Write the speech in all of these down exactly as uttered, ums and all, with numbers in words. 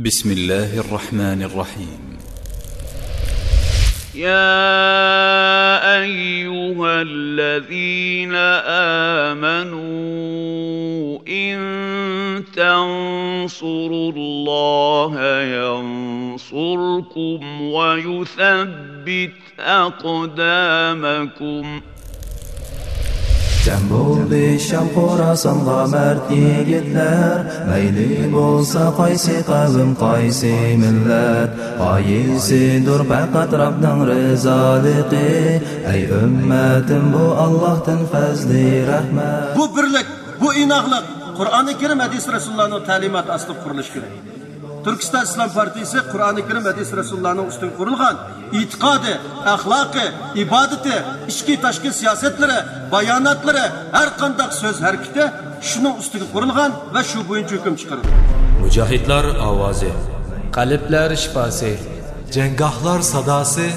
بسم الله الرحمن الرحيم. يا أيها الذين آمنوا إن تنصروا الله ينصركم ويثبت أقدامكم. جەم بولدى شام خوراسانغا مەرد يىگىتلەر، مەيلى بولسا قايسى قەۋم، قايسى مىللەت، غايىسىدۇر پەقەت رەبنىڭ رىزالىقى. ئەي ئۈممەتىم، بۇ ئاللاھتىن پەزلى رەھمەت. بۇ بىرلىك، بۇ ئىناقلىق قۇرئانى كەرىم، ھەدىس رەسۇلۇللانىڭ تەلىماتى ئاستىدا قۇرۇلۇشى كېرەك. تۈركىستان ئىسلام پارتىيىسى قۇرئانى كەرىم، ھەدىس رەسۇلۇللانىڭ ئۈستىگە قۇرۇلغان ئېتىقادى، ئەخلاقى، ئىبادىتى، ئىچكى تاشقى سىياسەتلىرى، باياناتلىرى، ھەر قانداق سۆز ھەرىكىتى شۇنىڭ ئۈستىگە قۇرۇلغان ۋە شۇ بويىچە ھۆكۈم چىقىرىدۇ. مۇجاھىدلار ئاۋازى. قەلبلەر شىپاسى. جەڭگاھلار ساداسى.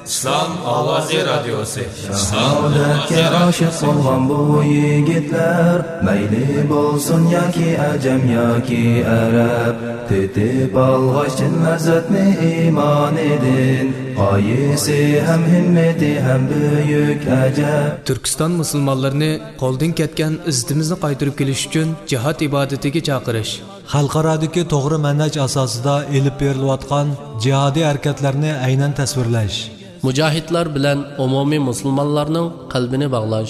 ئىسلام ئاۋازى رادىيوسى. شاھادەتكە ئاشىق بولغان بۇ يىگىتلەر، مەيلى بولسۇن ياكى ئەجەم ياكى ئەرەب، تېتىپ ئالغاچ چىن لەززەتنى ئىمانىدىن، غايىسى ھەم ھىممىتى ھەم بۈيۈك ئەجەب. تۈركىستان مۇسۇلمانلىرىنى قولدىن كەتكەن ئىززىتىمىزنى قايتۇرۇپ كېلىش ئۈچۈن جىھاد ئىبادىتىگە چاقىرىش. خەلقئارادىكى توغرا مەنھەج ئاساسىدا ئېلىپ بېرىلىۋاتقان جىھادىي ھەرىكەتلەرنى ئەينەن تەسۋىرلەش. مۇجاھىدلار بىلەن ئومۇمىي مۇسۇلمانلارنىڭ قەلبىنى باغلاش.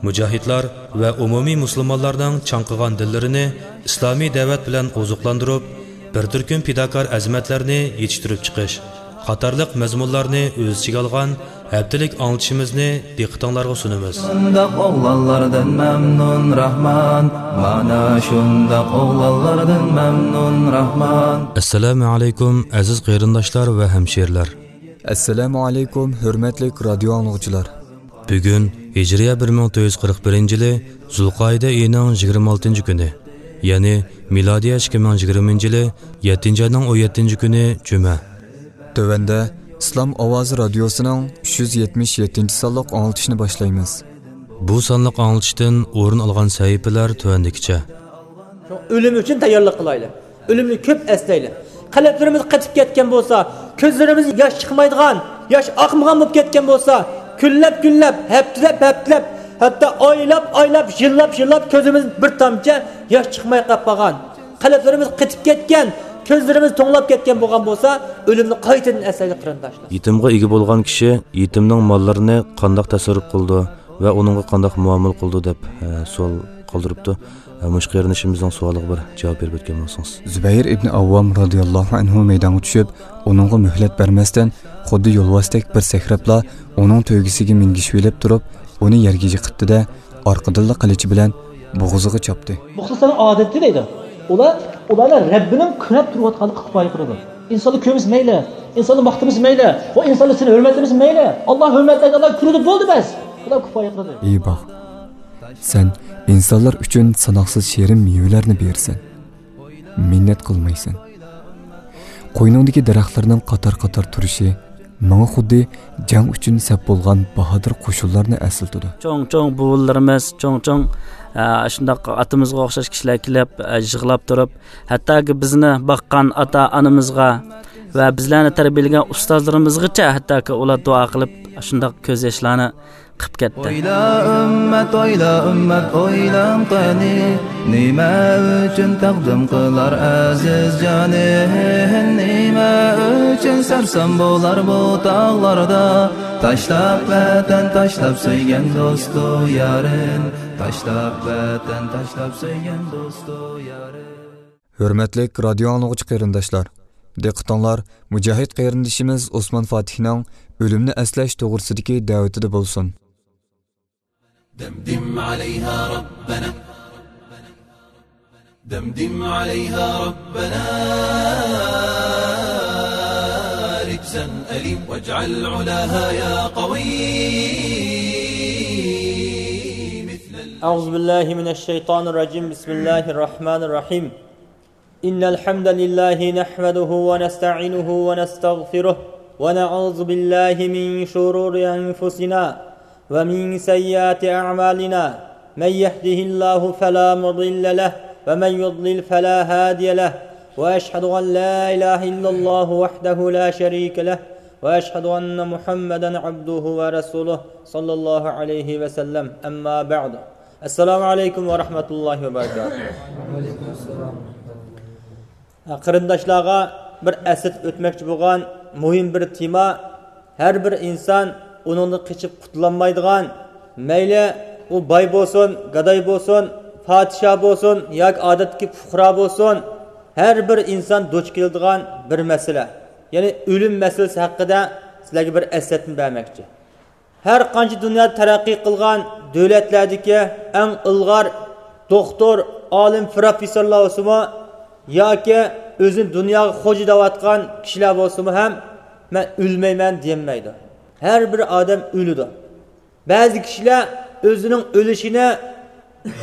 مۇجاھىدلار ۋە ئومۇمىي مۇسۇلمانلارنىڭ چاڭقىغان دىللىرىنى ئىسلامىي دەۋەت بىلەن ئوزۇقلاندۇرۇپ، بىر تۈركۈم پىداكار ئەزىمەتلەرنى يېتىشتۈرۈپ چىقىش قاتارلىق مەزمۇنلارنى ئۆز ئىچىگە ئالغان ھەپتىلىك ئاڭلىتىشىمىزنى دىققىتىڭلارغا سۇنىمىز. شۇنداق ئوغلانلاردىن مەمنۇن راھمان، مانا شۇنداق ئوغلانلاردىن مەمنۇن راھمان. ئەسسالامۇ ئەلەيكۇم، ئەزىز قېرىنداشلار ۋە ھەمشىرىلەر. ئەسسالامۇ ئەلەيكۇم، ھۆرمەتلىك رادىيو ئاڭلىغۇچىلار. بۈگۈن ھىجرىيە بىر مىڭ تۆت يۈز قىرىق بىرىنچى يىلى زۇلقائىدە ئېيىنىڭ يىگىرمە ئالتىنچى كۈنى، يەنى مىلادىيە ئىككى مىڭ يىگىرمىنچى يىلى يەتتىنچى ئاينىڭ ئون يەتتىنچى كۈنى جۈمە. تۆۋەندە ئىسلام ئاۋازى رادىيوسىنىڭ ئۈچ يۈز يەتمىش يەتتىنچى سانلىق ئاڭلىتىشىنى باشلايمىز. بۇ سانلىق ئاڭلىتىشتىن ئورۇن ئالغان سەھىپىلەر تۆۋەندىكىچە. ئۆلۈم ئۈچۈن تەييارلىق قىلايلى. ئۆلۈمنى كۆپ ئەسلەيلى. قەلبلىرىمىز قېتىپ كەتكەن بولسا، كۆزلىرىمىز ياش چىقمايدىغان، ياش ئاقمىغان بولۇپ كەتكەن بولسا، كۈنلەپ كۈنلەپ، ھەپتىلەپ ھەپتىلەپ، ھەتتا ئايلاپ ئايلاپ، يىللاپ يىللاپ كۆزىمىز بىر تامچە ياش چىقماي قاپ قالغان، قەلبلىرىمىز قېتىپ كەتكەن، كۆزلىرىمىز توڭلاپ كەتكەن بولغان بولسا، ئۆلۈمنى قايتىدىن ئەسلەيلى قېرىنداشلار. يېتىمغا ئىگە بولغان كىشى يېتىمنىڭ ماللىرىنى قانداق تەسەررۇپ قىلىدۇ ۋە ئۇنىڭغا قانداق مۇئامىلە قىلىدۇ دەپ، ئە، سوئال قالدۇرۇپتۇ. ئە، مۇشۇ قېرىندىشىمىزنىڭ سوئالىغا بىر جاۋاب بېرىپ ئۆتكەن بولسىڭىز. زۇبەير ئىبنى ئاۋۋام رازىياللاھۇ ئەنھۇ مەيدانغا چۈشۈپ، ئۇنىڭغا مۆھلەت بەرمەستىن، خۇددى يولۋاستەك بىر سەكرەپلا ئۇنىڭ تۆگىسىگە مىنگىشىۋېلىپ تۇرۇپ، ئۇنى يەرگە يىقىتتى-دە، ئارقىدىنلا قىلىچى بىلەن بوغۇزىغا چاپتى. مۇخلىسلارنىڭ ئادىتى دەيدۇ. ئۇلار، ئۇلارنى رەببىنىڭ كۈنەپ تۇرۇۋاتقانلىقىغا كۇپايە قىلىدۇ. ئىنسانلار كۆرمىسە مەيلى، ئىنسانلار ماختىمىسا مەيلى، ۋە ئىنسانلار سېنى ھۆرمەتلىمىسە مەيلى، ئاللا ھۆرمەتلەيدۇ، ئاللا كۆرىدۇ، بولدى بەس. ئۇلار كۇپايە قىلىدۇ. ئى باغ، سەن ئىنسانلار ئۈچۈن ساناقسىز شېرىن مېۋىلەرنى بېرىسەن. مىننەت قىلمايسەن. قوينۇڭدىكى دەرەخلەرنىڭ قاتار-قاتار تۇرۇشى ماڭا خۇددى جەڭ ئۈچۈن سەپ بولغان باھادىر قوشۇنلارنى ئەسلىتىدۇ. چوڭ-چوڭ بوۋىلىرىمىز، چوڭ-چوڭ، ئە، شۇنداق ئاتىمىزغا ئوخشاش كىشىلەر كېلىپ، ئە، يىغلاپ تۇرۇپ، ھەتتاكى بىزنى باققان ئاتا-ئانىمىزغا ۋە بىزلەرنى تەربىيەلىگەن ئۇستازلىرىمىزغىچە ھەتتاكى ئۇلار دۇئا قىلىپ، شۇنداق كۆز ياشلارنى قىپ كەتتى. ئويلا ئۈممەت، ئويلا ئۈممەت، ئويلاڭ قېنى، نېمە ئۈچۈن تەقدىم قىلار ئەزىز جانىن؟ نېمە ئۈچۈن سەرسان بولار بۇ تاغلاردا؟ تاشلاپ ۋەتەن، تاشلاپ سۆيگەن دوستۇ يارىن، تاشلاپ ۋەتەن، تاشلاپ سۆيگەن دوستۇ يارىن. ھۆرمەتلىك رادىيو ئاڭلىغۇچى قېرىنداشلار، دىققىتىڭلار مۇجاھىد قېرىندىشىمىز ئوسمان فاتىھنىڭ ئۆلۈمنى ئەسلەش توغرىسىدىكى دەۋىتىدە بولسۇن. دمدم عليها ربنا، دمدم عليها ربنا، رجزا أليم، واجعل علاها يا قوي مثل ال- أعوذ بالله من الشيطان الرجيم. بسم الله الرحمن الرحيم. إن الحمد لله نحمده ونستعينه ونستغفره، ونعوذ بالله من شرور أنفسنا ومن سيئات أعمالنا. من يهده الله فلا مضل له، ومن يضلل فلا هادي له، وأشهد أن لا إله إلا الله وحده لا شريك له، وأشهد أن محمدا عبده ورسوله، صلى الله عليه وسلم. أما بعد. السلام عليكم ورحمة الله وبركاته. قېرىنداشلارغا بىر ئەسلىتىپ ئۆتمەكچى بولغان مۇھىم بىر تېما. ھەر بىر ئىنسان ئۇنىڭدىن قېچىپ قۇتۇلالمايدىغان، مەيلى ئۇ باي بولسۇن، گاداي بولسۇن، پادىشاھ بولسۇن ياكى ئادەتتىكى پۇقرا بولسۇن، ھەر بىر ئىنسان دۇچ كېلىدىغان بىر مەسىلە. يەنى ئۆلۈم مەسىلىسى ھەققىدە سىلەرگە بىر ئەسلەتمە بەرمەكچى. ھەر قانچە دۇنيادا تەرەققىي قىلغان دۆلەتلەردىكى ئەڭ ئىلغار دوختۇر، ئالىم، پروفېسسورلار بولسىمۇ ياكى ئۆزىنى دۇنياغا خوجا دەۋاتقان كىشىلەر بولسىمۇ ھەم، مەن ئۆلمەيمەن دېيەلمەيدۇ. ھەر بىر ئادەم ئۆلىدۇ. بەزى كىشىلەر ئۆزىنىڭ ئۆلۈشىنى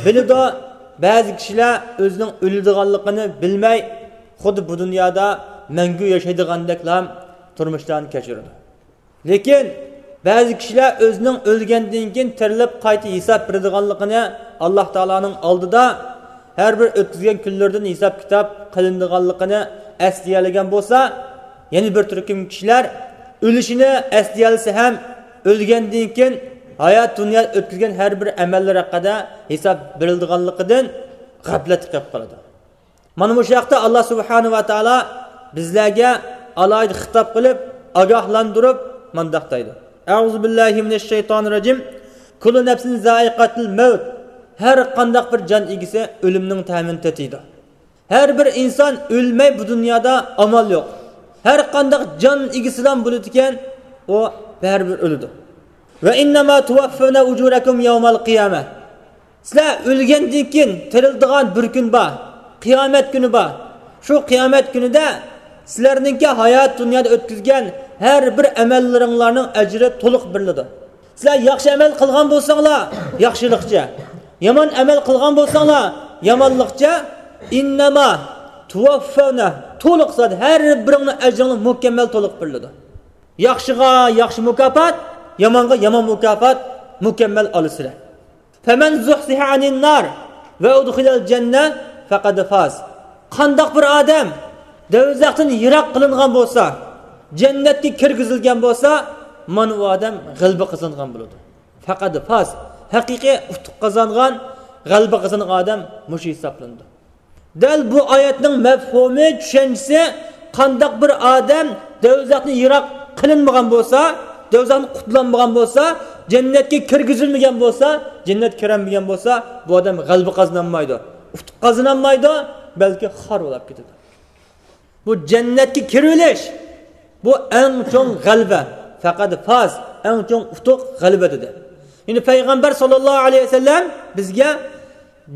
بىلىدۇ، بەزى كىشىلەر ئۆزىنىڭ ئۆلىدىغانلىقىنى بىلمەي، خۇددى بۇ دۇنيادا مەڭگۈ ياشايدىغاندەكلا تۇرمۇشلارنى كەچۈرىدۇ. لېكىن بەزى كىشىلەر ئۆزىنىڭ ئۆلگەندىن كېيىن تىرىلىپ قايتا ھېساب بېرىدىغانلىقىنى، ئاللاھ تائالانىڭ ئالدىدا ھەر بىر ئۆتكۈزگەن كۈنلىرىدىن ھېساب-كىتاب قىلىنىدىغانلىقىنى ئەسلىيەلىگەن بولسا، يەنە بىر تۈركۈم كىشىلەر ئۆلۈشىنى ئەسلىيەلىسە ھەم، ئۆلگەندىن كېيىن ھايات دۇنيادا ئۆتكۈزگەن ھەر بىر ئەمەللىرى ھەققىدە ھېساب بېرىلىدىغانلىقىدىن غەپلەتتە قېلىپ قالىدۇ. مانا مۇشۇ ھەقتە ئاللاھ سۇبھانەھۇ ۋە تائالا بىزلەرگە ئالاھىدە خىتاب قىلىپ، ئاگاھلاندۇرۇپ مۇنداق دەيدۇ: أعوذ بالله من الشيطان الرجيم. كل نفس ذائقة الموت. ھەر قانداق بىر جان ئىگىسى ئۆلۈمنىڭ تەمىنى تېتىيدۇ. ھەر بىر ئىنسان ئۆلمەي بۇ دۇنيادا ئامال يوق. ھەر قانداق جان ئىگىسىلا بولىدىكەن، ئۇ بەرىبىر ئۆلىدۇ. وإنما توفون أجوركم يوم القيامة. سىلەر ئۆلگەندىن كېيىن تىرىلىدىغان بىر كۈن بار، قىيامەت كۈنى بار. شۇ قىيامەت كۈنىدە سىلەرنىڭكى ھايات دۇنيادا ئۆتكۈزگەن ھەر بىر ئەمەللىرىڭلارنىڭ ئەجرى تولۇق بېرىلىدۇ. سىلەر ياخشى ئەمەل قىلغان بولساڭلار، ياخشىلىقچە، يامان ئەمەل قىلغان بولساڭلار، يامانلىقچە، إنما توفون، تولۇق زادى ھەر بىرىڭنىڭ ئەجرىڭلار مۇكەممەل تولۇق بېرىلىدۇ. ياخشىغا ياخشى مۇكاپات، يامانغا يامان مۇكاپات مۇكەممەل ئالىسىلەر. فمن زحزح عن النار وأدخل الجنة فقد فاز. قانداق بىر ئادەم دوزاختىن يىراق قىلىنغان بولسا، جەننەتكە كىرگۈزۈلگەن بولسا، مانا ئۇ ئادەم غەلىبە قازانغان بولىدۇ. فقد فاز، ھەقىقىي ئۇتۇق قازانغان، غەلىبە قازانغان ئادەم مۇشۇ ھېسابلىنىدۇ. دەل بۇ ئايەتنىڭ مەفھۇمى، چۈشەنچىسى، قانداق بىر ئادەم دوزاختىن يىراق قىلىنمىغان بولسا، دوزاختىن قۇتۇلالمىغان بولسا، جەننەتكە كىرگۈزۈلمىگەن بولسا، جەننەتكە كىرەلمىگەن بولسا، بۇ ئادەم غەلىبە قازىنالمايدۇ، ئۇتۇق قازىنالمايدۇ، بەلكى خار بولاپ كېتىدۇ. بۇ جەننەتكە كىرىۋېلىش، بۇ ئەڭ چوڭ غەلىبە. فەقەد فاز، ئەڭ چوڭ ئۇتۇق غەلىبە دېدى. يەنى پەيغەمبەر ساللاللاھۇ ئەلەيھى ۋەسەللەم بىزگە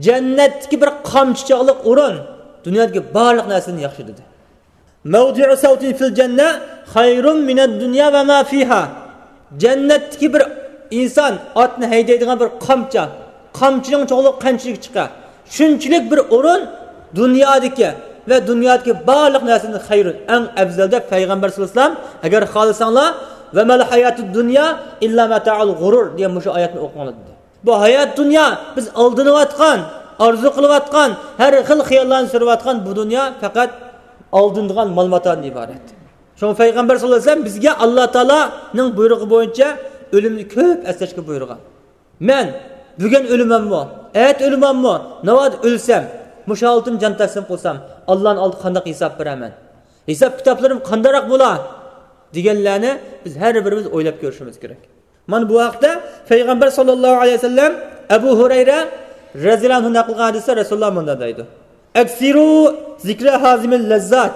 جەننەتتىكى بىر قامچا چاغلىق ئورۇن دۇنيادىكى بارلىق نەرسىدىن ياخشى دېدى. موضع سوط في الجنة خير من الدنيا وما فيها. جەننەتتىكى بىر ئىنسان ئاتنى ھەيدەيدىغان بىر قامچا، قامچىنىڭ چوڭلۇقى قانچىلىك چىقار، شۇنچىلىك بىر ئورۇن دۇنيادىكى ۋە دۇنيادىكى بارلىق نەرسىدىن خەيرۇن، ئەڭ ئەۋزەل دەپ پەيغەمبەر ساللاللاھۇ ئەلەيھى ۋەسەللەم، ئەگەر خالىساڭلار، وما الحياة الدنيا إلا متاع الغرور دېگەن مۇشۇ ئايەتنى ئوقۇڭلار دېدى. بۇ ھايات دۇنيا بىز ئالدىنىۋاتقان، ئارزۇ قىلىۋاتقان، ھەر خىل خىياللارنى سۈرۈۋاتقان بۇ دۇنيا پەقەت ئالدىنىدىغان مال-ماتادىن ئىبارەت. شۇڭا پەيغەمبەر ساللاللاھۇ ئەلەيھى ۋەسەللەم بىزگە ئاللا تائالانىڭ بۇيرۇقى بويىچە ئۆلۈمنى كۆپ ئەسلەشكە بۇيرۇغان. مەن بۈگۈن ئۆلىمەنمۇ، ئەتە ئۆلىمەنمۇ، ناۋادا ئۆلسەم، مۇشۇ ھالىتىم جان تەسلىم قىلسام، ئاللانىڭ ئالدىدا قانداق ھېساب بېرەمەن؟ ھېساب كىتابلىرىم قانداقراق بولا؟ دېگەنلەرنى بىز ھەر بىرىمىز ئويلاپ كۆرۈشىمىز كېرەك. مانا بۇ ھەقتە پەيغەمبەر ساللاللاھۇ ئەلەيھى ۋەسەللەم ئەبۇ ھۇرەيرە رەزىيەللاھۇ ئەنھۇ نەقىل قىلغان ھەدىستە رەسۇلۇللاھ مۇنداق دەيدۇ: أكثروا ذكر هاذم اللذات.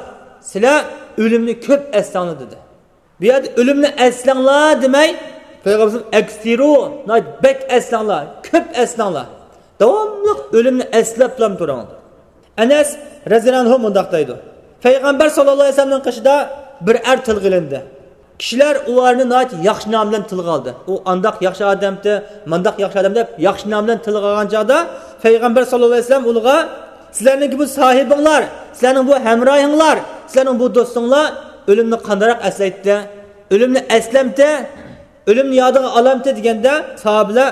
سىلەر ئۆلۈمنى كۆپ ئەسلەڭلار دېدى. بۇ يەردە ئۆلۈمنى ئەسلەڭلار دېمەي، پەيغەمبىرىمىز ئەكسىرۇ، ناھايىتى بەك ئەسلەڭلار، كۆپ ئەسلەڭلار. داۋاملىق ئۆلۈمنى ئەسلەپلا تۇرۇڭ. ئەنەس رەزىيەللاھۇ ئەنھۇ مۇنداق دەيدۇ: پەيغەمبەر ساللاللاھۇ ئەلەيھى ۋەسەللەمنىڭ قېشىدا بىر ئەر تىلغا ئېلىندى. كىشىلەر ئۇ ئەرنى ناھايىتى ياخشى نام بىلەن تىلغا ئالدى. ئۇ ئانداق ياخشى ئادەمتى، مانداق ياخشى ئادەم دەپ ياخشى نام بىلەن تىلغا ئالغان چاغدا پەيغەمبەر ساللاللاھۇ ئەلەيھى ۋەسەللەم ئۇلارغا، سىلەرنىڭكى بۇ ساھىبىڭلار، سىلەرنىڭ بۇ ھەمراھىڭلار، سىلەرنىڭ بۇ دوستۇڭلار ئۆلۈمنى قانداقراق ئەسلەيتتى؟ ئۆلۈمنى ئەسلەمتى؟ ئۆلۈمنى يادىغا ئالامتى دېگەندە، ساھابىلەر،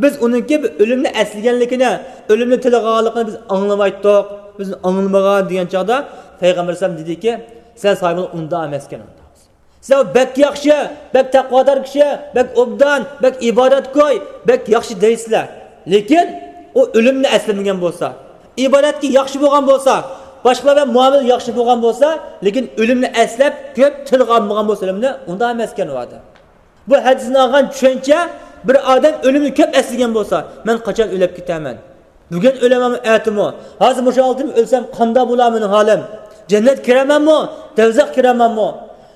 بىز ئۇنىڭكى بىر ئۆلۈمنى ئەسلىگەنلىكىنى، ئۆلۈمنى تىلغا ئالغانلىقىنى بىز ئاڭلىمايتتۇق، بىز ئاڭلىمىغان دېگەن چاغدا، پەيغەمبەر ئەلەيھىسسالام دېدىكى، سەن ساھىبىڭلار ئۇنداق ئەمەسكەن ئۇنداق. سىلەر بەك ياخشى، بەك تەقۋادار كىشى، بەك ئوبدان، بەك ئىبادەتكوي، بەك ياخشى دەيسىلەر. لېكىن ئۇ ئۆلۈمنى ئەسلىمىگەن بولسا، ئىبادەتكە ياخشى بولغان بولسا، باشقىلار بىلەن مۇئامىلە ياخشى بولغان بولسا، لېكىن ئۆلۈمنى ئەسلەپ كۆپ تىلغا ئالمىغان بولسا ئۆلۈمنى، ئۇنداق ئەمەسكەن ئۇ ئادەم. بۇ ھەدىستىن ئالغان چۈشەنچە، بىر ئادەم ئۆلۈمنى كۆپ ئەسلىگەن بولسا، مەن قاچان ئۆلۈپ كېتەمەن؟ بۈگۈن ئۆلەمەنمۇ، ئەتىمۇ؟ ھازىر مۇشۇ ھالەتتىمۇ ئۆلسەم، قانداق بولا مېنىڭ ھالىم؟ جەننەتكە كىرەمەنمۇ؟ دوزاخقا كىرەمەنمۇ؟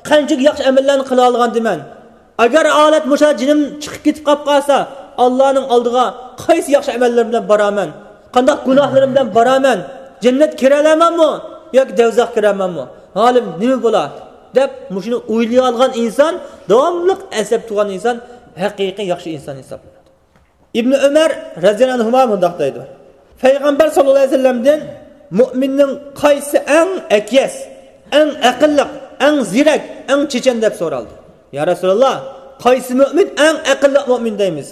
قانچىلىك ياخشى ئەمەللەرنى قىلالىغان دېمەن؟ ئەگەر ھالەت مۇشۇ جېنىم چىقىپ كېتىپ قاپ قالسا، ئاللانىڭ ئالدىغا قايسى ياخشى ئەمەللىرىم بىلەن بارامەن؟ قانداق گۇناھلىرىم بىلەن بارامەن؟ جەننەتكە كىرەلەمەنمۇ ياكى دوزاخقا كىرەلەمەنمۇ؟ ھالىم نېمە بولا؟ دەپ مۇشۇنى ئويلىيالىغان ئىنسان، داۋاملىق ئەسلەپ تۇرغان ئىنسان ھەقىقىي ياخشى ئىنسان ھېسابلىنىدۇ. ئىبنى ئۆمەر رەزىياللاھۇ ئەنھۇما مۇنداق دەيدۇ، پەيغەمبەر ساللاللاھۇ ئەلەيھى ۋەسەللەمدىن مۇئمىننىڭ قايسى ئەڭ ئەكىيەس، ئەڭ ئەقىللىق، ئەڭ زېرەك، ئەڭ چېچەن دەپ سورالدى. يا رەسۇلاللا، قايسى مۇئمىن ئەڭ ئەقىللىق مۇئمىن دەيمىز؟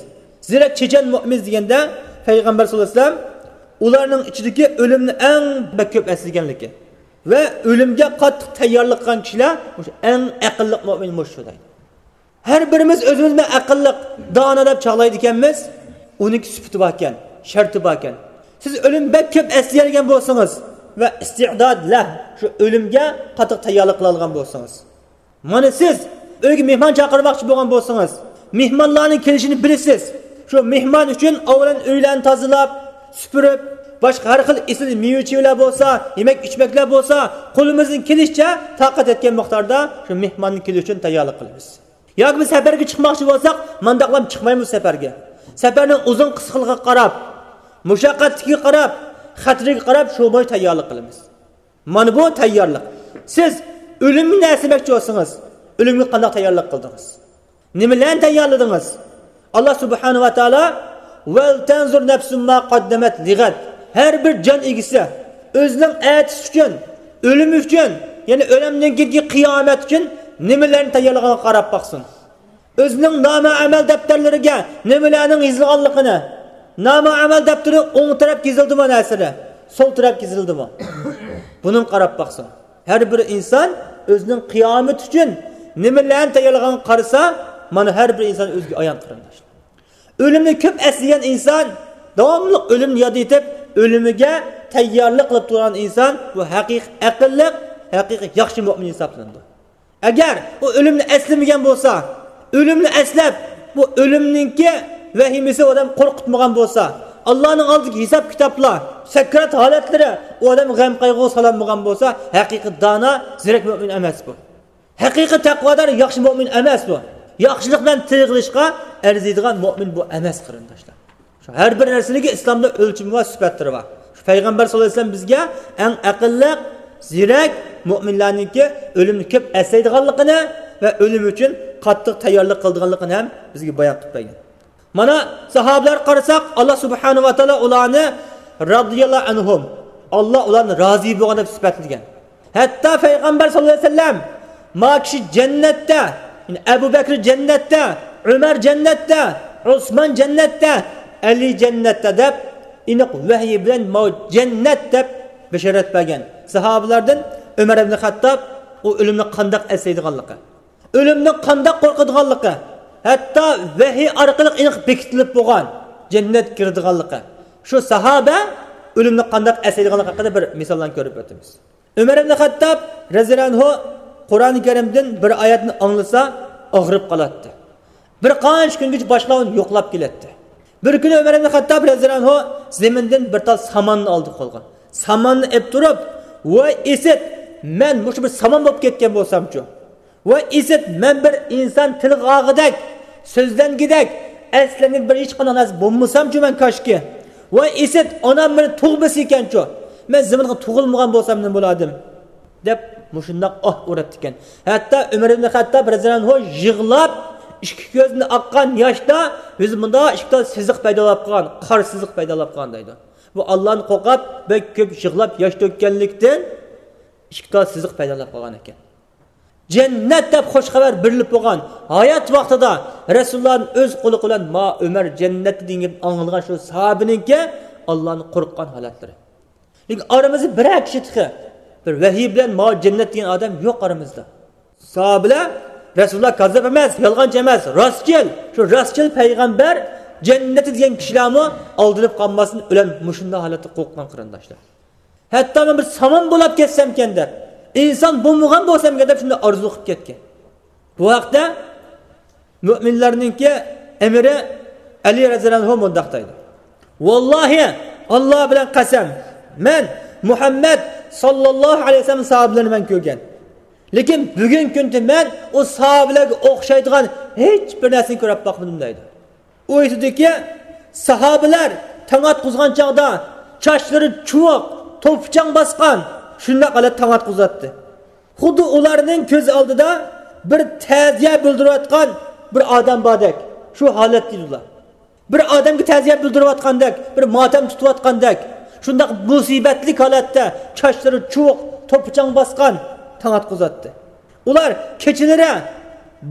زېرەك، چېچەن مۇئمىن دېگەندە، پەيغەمبەر ساللاللاھۇ ئەلەيھى ۋەسەللەم ئۇلارنىڭ ئىچىدىكى ئۆلۈمنى ئەڭ بەك كۆپ ئەسلىگەنلىكى ۋە ئۆلۈمگە قاتتىق تەييارلىق قىلغان كىشىلەر مۇشۇ ئەڭ ئەقىللىق مۇئمىن مۇشۇ دەيدۇ. ھەر بىرىمىز ئۆزىمىزنى ئەقىللىق، دانا دەپ چاغلايدىكەنمىز، ئۇنىڭكى سۈپىتى باركەن، شەرتى باركەن. سىز ئۆلۈم بەك كۆپ ئەسلىيەلىگەن بولسىڭىز ۋە ئىستىئداد لەھ، شۇ ئۆلۈمگە قاتتىق تەييارلىق قىلالىغان بولسىڭىز. مانا سىز ئۆيگە مېھمان چاقىرماقچى بولغان بولسىڭىز، مېھمانلارنىڭ كېلىشىنى بىلىسىز. شۇ مېھمان ئۈچۈن ئاۋۋالەن ئۆيلەرنى تازىلاپ، سۈپۈرۈپ، باشقا ھەر خىل ئېسىل مېۋە-چېۋىلەر بولسا، يېمەك-ئىچمەكلەر بولسا، قولىمىزدىن كېلىشىچە تاقەت يەتكەن مىقداردا شۇ مېھماننىڭ كېلىشى ئۈچۈن تەييارلىق قىلىمىز. ياكى بىر سەپەرگە چىقماقچى بولساق، مانداقلام چىقمايمىز سەپەرگە. سەپەرنىڭ ئۇزۇن قىسقىلىقىغا قاراپ، مۇشەققەتلىكىگە قاراپ، خەتىرىگە قاراپ شۇ بويىچە تەييارلىق قىلىمىز. مانا بۇ تەييارلىق. سىز ئۆلۈمنى ئەسلىمەكچى بولسىڭىز، ئۆلۈمگە قانداق تەييارلىق قىلدىڭىز؟ نېمىلەرنى تەييارلىدىڭىز؟ ئاللا سۇبھانەھۇ ۋە تائالا، «ۋەلتەنزۇر نەفسۇم ما قەددەمەت لىغەد.» ھەر بىر جان ئىگىسى ئۆزىنىڭ ئەتىسى ئۈچۈن، ئۆلۈم ئۈچۈن، يەنى ئۆلۈمدىن كېيىنكى قىيامەت ئۈچۈن نېمىلەرنى تەييارلىغانلىقىغا قاراپ باقسۇن. ئۆزىنىڭ نامە ئەمەل دەپتەرلىرىگە نېمىلەرنىڭ يېزىلغانلىقىنى، نامە ئەمەل دەپتىرى ئوڭ تەرەپكە يېزىلدىمۇ نەرسىلەر، سول تەرەپكە يېزىلدىمۇ؟ بۇنىڭغا قاراپ باقسۇن. ھەر بىر ئىنسان ئۆزىنىڭ قىيامىتى ئۈچۈن نېمىلەرنى تەييارلىغانغا قارىسا، مانا ھەر بىر ئىنسان ئۆزىگە ئايان قېرىنداشلار. ئۆلۈمنى كۆپ ئەسلىگەن ئىنسان، داۋاملىق ئۆلۈمنى ياد ئېتىپ، ئۆلۈمىگە تەييارلىق قىلىپ تۇرغان ئىنسان، بۇ ھەقىقىي ئەقىللىق، ھەقىقىي ياخشى مۆمىن ھېسابلىنىدۇ. ئەگەر ئۇ ئۆلۈمنى ئەسلىمىگەن بولسا، ئۆلۈمنى ئەسلەپ، بۇ ئۆلۈمنىڭكى ۋەھىمىسى ئۇ ئادەم قورقۇتمىغان بولسا، ئاللانىڭ ئالدىدىكى ھېساب-كىتابلار، سەكرات ھالەتلىرى ئۇ ئادەم غەم-قايغۇغا سالالمىغان بولسا، ھەقىقىي دانا، زېرەك مۆمىن ئەمەس بۇ. ھەقىقىي تەقۋادار، ياخشى مۆمىن ئەمەس بۇ. ياخشىلىق بىلەن تىل قىلىشقا ئەرزىيدىغان مۆمىن بۇ ئەمەس، قېرىنداشلار. شۇ ھەر بىر نەرسىنىڭكى ئىسلامدا ئۆلچىمى بار، سۈپەتلىرى بار. شۇ پەيغەمبەر ساللاللاھۇ ئەلەيھى ۋەسەللەم بىزگە ئەڭ ئەقىللىق، زېرەك مۆمىنلەرنىڭكى ئۆلۈمنى كۆپ ئەسلەيدىغانلىقىنى ۋە ئۆلۈم ئۈچۈن قاتتىق تەييارلىق قىلىدىغانلىقىنى ھەم بىزگە بايان قىلىپ بەرگەن. مانا ساھابىلەرگە قارىساق، ئاللا سۇبھانەھۇ ۋە تائالا ئۇلارنى رازىياللاھۇ ئەنھۇم، ئاللا ئۇلارنى رازى بولغان دەپ سۈپەتلىگەن. ھەتتا پەيغەمبەر ساللاللاھۇ ئەلەيھى ۋەسەللەم، ما كىشى جەننەتتە، يەنى ئەبۇ بەكرى جەننەتتە، ئۆمەر جەننەتتە، ئوسمان جەننەتتە، ئەلى جەننەتتە دەپ، ئېنىق ۋەھىي بىلەن ماۋۇ جەننەت دەپ بېشارەت بەرگەن. ساھابىلاردىن ئۆمەر ئىبنى خەتتاب ئۇ ئۆلۈمنى قانداق ئەسلەيدىغانلىقى، ئۆلۈمدىن قانداق قورقىدىغانلىقى، ھەتتا ۋەھىي ئارقىلىق ئېنىق بېكىتىلىپ بولغان جەننەتكە كىرىدىغانلىقى، شۇ ساھابە ئۆلۈمنى قانداق ئەسلەيدىغانلىقى ھەققىدە بىر مىساللارنى كۆرۈپ ئۆتىمىز. ئۆمەر ئىبنى خەتتاب رەزىياللاھۇ ئەنھۇ قۇرئانى كەرىمدىن بىر ئايەتنى ئاڭلىسا ئاغرىپ قالاتتى. بىر قانچە كۈنگىچە باشقىلار ئۇنى يوقلاپ كېلەتتى. بىر كۈنى ئۆمەر ئىبنى خەتتاب رەزىياللاھۇ ئەنھۇ زېمىندىن بىر تال ساماننى ئالدى قولىغا. ساماننى ئېلىپ تۇرۇپ، ۋاي ئىسىت، مەن مۇشۇ بىر سامان بولۇپ كەتكەن بولسامچۇ؟ ۋاي ئىسىت، مەن بىر ئىنسان تىلغا ئالغۇدەك، سۆزلەنگۈدەك، ئەسلەنگۈدەك بىر ھېچقانداق نەرسە بولمىسامچۇ مەن كاشكى؟ ۋاي ئىسىت، ئانام مېنى تۇغمىسا ئىكەنچۇ؟ مەن زېمىنغا تۇغۇلمىغان بولسام نېمە بولاتتىم؟ دەپ مۇشۇنداق ئاھ ئۇراتتىكەن. ھەتتا ئۆمەر ئىبنى خەتتاب رەزىياللاھۇ ئەنھۇ يىغلاپ، ئىككى كۆزىدىن ئاققان ياشتا يۈزى مۇنداق ئىككى تال سىزىق پەيدا بولۇپ قالغان، قارا سىزىق پەيدا بولۇپ قالغان دەيدۇ. بۇ ئاللانى قورقۇپ بەك كۆپ يىغلاپ ياش تۆككەنلىكتىن ئىككى تال سىزىق پەيدا بولۇپ قالغان ئىكەن. جەننەت دەپ خۇش خەۋەر بېرىلىپ بولغان، ھايات ۋاقتىدا رەسۇلۇللانىڭ ئۆز قۇلىقى بىلەن ما ئۆمەر جەننەتتە دېگەن گەپنى ئاڭلىغان شۇ ساھابىنىڭكى ئاللانى قورققان ھالەتلىرى. لېكىن ئارىمىزدا بىرەر كىشى تېخى ۋەھىي بىلەن ماۋۇ جەننەت دېگەن ئادەم يوق ئارىمىزدا. ساھابىلەر، رەسۇلۇللا كاززاپ ئەمەس، يالغانچى ئەمەس، راستچىل، شۇ راستچىل پەيغەمبەر جەننىتى دېگەن كىشىلەرمۇ ئالدىنىپ قالماستىن ئۆلەن مۇشۇنداق ھالەتتە قورققان قېرىنداشلار. ھەتتا مەن بىر سامان بولاپ كەتسەمكەن دەپ، ئىنسان بولمىغان بولسامكەن دەپ شۇنداق ئارزۇ قىلىپ كەتكەن. بۇ ھەقتە مۆمىنلەرنىڭكى ئەمىرى ئەلى رەزىيەللاھۇ ئەنھۇ مۇنداق دەيدۇ: ۋاللاھى، ئاللا بىلەن قەسەم، مەن مۇھەممەد ساللاللاھۇ ئەلەيھى ۋەسەللەم ساھابىلىرىنى مەن كۆرگەن. لېكىن بۈگۈن كۈندە مەن ئۇ ساھابىلەرگە ئوخشايدىغان ھېچ بىر نەرسىنى كۆرۈپ باقمىدىم دەيدۇ. ئۇ ئېيتىدۇكى، ساھابىلەر تاڭ ئاتقۇزغان چاغدا چاچلىرى چۇۋۇق، توپا-چاڭ باسقان، شۇنداق ھالەتتە تاڭ ئاتقۇزاتتى. خۇددى ئۇلارنىڭ كۆز ئالدىدا بىر تەزىيە بىلدۈرۈۋاتقان بىر ئادەم باردەك، شۇ ھالەتتە ئىدى ئۇلار. بىر ئادەمگە تەزىيە بىلدۈرۈۋاتقاندەك، بىر ماتەم تۇتۇۋاتقاندەك، شۇنداق مۇسىبەتلىك ھالەتتە چاچلىرى چۇۋۇق، توپا-چاڭ باسقان تاڭ ئاتقۇزاتتى. ئۇلار كېچىلىرى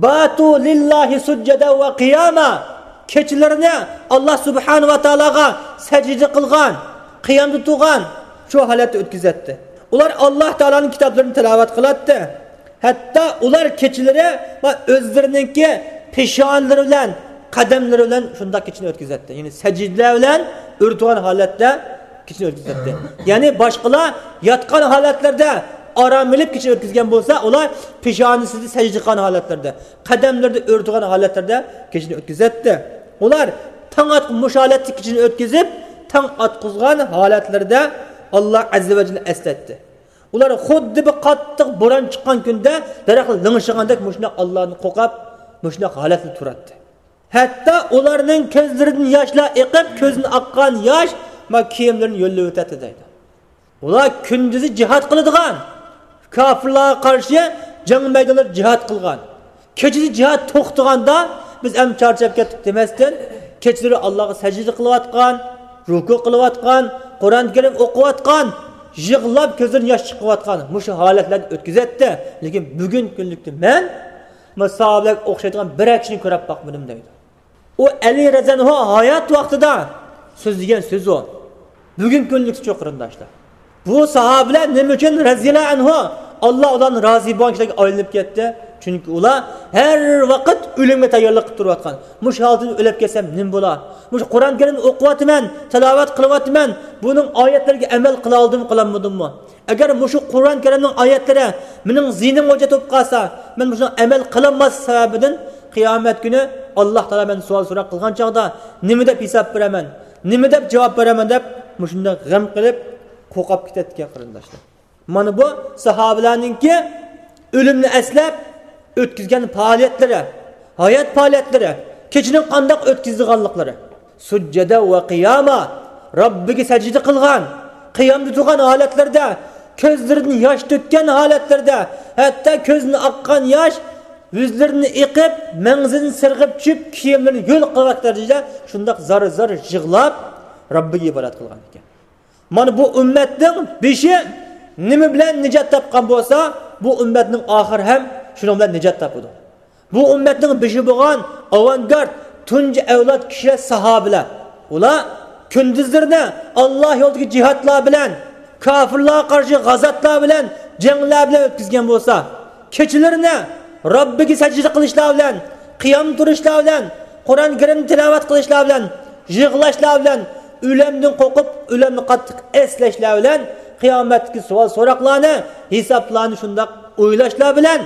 باتۇ لىللاھى سۇججەدەن ۋە قىياما، كېچىلىرىنى ئاللا سۇبھانەھۇ ۋە تائالاغا سەجدە قىلغان، قىيامدا تۇرغان، شۇ ھالەتتە ئۆتكۈزەتتى. ئۇلار ئاللا تائالانىڭ كىتابلىرىنى تىلاۋەت قىلاتتى. ھەتتا ئۇلار كېچىلىرى ۋە ئۆزلىرىنىڭكى پېشانىلىرى بىلەن، قەدەملىرى بىلەن شۇنداق كېچىنى ئۆتكۈزەتتى. يەنى سەجدىلەر بىلەن ئۆرتىگەن ھالەتتە كېچىنى ئۆتكۈزەتتى. يەنى باشقىلار ياتقان ھالەتلەردە ئارام ئېلىپ كېچىنى ئۆتكۈزگەن بولسا، ئۇلار پېشانىسىدا سەجدە قىلغان ھالەتلەردە، قەدەملىرىدە ئۆرتىگەن ھالەتلەردە كېچىنى ئۆتكۈزەتتى. ئۇلار تاڭ ئاتقۇ مۇشۇ ھالەتتە كېچىنى ئۆتكۈزۈپ، تاڭ ئاتقۇزغان ھالەتلىرىدە ئاللا ئەززە ۋە جەللە ئەسلەتتى. ئۇلار خۇددى بىر قاتتىق بوران چىققان كۈندە دەرەخ لىڭشىغاندەك مۇشۇنداق ئاللادىن قورقۇپ، مۇشۇنداق ھالەتتە تۇراتتى. ھەتتا ئۇلارنىڭ كۆزلىرىدىن ياشلار ئېقىپ، كۆزدىن ئاققان ياش ما كىيىملىرىنى يۆلىۋېتەتتى دەيدۇ. ئۇلار كۈندۈزى جىھاد قىلىدىغان، كاپىرلارغا قارشى جەڭ مەيدانلىرىدا جىھاد قىلغان. كېچىدە جىھاد توختىغاندا، بىز ئەمدى چارچاپ كەتتۇق دېمەستىن، كېچىلىرى ئاللاغا سەجدە قىلىۋاتقان، رۇكۇ قىلىۋاتقان، قۇرئان كەرىم ئوقۇۋاتقان، يىغلاپ كۆزلىرىدىن ياش چىقىۋاتقان مۇشۇ ھالەتلەرنى ئۆتكۈزەتتى. لېكىن بۈگۈنكى كۈنلۈكتە مەن مانا ساھابىلەرگە ئوخشايدىغان بىرەر كىشىنى كۆرۈپ باقمىدىم دەيدۇ. ئۇ ئەلى رەزىيەللاھۇ ھايات ۋاقتىدا سۆزلىگەن سۆز ئۇ. بۈگۈنكى كۈنلۈكتىچۇ قېرىنداشلار؟ بۇ ساھابىلەر نېمە ئۈچۈن رەزىيەللاھۇ ئەنھۇ، ئاللا ئۇلاردىن رازى بولغان كىشىلەرگە ئايلىنىپ كەتتى؟ چۈنكى ئۇلار ھەر ۋاقىت ئۆلۈمگە تەييارلىق قىلىپ تۇرۇۋاتقان. مۇشۇ ھالەتتە ئۆلۈپ كەتسەم نېمە بولا؟ مۇشۇ قۇرئان كەرىمنى ئوقۇۋاتىمەن، تىلاۋەت قىلىۋاتىمەن، بۇنىڭ ئايەتلىرىگە ئەمەل قىلالدىممۇ، قىلالمىدىممۇ؟ ئەگەر مۇشۇ قۇرئان كەرىمنىڭ ئايەتلىرى مېنىڭ زېھنىمغا ھۆججەت بولۇپ قالسا، مەن مۇشۇنىڭغا ئەمەل قىلالماسلىق سەۋەبىدىن قىيامەت كۈنى ئاللا تائالا مەن سوئال سوراق قىلغان چاغدا نېمە دەپ ھېساب بېرەمەن، نېمە دەپ جاۋاب بېرەمەن دەپ مۇشۇنداق غەم قىلىپ قورقۇپ كېتەتتىكەن قېرىنداشلار. مانا بۇ ساھابىلەرنىڭكى ئۆلۈمنى ئەسلەپ ئۆتكۈزگەن پائالىيەتلىرى، ھايات پائالىيەتلىرى، كېچىنى قانداق ئۆتكۈزىدىغانلىقلىرى. سۇججەدە ۋە قىياما، رەببىگە سەجدە قىلغان، قىيامدا تۇرغان ھالەتلىرىدە، كۆزلىرىدىن ياش تۆككەن ھالەتلىرىدە، ھەتتا كۆزىدىن ئاققان ياش يۈزلىرىنى ئېقىپ، مەڭزىدىن سىرغىپ چۈشۈپ، كىيىملىرىنى ھۆل قىلىۋاتقان دەرىجىدە شۇنداق زار-زار يىغلاپ، رەببىگە ئىبادەت قىلغان ئىكەن. مانا بۇ ئۈممەتنىڭ بېشى نېمە بىلەن نىجات تاپقان بولسا، بۇ ئۈممەتنىڭ ئاخىرى ھەم شۇنىڭ بىلەن نىجات تاپىدۇ. بۇ ئۈممەتنىڭ بېشى بولغان ئاۋانگارت، تۇنجى ئەۋلاد كىشىلەر ساھابىلەر. ئۇلار كۈندۈزلىرىنى ئاللا يولىدىكى جىھادلار بىلەن، كاپىرلارغا قارشى غازاتلار بىلەن، جەڭلەر بىلەن ئۆتكۈزگەن بولسا، كېچىلىرىنى رەببىگە سەجدە قىلىشلار بىلەن، قىيام تۇرۇشلار بىلەن، قۇرئان كەرىمنى تىلاۋەت قىلىشلار بىلەن، يىغلاشلار بىلەن، ئۆلۈمدىن قورقۇپ، ئۆلۈمنى قاتتىق ئەسلەشلەر بىلەن، قىيامەتتىكى سوئال سوراقلارنى، ھېسابلارنى شۇنداق ئويلاشلار بىلەن،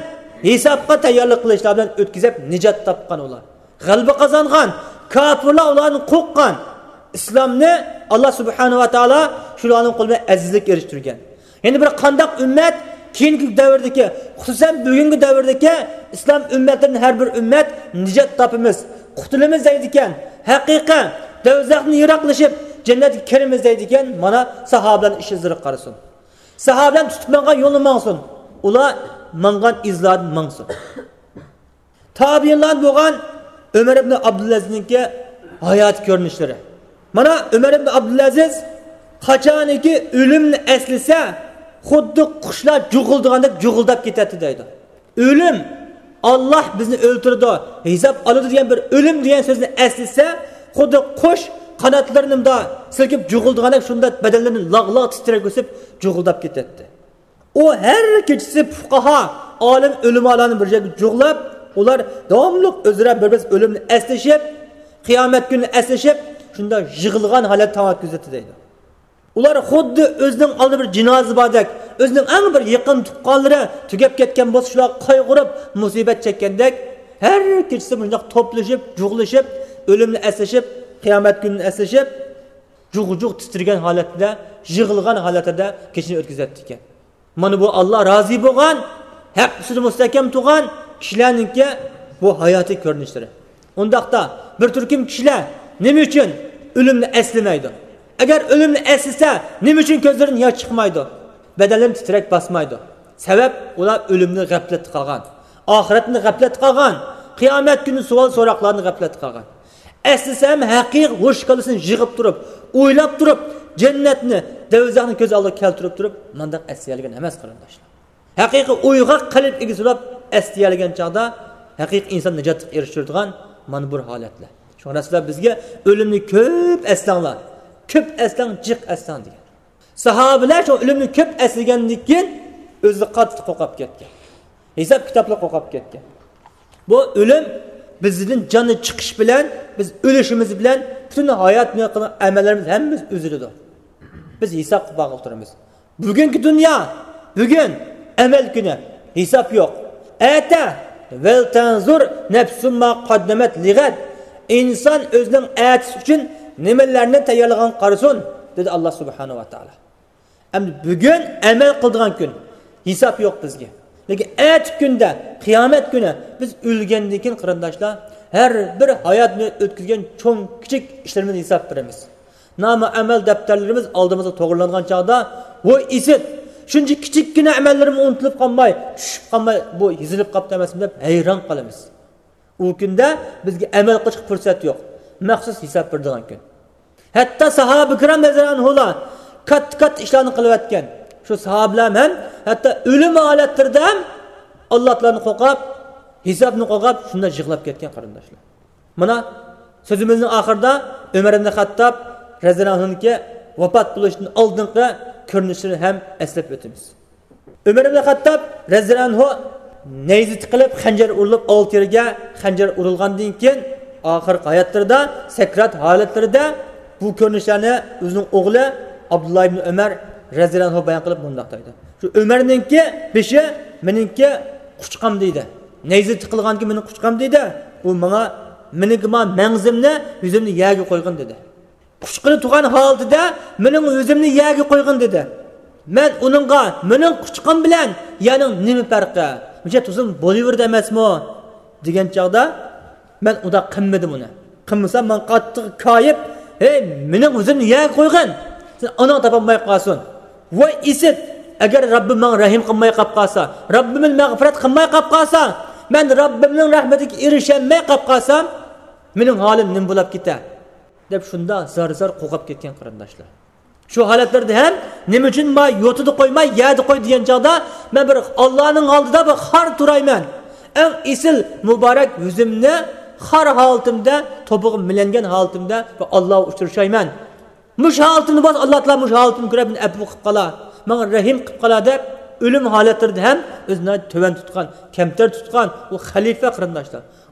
ھېسابقا تەييارلىق قىلىشلار بىلەن ئۆتكۈزۈپ نىجات تاپقان ئۇلار. غەلىبە قازانغان، كاپىرلار ئۇلاردىن قورققان، ئىسلامنى ئاللا سۇبھانەھۇ ۋە تائالا شۇلارنىڭ قولى بىلەن ئەزىزلىككە ئېرىشتۈرگەن. يەنە بىر قانداق ئۈممەت كېيىنكى دەۋردىكى، خۇسۇسەن بۈگۈنكى دەۋردىكى ئىسلام ئۈممەتلىرىدىن ھەر بىر ئۈممەت نىجات تاپىمىز، قۇتۇلىمىز دەيدىكەن، ھەقىقەت، دوزاختىن يىراقلىشىپ جەننەتكە كىرىمىز دەيدىكەن، مانا ساھابىلەرنىڭ ئىش ئىزلىرىغا قارىسۇن. ساھابىلەر تۇتۇپ ماڭغان يولنى ماڭسۇن، ئۇلار ماڭغان ئىزلاردىن ماڭسۇن. تابىئىنلاردىن بولغان ئۆمەر ئىبنى ئابدۇلئەزىزنىڭكى ھاياتىي كۆرۈنۈشلىرى. مانا ئۆمەر ئىبنى ئابدۇلئەزىز قاچانكى ئۆلۈمنى ئەسلىسە، خۇددى قۇشلار جۇغۇلدىغاندەك جۇغۇلداپ كېتەتتى دەيدۇ. ئۆلۈم، ئاللا بىزنى ئۆلتۈرىدۇ، ھېساب ئالىدۇ دېگەن بىر ئۆلۈم دېگەن سۆزنى ئەسلىسە، خۇددى قۇش قاناتلىرىنى مۇنداق سىلكىپ جۇغۇلدىغاندەك شۇنداق بەدەنلىرىنى لاغ-لاغ تىترەتكۈزۈپ جۇغۇلداپ كېتەتتى. ئۇ ھەر كېچىسى پۇقاھا، ئالىم، ئۆلىمالارنى بىر يەرگە جۇغلاپ، ئۇلار داۋاملىق ئۆزئارا بىر-بىرسى ئۆلۈمنى ئەسلىشىپ، قىيامەت كۈنىنى ئەسلىشىپ، شۇنداق يىغلىغان ھالەتتە تاڭ ئۆتكۈزەتتى دەيدۇ. ئۇلار خۇددى ئۆزىنىڭ ئالدىدا بىر جىنازا باردەك، ئۆزىنىڭ ئەڭ بىر يېقىن تۇغقانلىرى تۈگەپ كەتكەن بولسا، شۇلارغا قايغۇرۇپ، مۇسىبەت چەككەندەك، ھەر كېچىسى مۇشۇنداق توپلىشىپ، جۇغلىشىپ، ئۆلۈمنى ئەسلىشىپ، قىيامەت كۈنىنى ئەسلىشىپ، جۇغ-جۇغ تىترىگەن ھالەتتە، يىغلىغان ھالەتتە كېچىنى ئۆتكۈزەتتىكەن. مانا بۇ ئاللا رازى بولغان، ھەق ئۈستىدە مۇستەھكەم تۇرغان كىشىلەرنىڭكى بۇ ھاياتىي كۆرۈنۈشلىرى. ئۇنداقتا بىر تۈركۈم كىشىلەر نېمە ئۈچۈن ئۆلۈمنى ئەسلىمەيدۇ؟ ئەگەر ئۆلۈمنى ئەسلىسە، نېمە ئۈچۈن كۆزلىرىدىن ياش چىقمايدۇ؟ بەدەنلىرى تىترەك باسمايدۇ؟ سەۋەب، ئۇلار ئۆلۈمنى غەپلەتتە قالغان، ئاخىرەتنى غەپلەتتە قالغان، قىيامەت كۈنى سوئال سوراقلارنى غەپلەتتە قالغان. ئەسلىسەم ھەقىقىي ھوش كاللىسىنى يىغىپ تۇرۇپ، ئويلاپ تۇرۇپ، جەننەتنى، دوزاخنى كۆز ئالدىغا كەلتۈرۈپ تۇرۇپ، مانداق ئەسلىيەلىگەن ئەمەس، قېرىنداشلار. ھەقىقىي ئويغاق قەلب ئىگىسى بولۇپ ئەسلىيەلىگەن چاغدا، ھەقىقىي ئىنسان نىجاتلىققا ئېرىشتۈرىدىغان مانا بۇ ھالەتلەر. شۇڭا رەسۇلۇللا بىزگە ئۆلۈمنى كۆپ ئەسلەڭلار، كۆپ ئەسلەڭ، جىق ئەسلەڭ دېگەن. ساھابىلەر شۇ ئۆلۈمنى كۆپ ئەسلىگەندىن كېيىن ئۆزى قاتتىق قورقۇپ كەتكەن. ھېساب كىتابلار قورقۇپ كەتكەن. بۇ ئۆلۈم بىزدىن جانى چىقىش بىلەن، بىز ئۆلۈشىمىز بىلەن پۈتۈن ھايات بويى قىلغان ئەمەللىرىمىز ھەممىمىز ئۈزۈلىدۇ. بىز ھېساب قىلىپ باققىلى تۇرىمىز. بۈگۈنكى دۇنيا، بۈگۈن ئەمەل كۈنى، ھېساب يوق. ئەتە، ۋەلتەنزۇر نەفسۇم ما قەددەمەت لىغەد. ئىنسان ئۆزىنىڭ ئەتىسى ئۈچۈن نېمىلەرنى تەييارلىغان قارىسۇن، دېدى ئاللا سۇبھانەھۇ ۋە تائالا. ئەمدى بۈگۈن ئەمەل قىلىدىغان كۈن، ھېساب يوق بىزگە. لېكىن ئەتە كۈندە، قىيامەت كۈنى بىز ئۆلگەندىن كېيىن، قېرىنداشلار، ھەر بىر ھايات ئۆتكۈزگەن چوڭ، كىچىك ئىشلىرىمىزنى ھېساب بېرىمىز. نامە ئەمەل دەپتەرلىرىمىز ئالدىمىزغا توغرىلانغان چاغدا، ۋوي ئىسىت، شۇنچە كىچىككىنە ئەمەللىرىم ئۇنتۇلۇپ قالماي، چۈشۈپ قالماي، بۇ يېزىلىپ قاپتۇ ئەمەسمۇ دەپ ھەيران قالىمىز. ئۇ كۈندە بىزگە ئەمەل قىلىشقا پۇرسەت يوق. مەخسۇس ھېساب بېرىدىغان كۈن. ھەتتا ساھابە كىرام رەزىياللاھۇ ئەنھۇلار كاتتا-كاتتا ئىشلارنى قىلىۋەتكەن. شۇ ساھابىلەر ھەم ھەتتا ئۆلۈم ھالەتلىرىدە ھەم ئاللادىن قورقۇپ، ھېسابتىن قورقۇپ، شۇنداق يىغلاپ كەتكەن، قېرىنداشلار. مانا، سۆزىمىزنىڭ ئاخىرىدا ئۆمەر ئىبن خەتتاب رەزىياللاھۇ ئەنھۇنىڭكى ۋاپات بولۇشتىن ئالدىنقى كۆرۈنۈشلىرىنى ھەم ئەسلەپ ئۆتىمىز. ئۆمەر ئىبن خەتتاب رەزىياللاھۇ ئەنھۇ نەيزە تىقىلىپ، خەنجەر ئۇرۇلۇپ، ئالتە يەرگە خەنجەر ئۇرۇلغاندىن كېيىن، ئاخىرقى ھاياتلىرىدا، سەكرات ھالەتلىرىدە بۇ كۆرۈنۈشلەرنى ئۆزىنىڭ ئوغلى ئابدۇللا ئىبن ئۆمەر رەزىياللاھۇ ئەنھۇ بايان قىلىپ مۇنداق دەيدۇ: شۇ ئۆمەرنىڭكى بېشى مېنىڭكى قۇچىقىم دېدى. نەيزە تىقىلغانكى مېنىڭ قۇچىقىم دېدى. ئۇ ماڭا، مېنىڭكى ما مەڭزىمنى، يۈزۈمنى يەرگە قويغىن دېدى. قۇچىقىنى تۇغان ھالىتىدە مېنىڭ يۈزۈمنى يەرگە قويغىن دېدى. مەن ئۇنىڭغا، مېنىڭ قۇچىقىم بىلەن يەرنىڭ نېمە پەرقى؟ مۇشۇ تۇزۇم بولۇۋېرىدۇ ئەمەسمۇ؟ دېگەن چاغدا، مەن ئۇنداق قىلمىدىم ئۇنى. قىلمىسام، ماڭا قاتتىق كايىپ، ھەي، مېنىڭ يۈزۈمنى يەرگە قويغىن، سېنىڭ ئاناڭ تاپالماي قالسۇن. ۋاي ئىسىت، ئەگەر رەببىم ماڭا رەھىم قىلماي قاپ قالسا، رەببىم مېنى مەغپىرەت قىلماي قاپ قالسا، مەن رەببىمنىڭ رەھمىتىگە ئېرىشەلمەي قاپ قالسام، مېنىڭ ھالىم نېمە بولاپ كېتە؟ دەپ شۇنداق زار-زار قورقۇپ كەتكەن، قېرىنداشلار. شۇ ھالەتلەردە ھەم نېمە ئۈچۈن ما يوتىدا قويماي، يەردە قوي دېگەن چاغدا، مەن بىر ئاللانىڭ ئالدىدا بىر خار تۇرايمەن. ئەڭ ئېسىل مۇبارەك يۈزۈمنى خار ھالىتىمدە، توپىغا مىلەنگەن ھالىتىمدە بىر ئاللاغا ئۇچرىشايمەن. مۇشۇ ھالىتىمنى بولسا، ئاللا تائالا مۇشۇ ھالىتىمنى كۆرۈپ، مېنى ئەپۇ قىلىپ قالا، ماڭا رەھىم قىلىپ قالا دەپ، ئۆلۈم ھالەتلىرىدە ھەم ئۆزىنى تۆۋەن تۇتقان، كەمتەر تۇتقان ئۇ خەلىپە، قېرىنداشلار.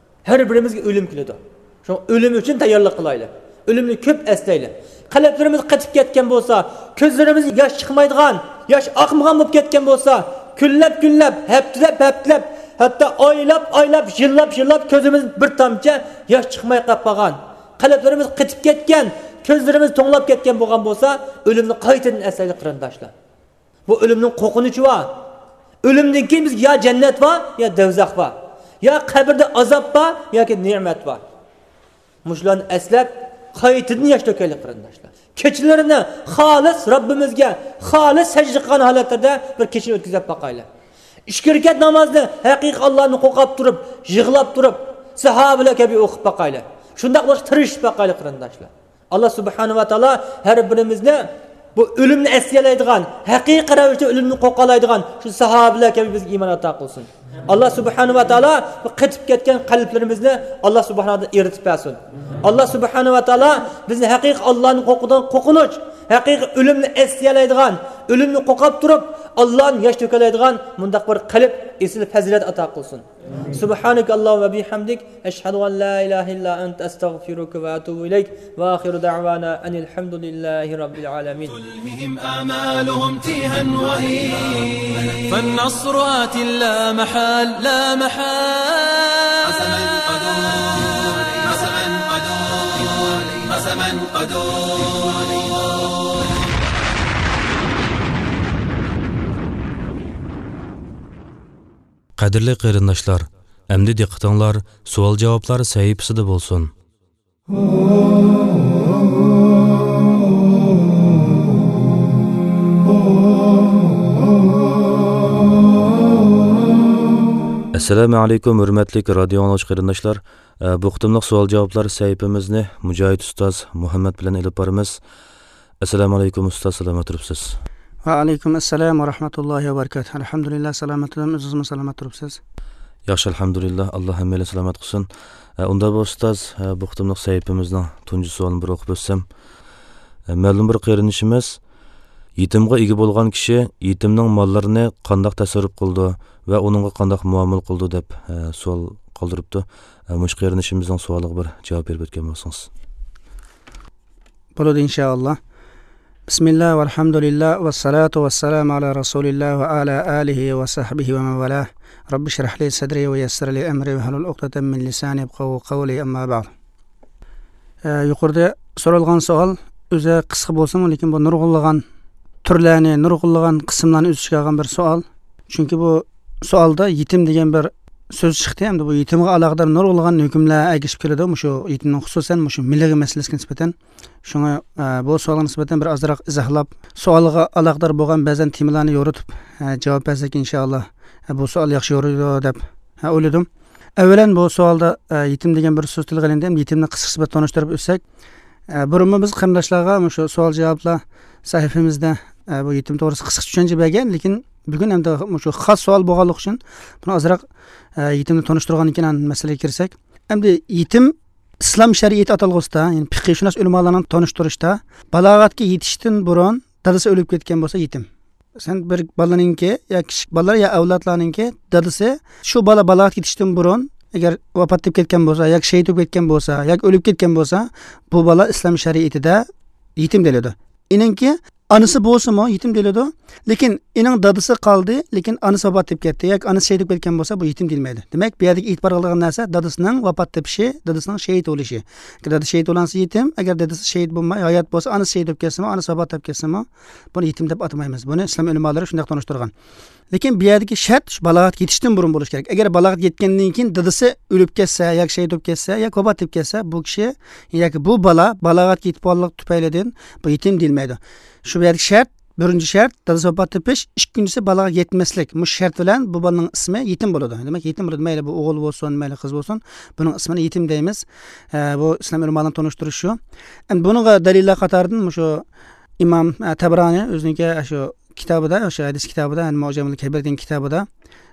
ھەر بىرىمىزگە ئۆلۈم كېلىدۇ. شۇڭا ئۆلۈم ئۈچۈن تەييارلىق قىلايلى. ئۆلۈمنى كۆپ ئەسلەيلى. قەلبلىرىمىز قېتىپ كەتكەن بولسا، كۆزلىرىمىز ياش چىقمايدىغان، ياش ئاقمىغان بولۇپ كەتكەن بولسا، كۈنلەپ كۈنلەپ، ھەپتىلەپ ھەپتىلەپ، ھەتتا ئايلاپ ئايلاپ، يىللاپ يىللاپ كۆزىمىز بىر تامچە ياش چىقماي قاپ قالغان، قەلبلىرىمىز قېتىپ كەتكەن، كۆزلىرىمىز توڭلاپ كەتكەن بولغان بولسا، ئۆلۈمنى قايتىدىن ئەسلەيلى، قېرىنداشلار. بۇ ئۆلۈمنىڭ قورقۇنچى بار. ئۆلۈمدىن كېيىن بىزگە يا جەننەت بار، يا دوزاخ بار. يا قەبرىدە ئازاب بار، ياكى نېمەت بار. مۇشۇلارنى ئەسلەپ، قايتىدىن ياش تۆكەيلى، قېرىنداشلار. كېچىلىرىنى خالىس رەببىمىزگە خالىس سەجدە قىلغان ھالەتلەردە بىر كېچىنى ئۆتكۈزۈپ باقايلى. ئىككى رەكەت نامازنى ھەقىقىي ئاللانى قورقۇپ تۇرۇپ، يىغلاپ تۇرۇپ، ساھابىلەر كەبى ئوقۇپ باقايلى. شۇنداق بولۇشقا تىرىشىپ باقايلى، قېرىنداشلار. ئاللا سۇبھانەھۇ ۋە تائالا ھەر بىرىمىزنى بۇ ئۆلۈمنى ئەسلىيەلەيدىغان، ھەقىقىي رەۋىشتە ئۆلۈمدىن قورقالايدىغان شۇ ساھابىلەر كەبى بىزگە ئىمان ئاتا قىلسۇن. ئاللا سۇبھانەھۇ ۋە تائالا بۇ قېتىپ كەتكەن قەلبلىرىمىزنى ئاللا سۇبھانەھۇ ۋە تائالا ئېرىتىپ بەرسۇن. ئاللا سۇبھانەھۇ ۋە تائالا بىزنى ھەقىقىي ئاللانى قورقىدىغان قورقۇنچ، ھەقىقىي ئۆلۈمنى ئەسلىيەلەيدىغان، ئۆلۈمنى قوقاپ تۇرۇپ، ئاللانى ياش تۆكەلەيدىغان مۇنداق بىر قەلب، ئېسىل پەزىلەت ئاتا قىلسۇن. سبحانك اللهم وبحمدك، أشهد أن لا إله إلا أنت، أستغفرك وأتوب إليك. وآخر دعوانا أن الحمد لله رب العالمين. تلههم آمالهم تيها وهين، فالنصر آت لا محال، لا محال. قسما قدور، قسما قدور، قسما قدور. قەدىرلىك قېرىنداشلار، ئەمدى دىققىتىڭلار سوئال-جاۋابلار سەھىپىسىدە بولسۇن. ئەسسالامۇ ئەلەيكۇم، ھۆرمەتلىك رادىيو ئاڭلىغۇچى قېرىنداشلار. ئە، بۇ قېتىملىق سوئال-جاۋابلار سەھىپىمىزنى مۇجاھىد ئۇستاز مۇھەممەد بىلەن ئېلىپ بارىمىز. ئەسسالامۇ ئەلەيكۇم ئۇستاز، سالامەت تۇرۇپسىز؟ ۋەئەلەيكۇم ئەسسالام ۋە رەھمەتۇللاھى ۋە بەرىكاتۇھ. ئەلھەمدۇلىللا، سالامەت تۇرۇپ، ئۆزىڭىزمۇ سالامەت تۇرۇپسىز؟ ياخشى، ئەلھەمدۇلىللا، ئاللا ھەممەيلەن سالامەت قىلسۇن. ئە، ئۇنداق بولسا ئۇستاز، ئە، بۇ قېتىملىق سەھىپىمىزنىڭ تۇنجى سوئالىنى بىر ئوقۇپ ئۆتسەم. ئە، مەلۇم بىر قېرىندىشىمىز، يېتىمغا ئىگە بولغان كىشى يېتىمنىڭ ماللىرىنى قانداق تەسەررۇپ قىلىدۇ ۋە ئۇنىڭغا قانداق مۇئامىلە قىلىدۇ دەپ، ئە، سوئال قالدۇرۇپتۇ. ئە، مۇشۇ قېرىندىشىمىزنىڭ سوئالىغا بىر جاۋاب بېرىپ ئۆتكەن بولسىڭىز. بولىدۇ، ئىنشائاللا. بسم الله والحمد لله والصلاة والسلام على رسول الله وعلى آله وصحبه ومن والاه. رب اشرح لي صدري ويسر لي أمري واحلل عقدة من لساني يفقهوا قولي، أما بعد. ئە، يۇقىرىدا سورالغان سوئال ئۆزى قىسقا بولسىمۇ، لېكىن بۇ نۇرغۇنلىغان تۈرلەرنى، نۇرغۇنلىغان قىسىملارنى ئۆز ئىچىگە ئالغان بىر سوئال. چۈنكى بۇ سوئالدا يېتىم دېگەن بىر سۆز چىقتى، ھەمدە بۇ يېتىمغا ئالاقىدار نۇرغۇنلىغان ھۆكۈملەر ئەگىشىپ كېلىدۇ، مۇشۇ يېتىمنىڭ خۇسۇسەن مۇشۇ مىللىي مەسىلىسىگە نىسبەتەن. شۇڭا، ئە، بۇ سوئالغا نىسبەتەن بىر ئازراق ئىزاھلاپ، سوئالغا ئالاقىدار بولغان بەزەن تېمىلارنى يورۇتۇپ، ئە، جاۋاب بەرسەك، ئىنشائاللا، ئە، بۇ سوئال ياخشى يورۇيدۇ دەپ، ئە، ئويلىدىم. ئەۋۋەلەن، بۇ سوئالدا، ئە، يېتىم دېگەن بىر سۆز تىلغا ئېلىندى. ھەم يېتىمنى قىسقىچە بىر تونۇشتۇرۇپ ئۆتسەك، ئە، بۇرۇنمۇ بىز قېرىنداشلارغا مۇشۇ سوئال-جاۋابلار سەھىپىمىزدە، ئە، بۇ يېتىم توغرىسىدا قىسقىچە چۈشەنچە بەرگەن، لېكىن بۈگۈن ئەمدى مۇشۇ خاس سوئال بولغانلىقى ئۈچۈن بۇنى ئازراق، ئە، يېتىمنى تونۇشتۇرغاندىن كېيىن ئاندىن مەسىلىگە كىرسەك. ئەمدى يېتىم ئىسلام شەرىئىتى ئاتالغۇسىدا، يەنى پىقىيشۇناس ئۆلىمالارنىڭ تونۇشتۇرۇشىدا، بالاغەتكە يېتىشتىن بۇرۇن دادىسى ئۆلۈپ كەتكەن بولسا يېتىم. سەن بىر بالىنىڭكى يا كىچىك بالىلار يا ئەۋلادلارنىڭكى دادىسى شۇ بالا بالاغەتكە يېتىشتىن بۇرۇن ئەگەر ۋاپات تېپىپ كەتكەن بولسا ياكى شېھىت بولۇپ كەتكەن بولسا ياكى ئۆلۈپ كەتكەن بولسا، بۇ بالا ئىسلام شەرىئىتىدە يېتىم دېيىلىدۇ. ئېنىڭكى ئانىسى بولسىمۇ يېتىم دېيىلىدۇ. لېكىن ئېنىڭ دادىسى قالدى، لېكىن ئانىسى ۋاپات تېپىپ كەتتى ياكى ئانىسى شېھىت بولۇپ كەتكەن بولسا، بۇ يېتىم دېيىلمەيدۇ. دېمەك، بۇ يەردىكى ئېتىبار قىلىدىغان نەرسە دادىسىنىڭ ۋاپات تېپىشى، دادىسىنىڭ شېھىت بولۇشى. دادا شېھىت بولغانسا يېتىم، ئەگەر دادىسى شېھىت بولماي ھايات بولسا، ئانىسى شېھىت بولۇپ كەتسىمۇ، ئانىسى ۋاپات تېپىپ كەتسىمۇ، بۇنى يېتىم دەپ ئاتىمايمىز. بۇنى ئىسلام ئۆلىمالىرى شۇنداق تونۇشتۇرغان. لېكىن بۇ يەردىكى شەرت شۇ بالاغەتكە يېتىشتىن بۇرۇن بولۇشى كېرەك. ئەگەر بالاغەتكە يەتكەندىن كېيىن دادىسى ئۆلۈپ كەتسە ياكى شېھىت بولۇپ كەتسە ياكى ۋاپات تېپىپ كەتسە، بۇ كىشى ياكى بۇ بالا بالاغەتكە يېتىپ بولغانلىق تۈپەيلىدىن بۇ يېتىم دېيىلمەيدۇ. شۇ يەردىكى شەرت، بىرىنچى شەرت، دادىسى ۋاپات تېپىش، ئىككىنچىسى، بالاغەتكە يەتمەسلىك. مۇشۇ شەرت بىلەن بۇ بالىنىڭ ئىسمى يېتىم بولىدۇ. دېمەك، يېتىم بولىدۇ. مەيلى بۇ ئوغۇل بولسۇن، مەيلى قىز بولسۇن، بۇنىڭ ئىسمىنى يېتىم دەيمىز. ئە، بۇ ئىسلام ئۆلىمالىرىنىڭ تونۇشتۇرۇشى شۇ. ئەمدى بۇنىڭغا دەلىللەر قاتارىدىن مۇشۇ ئىمام، ئە، تەبرانى ئۆزىنىڭكى، ئە، شۇ كىتابىدا، شۇ ھەدىس كىتابىدا، يەنى مۇئجەمۇل كەبىر دېگەن كىتابىدا،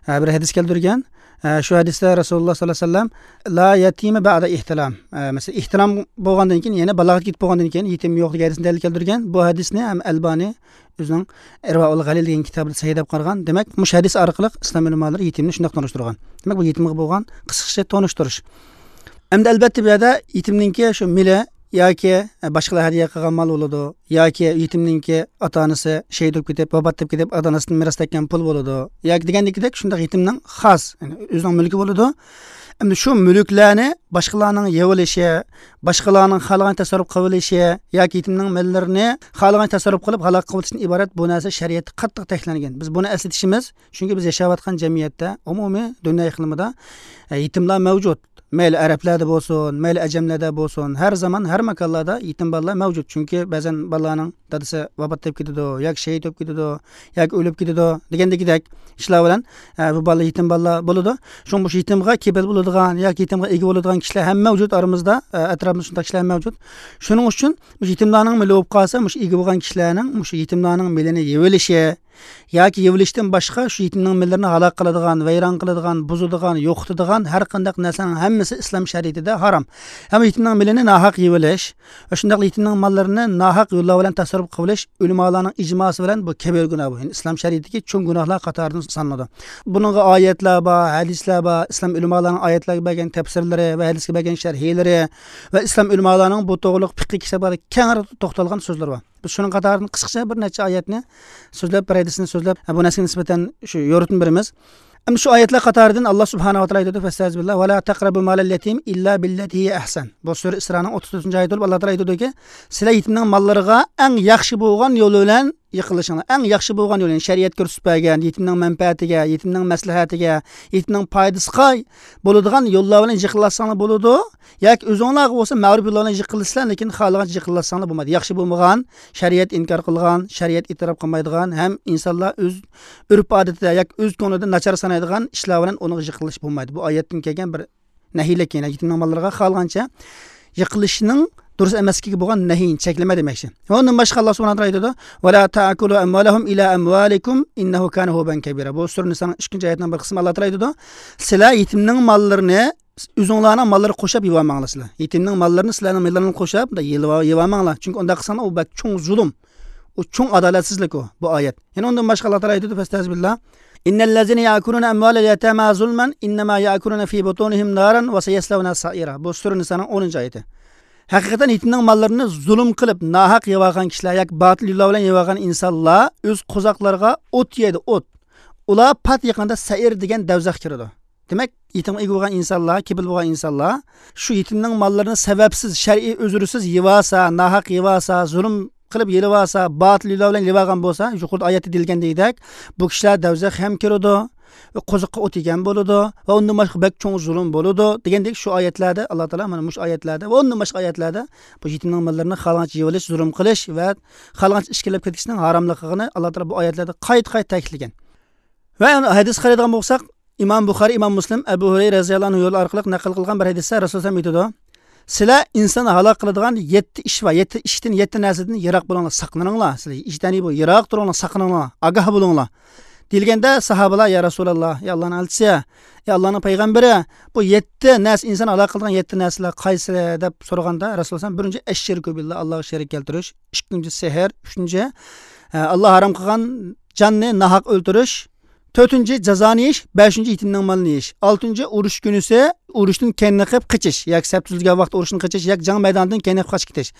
ئە، بىر ھەدىس كەلتۈرگەن. ئە، شۇ ھەدىستە رەسۇلۇللا ساللاللاھۇ ئەلەيھى ۋەسەللەم، لا يەتىمە بەئدە ئىھتىلام. ئە، مەسىلەن، ئىھتىلام بولغاندىن كېيىن، يەنى بالاغەتكە يېتىپ بولغاندىن كېيىن يېتىم يوق دېگەن ھەدىسنى دەلىل كەلتۈرگەن. بۇ ھەدىسنى ھەم ئەلبانى ئۆزىنىڭ ئىرۋائۇل غەلىل دېگەن كىتابىدا سەھىھ دەپ قارىغان. دېمەك، مۇشۇ ھەدىس ئارقىلىق ئىسلام ئۆلىمالىرى يېتىمنى شۇنداق تونۇشتۇرغان. دېمەك، بۇ يېتىمغا بولغان قىسقىچە تونۇشتۇرۇش. ئەمدى، ئەلۋەتتە، بۇ يەردە يېتىمنىڭكى شۇ مېلى ياكى باشقىلار ھەدىيە قىلغان مال بولىدۇ، ياكى يېتىمنىڭكى ئاتا-ئانىسى شېھىت بولۇپ كېتىپ، ۋاپات تېپىپ كېتىپ، ئاتا-ئانىسىدىن مىراس تەگكەن پۇل بولىدۇ، ياكى دېگەندىكىدەك شۇنداق يېتىمنىڭ خاس، يەنى ئۆزىنىڭ مۈلكى بولىدۇ. ئەمدى شۇ مۈلۈكلەرنى باشقىلارنىڭ يەۋېلىشى، باشقىلارنىڭ خالىغان تەسەررۇپ قىلىۋېلىشى ياكى يېتىمنىڭ مېللىرىنى خالىغان تەسەررۇپ قىلىپ ھالاك قىلىۋېتىشتىن ئىبارەت بۇ نەرسە شەرىئەتتە قاتتىق تەكلەنگەن. بىز بۇنى ئەسلىتىشىمىز، چۈنكى بىز ياشاۋاتقان جەمئىيەتتە، ئومۇمىي دۇنيا ئىقلىمىدا، ئە، يېتىملار مەۋجۇت. مەيلى ئەرەبلەردە بولسۇن، مەيلى ئەجەملەردە بولسۇن، ھەر زامان، ھەر ماكانلاردا يېتىم بالىلار مەۋجۇت. چۈنكى بەزەن بالىلارنىڭ دادىسى ۋاپات تېپىپ كېتىدۇ، ياكى شېھىت بولۇپ كېتىدۇ، ياكى ئۆلۈپ كېتىدۇ دېگەندىكىدەك ئىشلار بىلەن، ئە، بۇ بالىلار يېتىم بالىلار بولىدۇ. شۇڭا مۇشۇ يېتىمغا كېپىل بولىدىغان ياكى يېتىمغا ئىگە بولىدىغان كىشىلەر ھەم مەۋجۇت ئارىمىزدا، ئە، ئەتراپىمىزدا شۇنداق كىشىلەر ھەم مەۋجۇت. شۇنىڭ ئۈچۈن مۇشۇ يېتىملارنىڭ مېلى بولۇپ قالسا، مۇشۇ ئىگە بولغان كىشىلەرنىڭ مۇشۇ يېتىملارنىڭ مېلىنى يېۋېلىشى، ياكى يېۋىلىشتىن باشقا شۇ يېتىمنىڭ مېللىرىنى ھالاك قىلىدىغان، ۋەيران قىلىدىغان، بۇزىدىغان، يوقىتىدىغان ھەر قانداق نەرسىنىڭ ھەممىسى ئىسلام شەرىئىتىدە ھارام. ھەم يېتىمنىڭ مېلىنى ناھەق يېۋىلىش ۋە شۇنداقلا يېتىمنىڭ ماللىرىنى ناھەق يوللار بىلەن تەسەررۇپ قىلىۋېلىش ئۆلىمالارنىڭ ئىجماسى بىلەن بۇ كەبىرە گۇناھ بۇ. يەنى ئىسلام شەرىئىتىدىكى چوڭ گۇناھلار قاتارىدىن سانىلىدۇ. بۇنىڭغا ئايەتلەر بار، ھەدىسلەر بار، ئىسلام ئۆلىمالارنىڭ ئايەتلەرگە بەرگەن تەپسىرلىرى ۋە ھەدىسكە بەرگەن شەرھلىرى ۋە ئىسلام ئۆلىمالارنىڭ بۇ توغرىلىق پىقھىي كىتابلاردا كەڭرى توختالغان سۆزلىرى بار. بىز شۇنىڭ قاتارىدىن قىسقىچە بىر نەچچە ئايەتنى سۆزلەپ، بىر ھەدىسنى سۆزلەپ، بۇ نەرسىگە نىسبەتەن شۇ يورۇتما بېرىمىز. ئەمدى شۇ ئايەتلەر قاتارىدىن ئاللا سۇبھانەھۇ ۋە تائالا ئېيتىدۇ، فەستەئىزبىللا، ۋە لا تەقرەبۇ مالەل يەتىم ئىللا بىللەتى ھىيە ئەھسەن. بۇ سۈرە ئىسرانىڭ ئوتتۇز تۆتىنچى ئايىتى بولۇپ، ئاللا تائالا ئېيتىدۇكى، سىلەر يېتىمنىڭ ماللىرىغا ئەڭ ياخشى بولغان يول بىلەن يېقىنلىشىڭلار. ئەڭ ياخشى بولغان يول، يەنى شەرىئەت كۆرسىتىپ بەرگەن، يېتىمنىڭ مەنپەئەتىگە، يېتىمنىڭ مەسلىھەتىگە، يېتىمنىڭ پايدىسىغا بولىدىغان يوللار بىلەن يېقىنلاشساڭلار بولىدۇ. ياكى ئۆزۈڭلارغا بولسا مەرۇپ يوللار بىلەن يېقىنلىشىسىلەر، لېكىن خالىغانچە يېقىنلاشساڭلار بولمايدۇ. ياخشى بولمىغان، شەرىئەت ئىنكار قىلغان، شەرىئەت ئېتىراپ قىلمايدىغان ھەم ئىنسانلار ئۆز ئۆرپ-ئادىتىدە ياكى ئۆز كۆڭلىدە ناچار سانايدىغان ئىشلار بىلەن ئۇنىڭغا يېقىنلىشىپ بولمايدۇ. بۇ ئايەتتىن كەلگەن بىر نەھىيلىك، يەنى يېتىمنىڭ ماللىرىغا خالىغانچە يېقىنلىشىشنىڭ دۇرۇس ئەمەسلىكىگە بولغان نەھىينى، چەكلىمە دېمەكچى. ئۇنىڭدىن باشقا ئاللا سۇبھانەھۇ ۋە تائالا ئېيتىدۇ، ۋە لا تەئكۇلۇ ئەمۋالەھۇم ئىلا ئەمۋالىكۇم ئىننەھۇ كانە ھۇبەن كەبىرا. بۇ سۈرە نىسانىڭ ئىككىنچى ئايىتىنىڭ بىر قىسمى. ئاللا تائالا ئېيتىدۇ، سىلەر يېتىمنىڭ ماللىرىنى ئۆزۈڭلارنىڭ ماللىرىغا قوشاپ يېۋالماڭلار سىلەر. يېتىمنىڭ ماللىرىنى سىلەرنىڭ ماللىرىڭلارغا قوشاپ يېۋا-، يېۋالماڭلار. چۈنكى ئۇنداق قىلساڭلار، ئۇ بەك چوڭ زۇلۇم. ئۇ چوڭ ئادالەتسىزلىك ئۇ، بۇ ئايەت. يەنە ئۇندىن باشقا ئاللا تائالا ئېيتىدۇ، فەستەئىزبىللا، ئىننەللەزىنە يەئكۇلۇنە ئەمۋالەل يەتامە زۇلمەن ئىننەمە يەئكۇلۇنە فى بۇتۇنىھىم نارەن ۋە سەيەسلەۋنە سەئىرا. بۇ سۈرە نىسانىڭ ئونىنچى ئايىتى. ھەقىقەتەن يېتىمنىڭ ماللىرىنى زۇلۇم قىلىپ، ناھەق يەۋالغان كىشىلەر ياكى باتىل يوللار بىلەن يەۋالغان ئىنسانلار ئۆز قوزاقلىرىغا ئوت يەيدۇ، ئوت. ئۇلار پات يېقىندا سەئىر دېگەن دەۋزەخكە كىرىدۇ. دېمەك، يېتىمغا ئىگە بولغان ئىنسانلار، كېپىل بولغان ئىنسانلار شۇ يېتىمنىڭ ماللىرىنى سەۋەبسىز، شەرئىي ئۆزرىسىز يېۋالسا، ناھەق يېۋالسا، زۇلۇم قىلىپ يېلىۋالسا، باتىل يوللار بىلەن يېۋالغان بولسا، يۇقىرىدا ئايەتتە دېيىلگەندەك، بۇ كىشىلەر دەۋزەخكە ھەم كىرىدۇ، قوزۇققا ئوت يېگەن بولىدۇ ۋە ئۇندىن باشقا بەك چوڭ زۇلۇم بولىدۇ دېگەندەك، شۇ ئايەتلەردە ئاللا تائالا مانا مۇشۇ ئايەتلەردە ۋە ئۇندىن باشقا ئايەتلەردە بۇ يېتىمنىڭ ماللىرىنى خالىغانچە يېۋېلىش، زۇلۇم قىلىش ۋە خالىغانچە ئىچكىرىلەپ كېتىشنىڭ ھاراملىقىنى ئاللا تائالا بۇ ئايەتلەردە قايتا-قايتا تەكىتلىگەن. ۋە ھەدىسكە قارايدىغان بولساق، ئىمام بۇخارىي، ئىمام مۇسلىم، ئەبۇ ھۇرەيرە رەزىياللاھۇ ئەنھۇ يولى ئارقىلىق نەقىل قىلغان بىر ھەدىستە رەسۇلۇللاھ ئېيتىدۇ، سىلەر ئىنساننى ھالاك قىلىدىغان يەتتە ئىش بار، يەتتە ئىشتىن، يەتتە نەرسىدىن يىراق بولۇڭلار، ساقلىنىڭلار. سىلەر ئىجتەنىبۇ، يىراق تۇرۇڭلار، ساقلىنىڭلار، ئاگاھ بولۇڭلار دېيىلگەندە، ساھابىلار، يا رەسۇلاللاھ، يا ئاللانىڭ ئەلچىسى، يا ئاللانىڭ پەيغەمبىرى، بۇ يەتتە نەرسە، ئىنساننى ھالاك قىلىدىغان يەتتە نەرسىلەر قايسىلەر دەپ سورىغاندا، رەسۇلۇللاھ، بىرىنچى، ئەششىركۇ بىللاھ، ئاللاغا شېرىك كەلتۈرۈش، ئىككىنچى، سېھىر، ئۈچىنچى، ئە، ئاللاھ ھارام قىلغان جاننى ناھەق ئۆلتۈرۈش، تۆتىنچى، جازانى يېيىش، بەشىنچى، يېتىمنىڭ مالىنى يېيىش، ئالتىنچى، ئۇرۇش كۈنىسى ئۇرۇشتىن كەينىنى قىلىپ قېچىش، ياكى سەپ تۈزۈلگەن ۋاقىتتا ئۇرۇشتىن قېچىش، ياكى جەڭ مەيدانىدىن كەينىنى قىلىپ قاچىپ كېتىش.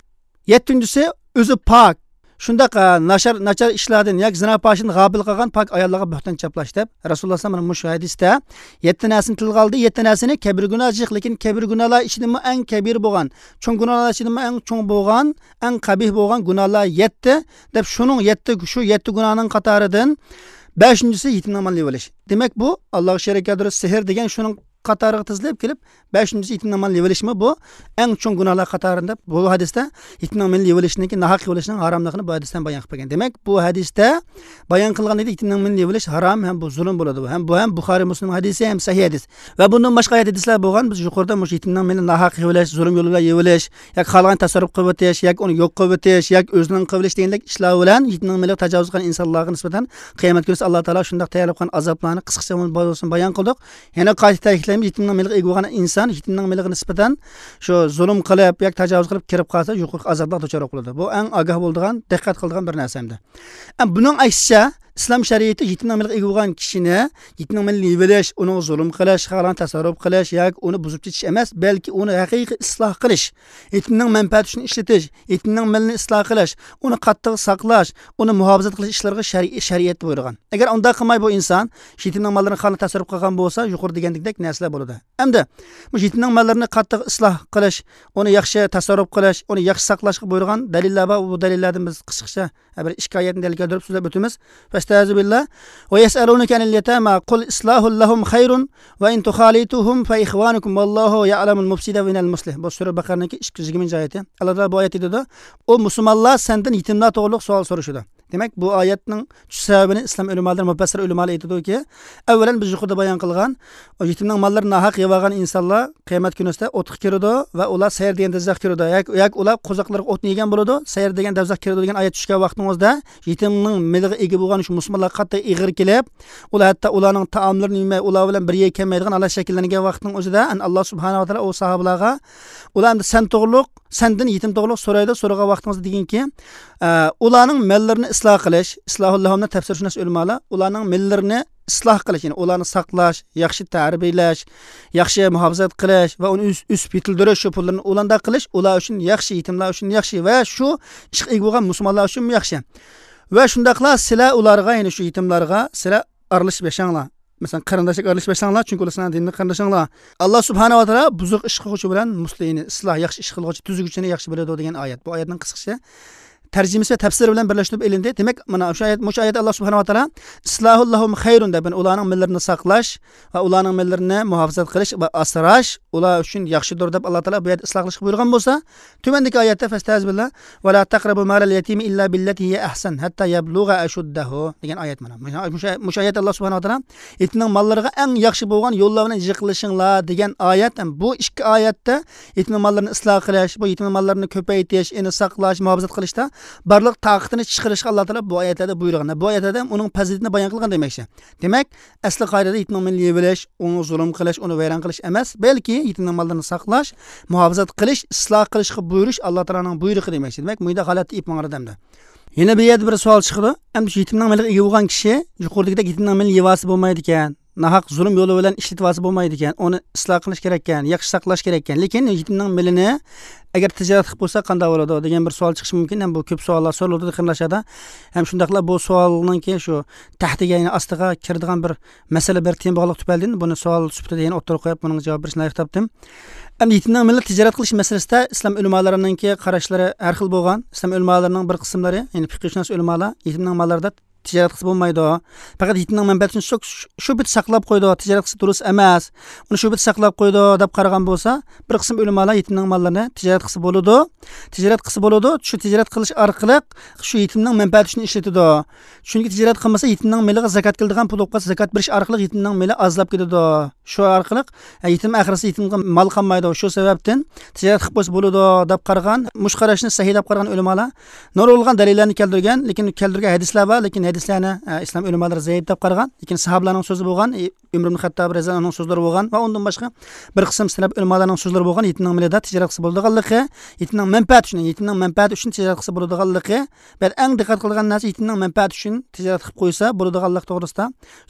يەتتىنچىسى، ئۆزى پاك، شۇنداق، ئە، ناچار، ناچار ئىشلاردىن ياكى زىنا پاھىشىدىن غاپىل قالغان پاك ئاياللارغا بۆھتان چاپلاش دەپ، رەسۇلۇللاھ سەللەللاھۇ ئەلەيھى ۋەسەللەم مۇشۇ ھەدىستە يەتتە نەرسىنى تىلغا ئالدى. يەتتە نەرسىنى كەبىر گۇناھ جىق، لېكىن كەبىر گۇناھلار ئىچىدىمۇ ئەڭ كەبىر بولغان، چوڭ گۇناھلار ئىچىدىمۇ ئەڭ چوڭ بولغان، ئەڭ قەبىھ بولغان گۇناھلار يەتتە دەپ، شۇنىڭ يەتتە، شۇ يەتتە گۇناھنىڭ قاتارىدىن بەشىنچىسى يېتىمنىڭ مالىنى يېۋېلىش. دېمەك، بۇ ئاللاغا شېرىك كەلتۈرۈش، سېھىر دېگەن شۇنىڭ قاتارىغا تىزىلىپ كېلىپ، بەشىنچىسى يېتىمنىڭ مالىنى يېۋېلىشمۇ بۇ ئەڭ چوڭ گۇناھلار قاتارىدا دەپ، بۇ ھەدىستە يېتىمنىڭ مالىنى يېۋېلىشنىڭكى، ناھەق يېۋېلىشنىڭ ھاراملىقىنى بۇ ھەدىستىن بايان قىلىپ بەرگەن. دېمەك، بۇ ھەدىستە بايان قىلغان ئىدى، يېتىمنىڭ مالىنى يېۋېلىش ھارام ھەم بۇ زۇلۇم بولىدۇ. ھەم بۇ ھەم بۇخارىي، مۇسلىم ھەدىسى ھەم سەھىھ ھەدىس. ۋە بۇندىن باشقا ئايەت ھەدىسلەر بولغان، بىز يۇقىرىدا مۇشۇ يېتىمنىڭ مېلىنى ناھەق يېۋېلىش، زۇلۇم يولى بىلەن يېۋېلىش، ياكى خالىغان تەسەررۇپ قىلىۋېتىش، ياكى ئۇنى يوق قىلىۋېتىش، ياكى ئۆزىنىڭ قىلىۋېلىش دېگەندەك ئىشلار بىلەن يېتىمنىڭ مېلىغا تاجاۋۇز قىلغان ئىنسانلارغا نىسبەتەن قىيامەت كۈنىسى ئاللا تائالا شۇنداق تەييارلاپ قويغان ئازابلارنى قىسقىچە بولسىمۇ بايان قىلدۇق. يەنە قايتا تەكىتلەيمىز، يېتىمنىڭ مېلىغا ئىگە بولغان ئىنسان يېتىمنىڭ مېلىغا نىسبەتەن شۇ زۇلۇم قىلىپ ياكى تاجاۋۇز قىلىپ كىرىپ قالسا، يۇقىرىقى ئازابلارغا دۇچار بولىدۇ. بۇ ئەڭ ئاگاھ بولىدىغان، دىققەت قىلىدىغان بىر نەرسە ئەمدى. ئەم، بۇنىڭ ئەكسىچە، ئىسلام شەرىئىتى يېتىمنىڭ مېلىغا ئىگە بولغان كىشىنى يېتىمنىڭ مېلىنى يېۋېلىش، ئۇنىڭغا زۇلۇم قىلىش، خالىغان تەسەررۇپ قىلىش ياكى ئۇنى بۇزۇپ كېتىش ئەمەس، بەلكى ئۇنى ھەقىقىي ئىسلاھ قىلىش، يېتىمنىڭ مەنپەئەتى ئۈچۈن ئىشلىتىش، يېتىمنىڭ مېلىنى ئىسلاھ قىلىش، ئۇنى قاتتىق ساقلاش، ئۇنى مۇھاپىزەت قىلىش ئىشلىرىغا شەرئىي، شەرىئەت بۇيرۇغان. ئەگەر ئۇنداق قىلماي بۇ ئىنسان يېتىمنىڭ ماللىرىنى خالىغان تەسەررۇپ قىلغان بولسا، يۇقىرىدا دېگەندەك نەرسىلەر بولىدۇ. ئەمدى مۇشۇ يېتىمنىڭ ماللىرىنى قاتتىق ئىسلاھ قىلىش، ئۇنى ياخشى تەسەررۇپ قىلىش، ئۇنى ياخشى ساقلاشقا بۇيرۇغان دەلىللەر بار. بۇ دەلىللەردىن بىز قىسقىچە بىر ئىككى ئايەتنى دەلىل كەلتۈرۈپ سۆزلەپ ئۆتىمىز. فەستەئىزۇ بىللا. ۋە يەسئەلۇنەكە ئەنىل يەتامە قۇل ئىسلاھۇل لەھۇم خەيرۇن ۋە ئىن تۇخالىتۇھۇم فە ئىخۋانۇكۇم ۋەللاھۇ يەئلەمۇل مۇفسىدە مىنەل مۇسلىھ. بۇ سۈرە بەقەرىنىڭكى ئىككى يۈز يىگىرمىنچى ئايىتى. ئاللا تائالا بۇ ئايەتتە دېدى، ئۇ مۇسۇلمانلار سەندىن يېتىملار توغرۇلۇق سوئال سورىشىدۇ. دېمەك، بۇ ئايەتنىڭ چۈشۈش سەۋەبىنى ئىسلام ئۆلىمالىرى، مۇپەسسىر ئۆلىمالار ئېيتىدۇكى، ئەۋۋەلەن بىز يۇقىرىدا بايان قىلغان، ئۇ يېتىمنىڭ ماللىرىنى ناھەق يەۋالغان ئىنسانلار قىيامەت كۈنىسىدە ئوتقا كىرىدۇ ۋە ئۇلار سەئىر دېگەن دوزاخقا كىرىدۇ. ياكى، ياكى ئۇلار قوزاقلىرىغا ئوتنى يېگەن بولىدۇ، سەئىر دېگەن دوزاخقا كىرىدۇ دېگەن ئايەت چۈشكەن ۋاقتىڭىزدا، يېتىمنىڭ مېلىغا ئىگە بولغان شۇ مۇسۇلمانلارغا قاتتىق ئېغىر كېلىپ، ئۇلار ھەتتا ئۇلارنىڭ تائاملىرىنى يېمەي، ئۇلار بىلەن بىر يەرگە كەلمەيدىغان ھالەت شەكىللەنگەن ۋاقىتنىڭ ئۆزىدە، ئەن، ئاللا سۇبھانەھۇ ۋە تائالا ئۇ ساھابىلارغا، ئۇلار ئەمدى سەن توغرۇلۇق، سەندىن يېتىم توغرۇلۇق سورايدۇ، سورىغان ۋاقتىڭىزدا دېگىنكى، ئە، ئۇلارنىڭ ماللىرىنى ئىسلاھ قىلىش، ئىسلاھۇللاھۇمنى تەپسىرشۇناس ئۆلىمالار، ئۇلارنىڭ ماللىرىنى ئىسلاھ قىلىش، يەنى ئۇلارنى ساقلاش، ياخشى تەربىيەلەش، ياخشى مۇھاپىزەت قىلىش ۋە ئۇنى ئۆس-، ئۆسۈپ يېتىلدۈرۈش، شۇ پۇللىرىنى ئۇلانداق قىلىش ئۇلار ئۈچۈن ياخشى، يېتىملار ئۈچۈن ياخشى ۋە شۇ ئىشقا ئىگە بولغان مۇسۇلمانلار ئۈچۈنمۇ ياخشى. ۋە شۇنداقلا سىلەر ئۇلارغا، يەنى شۇ يېتىملارغا سىلەر ئارىلىشىپ ياشاڭلار. مەسىلەن، قېرىنداشلىق ئارىلىشىپ ياشاڭلار، چۈنكى ئۇلار سىلەرنىڭ دىنىي قېرىندىشىڭلار. ئاللا سۇبھانەھۇ ۋە تائالا بۇزۇق ئىش قىلغۇچى بىلەن مۇسلىھنى، ئىسلاھ، ياخشى ئىش قىلغۇچى، تۈزىگۈچىنى ياخشى بىلىدۇ دېگەن ئايەت. بۇ ئايەتنىڭ قىسقىچە تەرجىمىسى ۋە تەپسىرى بىلەن بىرلەشتۈرۈپ ئېلىندى. دېمەك، مانا شۇ ئايەت، مۇشۇ ئايەت ئاللا سۇبھانەھۇ ۋە تائالا ئىسلاھۇللاھۇم خەيرۇن دەپ، يەنى ئۇلارنىڭ ماللىرىنى ساقلاش ۋە ئۇلارنىڭ ماللىرىنى مۇھاپىزەت قىلىش ۋە ئاسراش ئۇلار ئۈچۈن ياخشىدۇر دەپ ئاللا تائالا بۇ يەردە ئىسلاھ قىلىشقا بۇيرۇغان بولسا، تۆۋەندىكى ئايەتتە، فەستەئىز بىللا، ۋە لا تەقرەبۇ مالەل يەتىمى ئىللا بىللەتى ھىيە ئەھسەن ھەتتا يەبلۇغە ئەشۇددەھۇ دېگەن ئايەت مانا. مۇشۇ، مۇشۇ، مۇشۇ ئايەت ئاللا سۇبھانەھۇ ۋە تائالا يېتىمنىڭ ماللىرىغا ئەڭ ياخشى بولغان يوللار بىلەن يېقىنلىشىڭلار دېگەن ئايەت. ھەم بۇ ئىككى ئايەتتە يېتىمنىڭ ماللىرىنى ئىسلاھ قىلىش، بۇ يېتىمنىڭ ماللىرىنى كۆپەيتىش، ئۇنى ساقلاش، مۇھاپىزەت قىلىشتا بارلىق تاقىتىنى چىقىرىشقا ئاللا تائالا بۇ ئايەتلەردە بۇيرۇغان. بۇ ئايەتلەردە ئۇنىڭ پەزىلىتىنى بايان قىلغان دېمەكچى. دېمەك، ئەسلى قائىدىدە يېتىمنىڭ مېلىنى يېۋېلىش، ئۇنى زۇلۇم قىلىش، ئۇنى ۋەيران قىلىش ئەمەس، بەلكى يېتىمنىڭ ماللىرىنى ساقلاش، مۇھاپىزەت قىلىش، ئىسلاھ قىلىشقا بۇيرۇش ئاللا تائالانىڭ بۇيرۇقى دېمەكچى. دېمەك، مۇنداق ھالەتتە ئېلىپ ماڭىدۇ ئەمدى. يەنە بۇ يەردە بىر سوئال چىقىدۇ. ئەمدى شۇ يېتىمنىڭ مېلىغا ئىگە بولغان كىشى يۇقىرىدىكىدەك يېتىمنىڭ مېلىنى يېۋالسا بولمايدىكەن، ناھەق زۇلۇم يولى بىلەن ئىشلىتىۋالسا بولمايدىكەن، ئۇنى ئىسلاھ قىلىش كېرەككەن، ياخشى ساقلاش كېرەككەن. لېكىن يېتىمنىڭ مېلىنى ئەگەر تىجارەت قىلىپ قويسا قانداق بولىدۇ دېگەن بىر سوئال چىقىشى مۇمكىن. ھەم بۇ كۆپ سوئاللار سورىلىدۇ قېرىنداشلاردا. ھەم شۇنداقلا بۇ سوئالنىڭكى شۇ تەھتىگە، يەنى ئاستىغا كىرىدىغان بىر مەسىلە، بىر تېما بولغانلىقى تۈپەيلىدىن بۇنى سوئال سۈپىتىدە يەنە ئوتتۇرىغا قويۇپ، بۇنىڭغا جاۋاب بېرىشنى لايىق تاپتىم. ئەمدى يېتىمنىڭ مېلىنى تىجارەت قىلىش مەسىلىسىدە ئىسلام ئۆلىمالىرىنىڭكى قاراشلىرى ھەر خىل بولغان. ئىسلام ئۆلىمالىرىنىڭ بىر قىسىملىرى، يەنى پىقىھشۇناس ئۆلىمالار يېتىمنىڭ ماللىرىدا تىجارەت قىلسا بولمايدۇ. پەقەت يېتىمنىڭ مەنپەئەتى ئۈچۈن شۇ، شۇ، شۇ بىت ساقلاپ قويىدۇ، تىجارەت قىلسا دۇرۇس ئەمەس، ئۇنى شۇ بىت ساقلاپ قويىدۇ دەپ قارىغان بولسا، بىر قىسىم ئۆلىمالار يېتىمنىڭ ماللىرىنى تىجارەت قىلسا بولىدۇ. تىجارەت قىلسا بولىدۇ، شۇ تىجارەت قىلىش ئارقىلىق شۇ يېتىمنىڭ مەنپەئەتى ئۈچۈن ئىشلىتىدۇ. چۈنكى تىجارەت قىلمىسا، يېتىمنىڭ مېلىغا زاكات كېلىدىغان پۇل بولۇپ قالسا، زاكات بېرىش ئارقىلىق يېتىمنىڭ مېلى ئازلاپ كېتىدۇ. شۇ ئارقىلىق، ھە، يېتىم ئاخىرسى يېتىمغا مال قالمايدۇ. شۇ سەۋەبتىن تىجارەت قىلىپ قويسا بولىدۇ دەپ قارىغان، مۇشۇ قاراشنى سەھىھ دەپ قارىغان ئۆلىمالار نۇرغۇنلىغان دەلىللەرنى كەلتۈرگەن، لېكىن كەلتۈرگەن ھەدىسلەر بار، لېكىن ھەدىسلەرنى، ئە، ئىسلام ئۆلىمالىرى زەئىپ دەپ قارىغان. لېكىن ساھابىلارنىڭ سۆزى بولغان، ئى، ئۆمەر ئىبن خەتتاب رەزىياللاھۇ ئەنھۇنىڭ سۆزلىرى بولغان ۋە ئۇندىن باشقا بىر قىسىم سەلەپ ئۆلىمالارنىڭ سۆزلىرى بولغان، يېتىمنىڭ مېلىدا تىجارەت قىلسا بولىدىغانلىقى، يېتىمنىڭ مەنپەئەتى ئۈچۈن، يېتىمنىڭ مەنپەئەتى ئۈچۈن تىجارەت قىلسا بولىدىغانلىقى. بەلكى ئەڭ دىققەت قىلىدىغان نەرسە يېتىمنىڭ مەنپەئەتى ئۈچۈن تىجارەت قىلىپ قويسا بولىدىغانلىق توغرىسىدا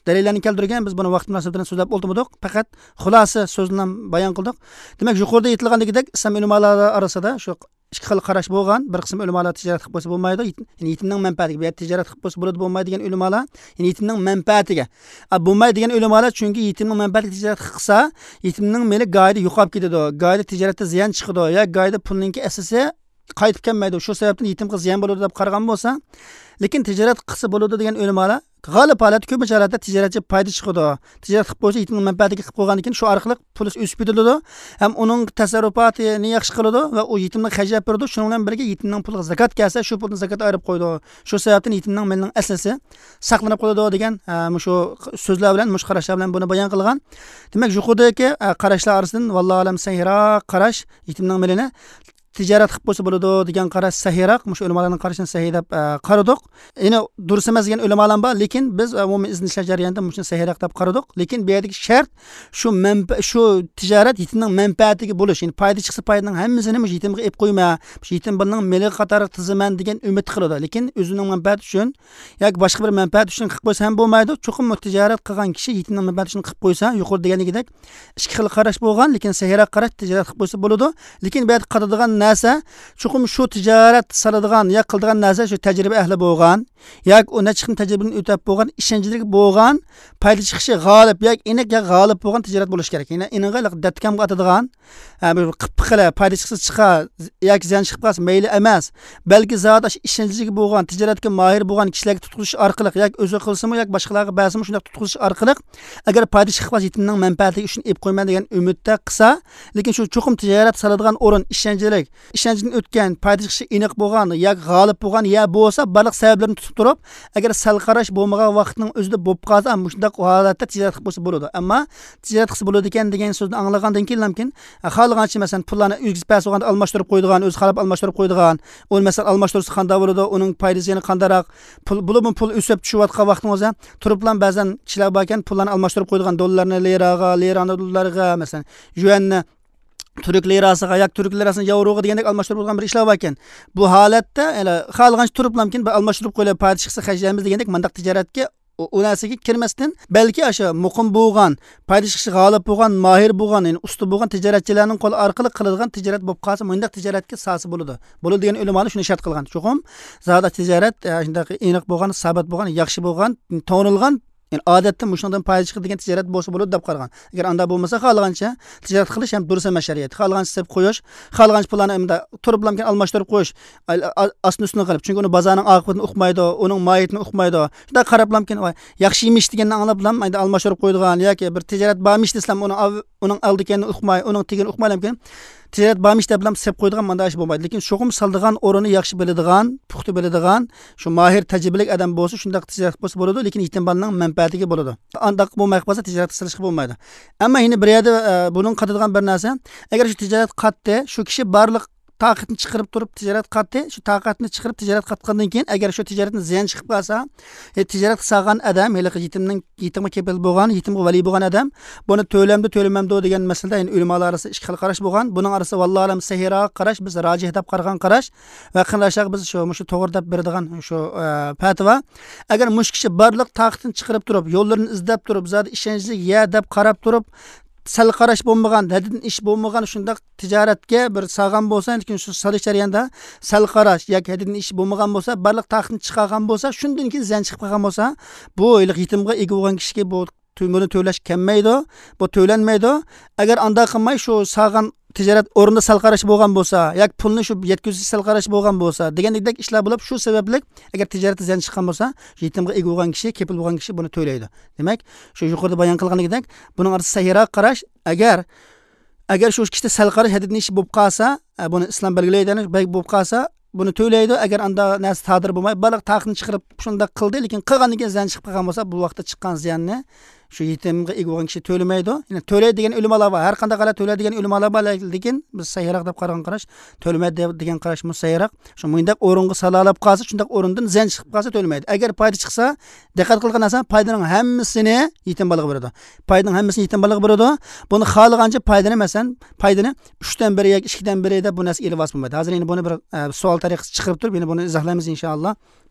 دەلىللەرنى كەلتۈرگەن. بىز بۇنى ۋاقىت مۇناسىۋىتى بىلەن سۆزلەپ ئولتۇرمىدۇق، پەقەت خۇلاسە سۆزنى بايان قىلدۇق. دېمەك، يۇقىرىدا ئېيتىلغاندىكىدەك، ئىسلام ئۆلىمالىرى ئارىسىدا شۇ ئىككى خىل قاراش بولغان. بىر قىسىم ئۆلىمالار تىجارەت قىلىپ قويسا بولمايدۇ، يېتىم، يەنى يېتىمنىڭ مەنپەئەتىگە، بۇ يەردە تىجارەت قىلىپ قويسا بولىدۇ، بولمايدۇ دېگەن ئۆلىمالار، يەنى يېتىمنىڭ مەنپەئەتىگە. ئا، بولمايدۇ دېگەن ئۆلىمالار، چۈنكى يېتىمنىڭ مەنپەئەتىگە تىجارەت قىلسا، يېتىمنىڭ مېلى گاھىدا يوقاپ كېتىدۇ، گاھىدا تىجارەتتە زىيان چىقىدۇ، يا گاھىدا پۇلنىڭكى ئەسلىسى قايتىپ كەلمەيدۇ، شۇ سەۋەبتىن يېتىمغا زىيان بولىدۇ دەپ قارىغان بولسا، لېكىن تىجارەت قىلسا بولىدۇ دېگەن ئۆلىمالار غالىب ھالەتتە، كۆپىنچە ھالەتتە تىجارەتچى پايدا چىقىدۇ. تىجارەت قىلىپ قويسا، يېتىمنىڭ مەنپەئەتىگە قىلىپ قويغاندىن كېيىن شۇ ئارقىلىق پۇل ئۆسۈپ كېتىدۇ ھەم ئۇنىڭ تەسەررۇپاتىنى ياخشى قىلىدۇ ۋە ئۇ يېتىمنى خەجلەپ بېرىدۇ. شۇنىڭ بىلەن بىرگە يېتىمنىڭ پۇلىغا زاكات كەلسە، شۇ پۇلدىن زاكات ئايرىپ قويىدۇ. شۇ سەۋەبتىن يېتىمنىڭ مېلىنىڭ ئەسلىسى ساقلىنىپ قالىدۇ دېگەن، ئە، مۇشۇ سۆزلەر بىلەن، مۇشۇ قاراشلار بىلەن بۇنى بايان قىلغان. دېمەك، يۇقىرىدىكى، ئە، قاراشلار ئارىسىدىن، ۋاللاھۇ ئەلەم، سەھىھراق قاراش يېتىمنىڭ مېلىنى تىجارەت قىلىپ قويسا بولىدۇ دېگەن قاراش سەھىيراق. مۇشۇ ئۆلىمالارنىڭ قارىشىنى سەھىي دەپ، ئە، قارىدۇق. يەنە دۇرۇس ئەمەس دېگەن ئۆلىمالار بار، لېكىن بىز، ئە، ئومۇمىي ئىزدىنىشلەر جەريانىدا مۇشۇنى سەھىيراق دەپ قارىدۇق. لېكىن بۇ يەردىكى شەرت شۇ مەنپە-، شۇ تىجارەت يېتىمنىڭ مەنپەئەتىگە بولۇش، يەنى پايدا چىقسا پايدىنىڭ ھەممىسىنى مۇشۇ يېتىمغا ئېلىپ قويما، مۇشۇ يېتىم بالىنىڭ مېلىگە قاتارلىق تىزىمەن دېگەن ئۈمىد قىلىدۇ. لېكىن ئۆزىنىڭ مەنپەئەتى ئۈچۈن ياكى باشقا بىر مەنپەئەت ئۈچۈن قىلىپ قويسا ھەم بولمايدۇ. چوقۇم بۇ تىجارەت قىلغان كىشى يېتىمنىڭ مەنپەئەتى ئۈچۈن قىلىپ قويسا، يۇقىرىدا دېگەندىكىدەك ئىككى خىل قاراش بولغان، لېكىن سەھىيراق قاراش تىجارەت قىلىپ قويسا بولىدۇ. لېكىن بۇ يەردە قارىدىغان نەرسە، چوقۇم شۇ تىجارەت سالىدىغان يا قىلىدىغان نەرسە شۇ تەجرىبە ئەھلى بولغان ياكى ئۇ نەچچە خىل تەجرىبىدىن ئۆتۈپ بولغان، ئىشەنچلىك بولغان، پايدا چىقىشى غالىب ياكى ئېنىق يا غالىب بولغان تىجارەت بولۇشى كېرەك. يەنى ئېنىقى دەتتىكامغا ئاتىدىغان، ھە، بىر قىپقىلە پايدا چىقسا چىقار ياكى زىيان چىقىپ قالسا مەيلى ئەمەس. بەلكى زادى ئاشۇ ئىشەنچلىكى بولغان، تىجارەتكە ماھىر بولغان كىشىلەرگە تۇتقۇزۇش ئارقىلىق ياكى ئۆزى قىلسىمۇ ياكى باشقىلارغا بەرسىمۇ شۇنداق تۇتقۇزۇش ئارقىلىق، ئەگەر پايدا چىقىپ قالسا يېتىمنىڭ مەنپەئەتى ئۈچۈن ئېلىپ قويىمەن دېگەن ئۈمىدتە قىلسا، لېكىن شۇ چوقۇم تىجارەت سالىدىغان ئورۇن ئىشەنچلىك، ئىشەنچتىن ئۆتكەن، پايدا چىقىشى ئېنىق بولغان ياكى غالىب بولغان يا بولسا بارلىق سەۋەبلىرىنى تۇتۇپ تۇرۇپ، ئەگەر سەل قاراش بولمىغان ۋاقىتنىڭ ئۆزىدە بولۇپ قالسا، مۇشۇنداق ھالەتتە تىجارەت قىلىپ قويسا بولىدۇ. ئەمما تىجارەت قىلسا بولىدىكەن دېگەن سۆزنى ئاڭلىغاندىن كېيىن لامكىن، خالىغانچە، مەسىلەن، پۇللارنى ئۆگزىپ بەرسە بولغاندا ئالماشتۇرۇپ قويىدىغان، ئۆزى خالاپ ئالماشتۇرۇپ قويىدىغان، ئۇنى، مەسىلەن، ئالماشتۇرسا قانداق بولىدۇ، ئۇنىڭ پايدىسى يەنە قانداقراق، پۇل، بولۇپمۇ پۇل ئۆسۈپ چۈشۈۋاتقان ۋاقتىڭىزدا تۇرۇپلا بەزەن كىشىلەر باركەن، پۇللارنى ئالماشتۇرۇپ قويىدىغان، دوللارنى لىراغا، لىرانى دوللارغا، مەسىلەن، يۈەننى تۈرك لىراسىغا ياكى تۈرك لىراسىنى ياۋروغا دېگەندەك ئالماشتۇرۇپ بولغان بىر ئىشلار باركەن. بۇ ھالەتتە، يەنە خالىغانچە تۇرۇپلامكىن، بىر ئالماشتۇرۇپ قويۇلۇپ، پايدا چىقسا خەجلەيمىز دېگەندەك مانداق تىجارەتكە ئۇ، ئۇ نەرسىگە كىرمەستىن، بەلكى ئاشۇ مۇقىم بولغان، پايدا چىقىشى غالىب بولغان، ماھىر بولغان، يەنى ئۇستا بولغان تىجارەتچىلەرنىڭ قولى ئارقىلىق قىلىدىغان تىجارەت بولۇپ قالسا، مۇنداق تىجارەتكە سالسا بولىدۇ. بولىدۇ دېگەن ئۆلىمالار شۇنى شەرت قىلغان. چوقۇم زادى تىجارەت، ئە، شۇنداق ئېنىق بولغان، سابىت بولغان، ياخشى بولغان، تونۇلغان، يەنى ئادەتتە مۇشۇنىڭدىن پايدا چىقىدىغان تىجارەت بولسا بولىدۇ دەپ قارىغان. ئەگەر ئانداق بولمىسا، خالىغانچە تىجارەت قىلىش ھەم دۇرۇس ئەمەس شەرىئەتتە. خالىغانچە سېلىپ قويۇش، خالىغانچە پۇللارنى ئەمدى تۇرۇپلامكىن ئالماشتۇرۇپ قويۇش، ئاستىن ئۈستىنى قىلىپ. چۈنكى ئۇنى بازارنىڭ ئاقىۋىتىنى ئۇقمايدۇ، ئۇنىڭ ماھىيىتىنى ئۇقمايدۇ. شۇنداق قاراپلامكىن، ۋاي، ياخشى ئىمىش دېگەننى ئاڭلاپلام، ئەمدى ئالماشتۇرۇپ قويىدىغان ياكى بىر تىجارەت بارمىش دېسىلەم، ئۇنىڭ ئاۋ-، ئۇنىڭ ئالىدىكەننى ئۇقماي، ئۇنىڭ تېگىنى ئۇقمايلامكىن، تىجارەت بارمىش دەپلام سېلىپ قويىدىغان مانداق ئىش بولمايدۇ. لېكىن چوقۇم سالىدىغان ئورنىنى ياخشى بىلىدىغان، پۇختا بىلىدىغان، شۇ ماھىر، تەجرىبىلىك ئادەم بولسا، شۇنداق تىجارەت بولسا بولىدۇ، لېكىن يېتىم بالىنىڭ مەنپەئەتىگە بولىدۇ. ئانداق بولماي قالسا، تىجارەتكە سېلىشقا بولمايدۇ. ئەمما يەنە بىر يەردە، ئە، بۇنىڭ قاتىدىغان بىر نەرسە، ئەگەر شۇ تىجارەت قاتتى، شۇ كىشى بارلىق تاقىتىنى چىقىرىپ تۇرۇپ تىجارەت قاتتى، شۇ تاقىتىنى چىقىرىپ تىجارەت قاتقاندىن كېيىن، ئەگەر شۇ تىجارەتتىن زىيان چىقىپ قالسا، ئە، تىجارەتكە سالغان ئادەم، ھېلىقى يېتىمنىڭ، يېتىمغا كېپىل بولغان، يېتىمغا ۋەلىي بولغان ئادەم، بۇنى تۆلەمدۇ، تۆلىمەمدۇ دېگەن مەسىلىدە، يەنە ئۆلىمالار ئارىسىدا ئىككى خىل قاراش بولغان. بۇنىڭ ئارىسىدا، ۋاللاھۇ ئەلەم، سەھىھراق قاراش، بىز راجىھ دەپ قارىغان قاراش ۋە قېرىنداشلارغا بىز شۇ، مۇشۇ توغرا دەپ بېرىدىغان شۇ، ئە، پەتىۋا. ئەگەر مۇشۇ كىشى بارلىق تاقىتىنى چىقىرىپ تۇرۇپ، يوللىرىنى ئىزدەپ تۇرۇپ، زادى ئىشەنچلىك يەر دەپ قاراپ تۇرۇپ، سەل قاراش بولمىغان، ھەددىدىن ئېشىپ بولمىغان شۇنداق تىجارەتكە بىر سالغان بولسا، لېكىن شۇ سېلىش جەريانىدا سەل قاراش ياكى ھەددىدىن ئېشىپ بولمىغان بولسا، بارلىق تاقىتىنى چىقارغان بولسا، شۇندىن كېيىن زىيان چىقىپ قالغان بولسا، بۇ ھېلىقى يېتىمغا ئىگە بولغان كىشىگە بۇ تۆ-، بۇنى تۆلەش كەلمەيدۇ، بۇ تۆلەنمەيدۇ. ئەگەر ئانداق قىلماي، شۇ سالغان تىجارەت ئورنىدا سەل قاراش بولغان بولسا، ياكى پۇلنى شۇ يەتكۈزۈش سەل قاراش بولغان بولسا، دېگەندەك ئىشلار بولۇپ، شۇ سەۋەبلىك ئەگەر تىجارەتتە زىيان چىققان بولسا، يېتىمغا ئىگە بولغان كىشى، كېپىل بولغان كىشى بۇنى تۆلەيدۇ. دېمەك، شۇ يۇقىرىدا بايان قىلغىنىدەك، بۇنىڭ ئارىسىدا سەھىھراق قاراش، ئەگەر، ئەگەر شۇ كىشىدە سەل قاراش ھەددىدىن ئېشىپ بولۇپ قالسا، ئە، بۇنى ئىسلام بەلگىلەيدۇ، بەگ بولۇپ قالسا، بۇنى تۆلەيدۇ. ئەگەر ئاندا نەرسە سادىر بولماي، بارلىق تاقىتىنى چىقىرىپ، شۇنداق قىلدى، لېكىن قىلغاندىن كېيىن زىيان چىقىپ قالغان بولسا، بۇ ۋاقىتتا چىققان زىياننى شۇ يېتىمغا ئىگە بولغان كىشى تۆلىمەيدۇ. يەنى تۆلەيدۇ دېگەن ئۆلىمالار بار، ھەر قانداق ھالەت تۆلەيدۇ دېگەن ئۆلىمالار بار، لېكىن بىز سەھىھراق دەپ قارىغان قاراش، تۆلىمەيدۇ دەپ، دېگەن قاراش مۇشۇ سەھىھراق. شۇ مۇنداق ئورۇنغا سالالاپ قالسا، شۇنداق ئورۇندىن زىيان چىقىپ قالسا تۆلىمەيدۇ. ئەگەر پايدا چىقسا، دىققەت قىلغان نەرسە، پايدىنىڭ ھەممىسىنى يېتىم بالىغا بېرىدۇ. پايدىنىڭ ھەممىسىنى يېتىم بالىغا بېرىدۇ. بۇنى خالىغانچە پايدىنى، مەسىلەن، پايدىنى ئۈچتىن بىرى ياكى ئىككىدىن بىرى دەپ بۇ نەرسىگە ئېلىۋالسا بولمايدۇ. ھازىر يەنە بۇنى بىر، ئە، سوئال تەرىقىسىدە چىقىرىپ تۇرۇپ، يەنە بۇنى ئىزاھلايمىز، ئىنشائاللا.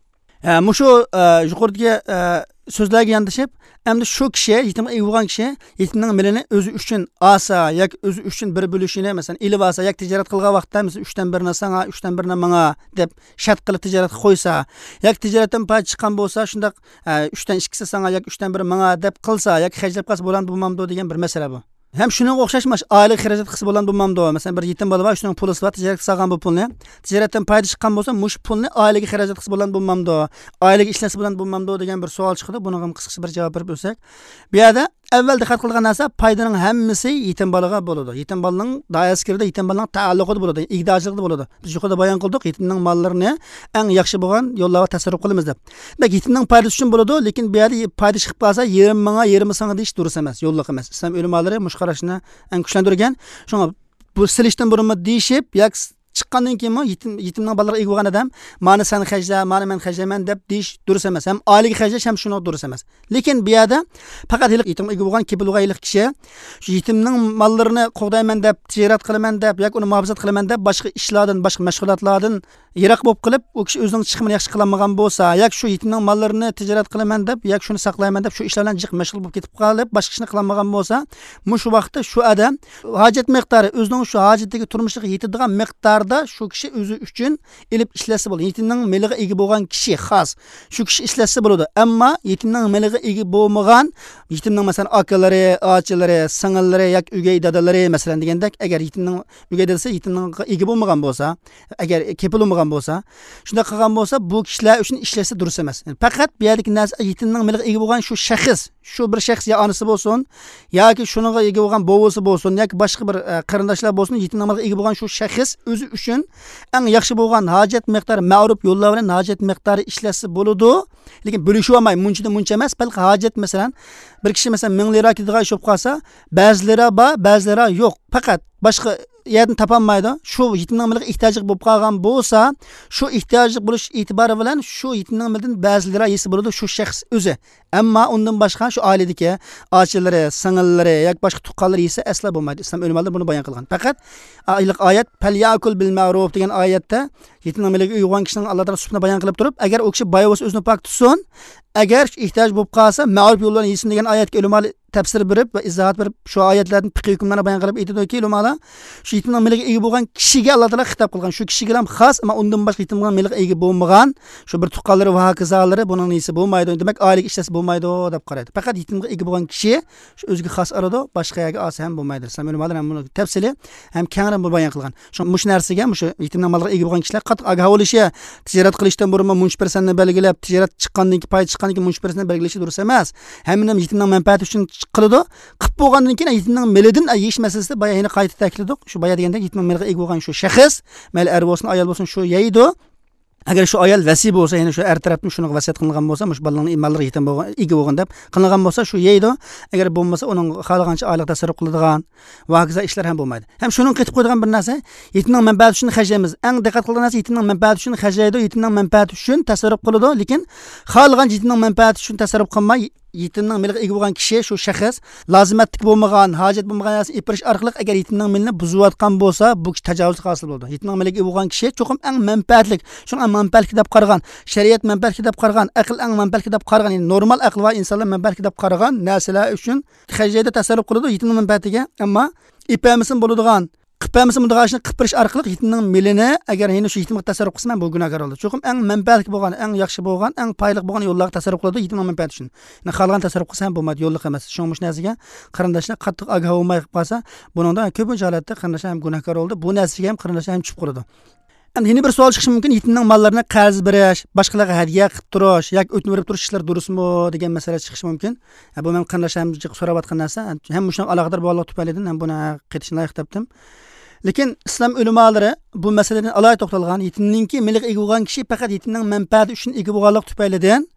ئە، مۇشۇ، ئە، يۇقىرىدىكى، ئە، سۆزلەرگە ياندىشىپ، ئەمدى شۇ كىشى، يېتىمغا ئىگە بولغان كىشى، يېتىمنىڭ مېلىنى ئۆزى ئۈچۈن ئالسا ياكى ئۆزى ئۈچۈن بىر بۆلۈشىنى، مەسىلەن، ئېلىۋالسا ياكى تىجارەت قىلغان ۋاقىتتا، مەسىلەن، ئۈچتىن بىرىنى ساڭا، ئۈچتىن بىرىنى ماڭا دەپ شەرت قىلىپ تىجارەتكە قويسا ياكى تىجارەتتىن پايدا چىققان بولسا، شۇنداق، ئە، ئۈچتىن ئىككىسى ساڭا ياكى ئۈچتىن بىرى ماڭا دەپ قىلسا ياكى خەجلەپ قالسا بولامدۇ، بولمامدۇ دېگەن بىر مەسىلە بۇ. ھەم شۇنىڭغا ئوخشاش ماش ئائىلىگە خەجلەت قىلسا بولامدۇ، بولمامدۇ؟ مەسىلەن، بىر يېتىم بالا بار، شۇنىڭ پۇلىسى بار، تىجارەتكە سالغان بۇ پۇلنى. تىجارەتتىن پايدا چىققان بولسا، مۇشۇ پۇلنى ئائىلىگە خەجلەت قىلسا بولامدۇ، بولمامدۇ؟ ئائىلىگە ئىشلەتسە بولامدۇ، بولمامدۇ دېگەن بىر سوئال چىقىدۇ. بۇنىڭغا قىسقىچە بىر جاۋاب بېرىپ ئۆتسەك. بۇ يەردە ئەۋۋەل دىققەت قىلغان نەرسە، پايدىنىڭ ھەممىسى يېتىم بالىغا بولىدۇ. يېتىم بالىنىڭ دائىرىسى كىرىدۇ، يېتىم بالىنىڭ تەئەللۇقىدا بولىدۇ، ئىگىدارچىلىقىدا بولىدۇ. بىز يۇقىرىدا بايان قىلدۇق، يېتىمنىڭ ماللىرىنى ئەڭ ياخشى بولغان يوللارغا تەسەررۇپ قىلىمىز دەپ. دېمەك، يېتىمنىڭ پايدىسى ئۈچۈن بولىدۇ، لېكىن بۇ يەردە پايدا چىقىپ قالسا، يېرىم ماڭا، يېرىمى ساڭا دېيىش دۇرۇس ئەمەس، يوللۇق ئەمەس. ئىسلام ئۆلىمالىرى مۇشۇ قاراشنى ئەڭ كۈچلەندۈرگەن. شۇڭا بۇ سېلىشتىن بۇرۇنمۇ دېيىشىپ، ياكى چىققاندىن كېيىنمۇ يېتىم، يېتىمنىڭ بالىلىرىغا ئىگە بولغان ئادەم، مانا سەن خەجلە، مانا مەن خەجلەيمەن دەپ دېيىش دۇرۇس ئەمەس. ھەم ئائىلىگە خەجلەش ھەم شۇنىڭغا دۇرۇس ئەمەس. لېكىن بۇ يەردە پەقەت ھېلىقى يېتىمغا ئىگە بولغان، كېپىل بولغان ھېلىقى كىشى شۇ يېتىمنىڭ ماللىرىنى قوغدايمەن دەپ، تىجارەت قىلىمەن دەپ ياكى ئۇنى مۇھاپىزەت قىلىمەن دەپ باشقا ئىشلاردىن، باشقا مەشغۇلاتلاردىن يىراق بولۇپ قېلىپ، ئۇ كىشى ئۆزىنىڭ چىقىمىنى ياخشى قىلالمىغان بولسا ياكى شۇ يېتىمنىڭ ماللىرىنى تىجارەت قىلىمەن دەپ ياكى شۇنى ساقلايمەن دەپ شۇ ئىشلار بىلەن جىق مەشغۇل بولۇپ كېتىپ قېلىپ، باشقا ئىشنى قىلالمىغان بولسا، مۇشۇ ۋاقىتتا شۇ ئادەم ھاجەت مىقدارى، ئۆزىنىڭ شۇ ھاجىتىگە، تۇرمۇشىغا يېتىدىغان مىقداردا شۇ كىشى ئۆزى ئۈچۈن ئېلىپ ئىشلەتسە بولىدۇ. يېتىمنىڭ مېلىغا ئىگە بولغان كىشى خاس شۇ كىشى ئىشلەتسە بولىدۇ. ئەمما يېتىمنىڭ مېلىغا ئىگە بولمىغان، يېتىمنىڭ، مەسىلەن، ئاكىلىرى، ئاچىلىرى، سىڭىللىرى ياكى ئۆگەي دادىلىرى، مەسىلەن، دېگەندەك، ئەگەر يېتىمنىڭ ئۆگەي دادىسى يېتىمنىڭغا ئىگە بولمىغان بولسا، ئەگەر كېپىل بولمىغان بولسا، شۇنداق قىلغان بولسا، بۇ كىشىلەر ئۈچۈن ئىشلەتسە دۇرۇس ئەمەس. يەنى پەقەت بۇ يەردىكى نەرسە يېتىمنىڭ مېلىغا ئىگە بولغان شۇ شەخس، شۇ بىر شەخس يا ئانىسى بولسۇن، ياكى شۇنىڭغا ئىگە بولغان بوۋىسى بولسۇن، ياكى باشقا بىر، ئە، قېرىنداشلار بولسۇن، يېتىمنىڭ مالىغا ئىگە بولغان شۇ شەخس ئۆزى ئۈچۈن ئەڭ ياخشى بولغان ھاجەت مىقدارى، مەرۇپ يوللار بىلەن ھاجەت مىقدارى ئىشلەتسە بولىدۇ. لېكىن بۆلۈشۈۋالماي، مۇنچىدىن مۇنچە ئەمەس، بەلكى ھاجەت، مەسىلەن، بىر كىشى، مەسىلەن، مىڭ لىرا كېتىدىغان ئىش بولۇپ قالسا، بەزىلىرى بار، بەزىلىرى يوق. پەقەت باشقا يەردىن تاپالمايدۇ. شۇ يېتىمنىڭ مېلىغا ئېھتىياجلىق بولۇپ قالغان بولسا، شۇ ئېھتىياجلىق بولۇش ئېتىبارى بىلەن شۇ يېتىمنىڭ مېلىدىن بەزىلىرى يېسە بولىدۇ، شۇ شەخس ئۆزى. ئەمما ئۇندىن باشقا شۇ ئائىلىدىكى ئاچىلىرى، سىڭىللىرى ياكى باشقا تۇغقانلىرى يېسە ئەسلا بولمايدۇ. ئىسلام ئۆلىمالىرى بۇنى بايان قىلغان. پەقەت ئايلىق ئايەت، «پەليەكۇل بىل مەرۇف» دېگەن ئايەتتە يېتىمنىڭ مېلىگە ئىگە بولغان كىشىنىڭ ئاللا تائالا سۈپىتىنى بايان قىلىپ تۇرۇپ، ئەگەر ئۇ كىشى باي بولسا ئۆزىنى پاك تۇتسۇن، ئەگەر ئېھتىياج بولۇپ قالسا مەرۇپ يول بىلەن يېسۇن دېگەن ئايەتكە ئۆلىمالار تەپسىر بېرىپ ۋە ئىزاھات بېرىپ، شۇ ئايەتلەردىن پىقھىي ھۆكۈملەرنى بايان قىلىپ ئېيتىدۇكى ئۆلىمالار، شۇ يېتىمنىڭ مېلىگە ئىگە بولغان كىشىگە ئاللا تائالا خىتاب قىلغان، شۇ كىشىگىلا خاس، ئەمما ئۇندىن باشقا يېتىمنىڭ مېلىغا ئىگە بولمىغان شۇ بىر تۇغقانلىرى ۋە ھاكازالىرى بۇنىڭ نېسى بولمايدۇ، دېمەك، ئائىلىگە ئىشلەتسە بولمايدۇ دەپ قارايدۇ. پەقەت يېتىمغا ئىگە بولغان كىشى شۇ ئۆزىگە خاس ئالىدۇ، باشقا يەرگە ئالسا ھەم بولمايدۇ. ئىسلام ئۆلىمالىرى ھەم بۇنى تەپسىلىي ھەم كەڭرى بايان قىلغان. شۇڭا مۇشۇ نەرسىگە، مۇشۇ يېتىمنىڭ مالىغا ئىگە بولغان كىشىلەر قاتتىق ئاگاھ بولۇشى، تىجارەت قىلىشتىن بۇرۇنمۇ مۇنچە پىرسەنتنى بەلگىلەپ، تىجارەت چىققاندىن كېيىن، پاي چىققاندىن كېيىن مۇنچە پىرسەنتنى بەلگىلىشى دۇرۇس ئەمەس. ھەممىنى يېتىمنىڭ مەنپەئەتى ئۈچۈن قىلىدۇ. قىلىپ بولغاندىن كېيىن يېتىمنىڭ مېلىدىن يېيىش مەسىلىسىدە بايا يەنە قايتا تەكىتلىدۇق. شۇ بايا دېگەندەك يېتىمنىڭ مېلىغا ئىگە بولغان شۇ شەخس، مەيلى ئەر بولسۇن، ئايال بولسۇن، شۇ يەيدۇ. ئەگەر شۇ ئايال ۋەسىي بولسا، يەنى شۇ ئەر تەرەپتىن شۇنىڭغا ۋەسىيەت قىلىنغان بولسا، مۇشۇ بالىنىڭ ماللىرىغا يېتىم بولغان، ئىگە بولغان دەپ قىلىنغان بولسا، شۇ يەيدۇ. ئەگەر بولمىسا، ئۇنىڭ خالىغانچە ئائىلىگە تەسەررۇپ قىلىدىغان ۋە ھاكازا ئىشلار ھەم بولمايدۇ. ھەم شۇنىڭغا قېتىپ قويىدىغان بىر نەرسە، يېتىمنىڭ مەنپەئەتى ئۈچۈن خەجلەيمىز. ئەڭ دىققەت قىلىدىغان نەرسە، يېتىمنىڭ مەنپەئەتى ئۈچۈن خەجلەيدۇ، يېتىمنىڭ مەنپەئەتى ئۈچۈن تەسەررۇپ قىلىدۇ. لېكىن خالىغانچە يېتىمنىڭ مەنپەئەتى ئۈچۈن تەسەررۇپ قىلماي، يېتىمنىڭ مېلىغا ئىگە بولغان كىشى شۇ شەخس لازىمەتلىك بولمىغان، ھاجەت بولمىغان نەرسىنى ئېلىپ بېرىش ئارقىلىق ئەگەر يېتىمنىڭ مېلىنى بۇزۇۋاتقان بولسا، بۇ كىشى تاجاۋۇزلۇق ھاسىل بولىدۇ. يېتىمنىڭ مېلىگە ئىگە بولغان كىشى چوقۇم ئەڭ مەنپەئەتلىك، شۇنىڭ ئەڭ مەنپەئەتلىك دەپ قارىغان، شەرىئەت مەنپەئەتلىك دەپ قارىغان، ئەقىل ئەڭ مەنپەئەتلىك دەپ قارىغان، يەنى نورمال ئەقلى بار ئىنسانلار مەنپەئەتلىك دەپ قارىغان نەرسىلەر ئۈچۈن خەجلەيدۇ، تەسەررۇپ قىلىدۇ يېتىمنىڭ مەنپەئەتىگە. ئەمما ئېپەرمىسىمۇ بولىدىغان، قىلىپ بەرمىسە، مۇنداق ئىشنى قىلىپ بېرىش ئارقىلىق يېتىمنىڭ مېلىنى، ئەگەر يەنە شۇ يېتىمگە تەسەررۇپ قىلسا، مەن بۇ گۇناھكار بولىدۇ. چوقۇم ئەڭ مەنپەئەتلىك بولغان، ئەڭ ياخشى بولغان، ئەڭ پايدىلىق بولغان يوللارغا تەسەررۇپ قىلىدۇ، يېتىمنىڭ مەنپەئەتى ئۈچۈن. يەنى خالىغان تەسەررۇپ قىلسا ھەم بولمايدۇ، يوللۇق ئەمەس. شۇڭا مۇشۇ نەرسىگە قېرىنداشلار قاتتىق ئاگاھ بولماي قېلىپ قالسا، بۇنىڭدا كۆپىنچە ھالەتتە قېرىنداشلار ھەم گۇناھكار بولىدۇ. بۇ نەرسىگە ھەم قېرىنداشلار ھەم چۈشۈپ قالىدۇ. ئەمدى يەنە بىر سوئال چىقىشى مۇمكىن، يېتىمنىڭ ماللىرىنى قەرز بېرىش، باشقىلارغا ھەدىيە قىلىپ تۇرۇش ياكى ئۆتۈنۈپ بېرىپ تۇرۇش ئىشلىرى دۇرۇسمۇ دېگەن مەسىلە چىقىشى مۇمكىن. ھە، بۇ مەن قېرىنداشلارنىڭ جىق سوراۋاتقان نەرسە. ھەم مۇشۇنىڭغا ئالاقىدار بولغانلىقى تۈپەيلىدىن ھەم بۇنى قېتىشنى لايىق تاپتىم. لېكىن ئىسلام ئۆلىمالىرى بۇ مەسىلىدىن ئالاھىدە توختالغان، يېتىمنىڭكى مېلىغا ئىگە بولغان كىشى پەقەت يېتىمنىڭ مەنپەئەتى ئۈچۈن ئىگە بولغانلىقى تۈپەيلىدىن،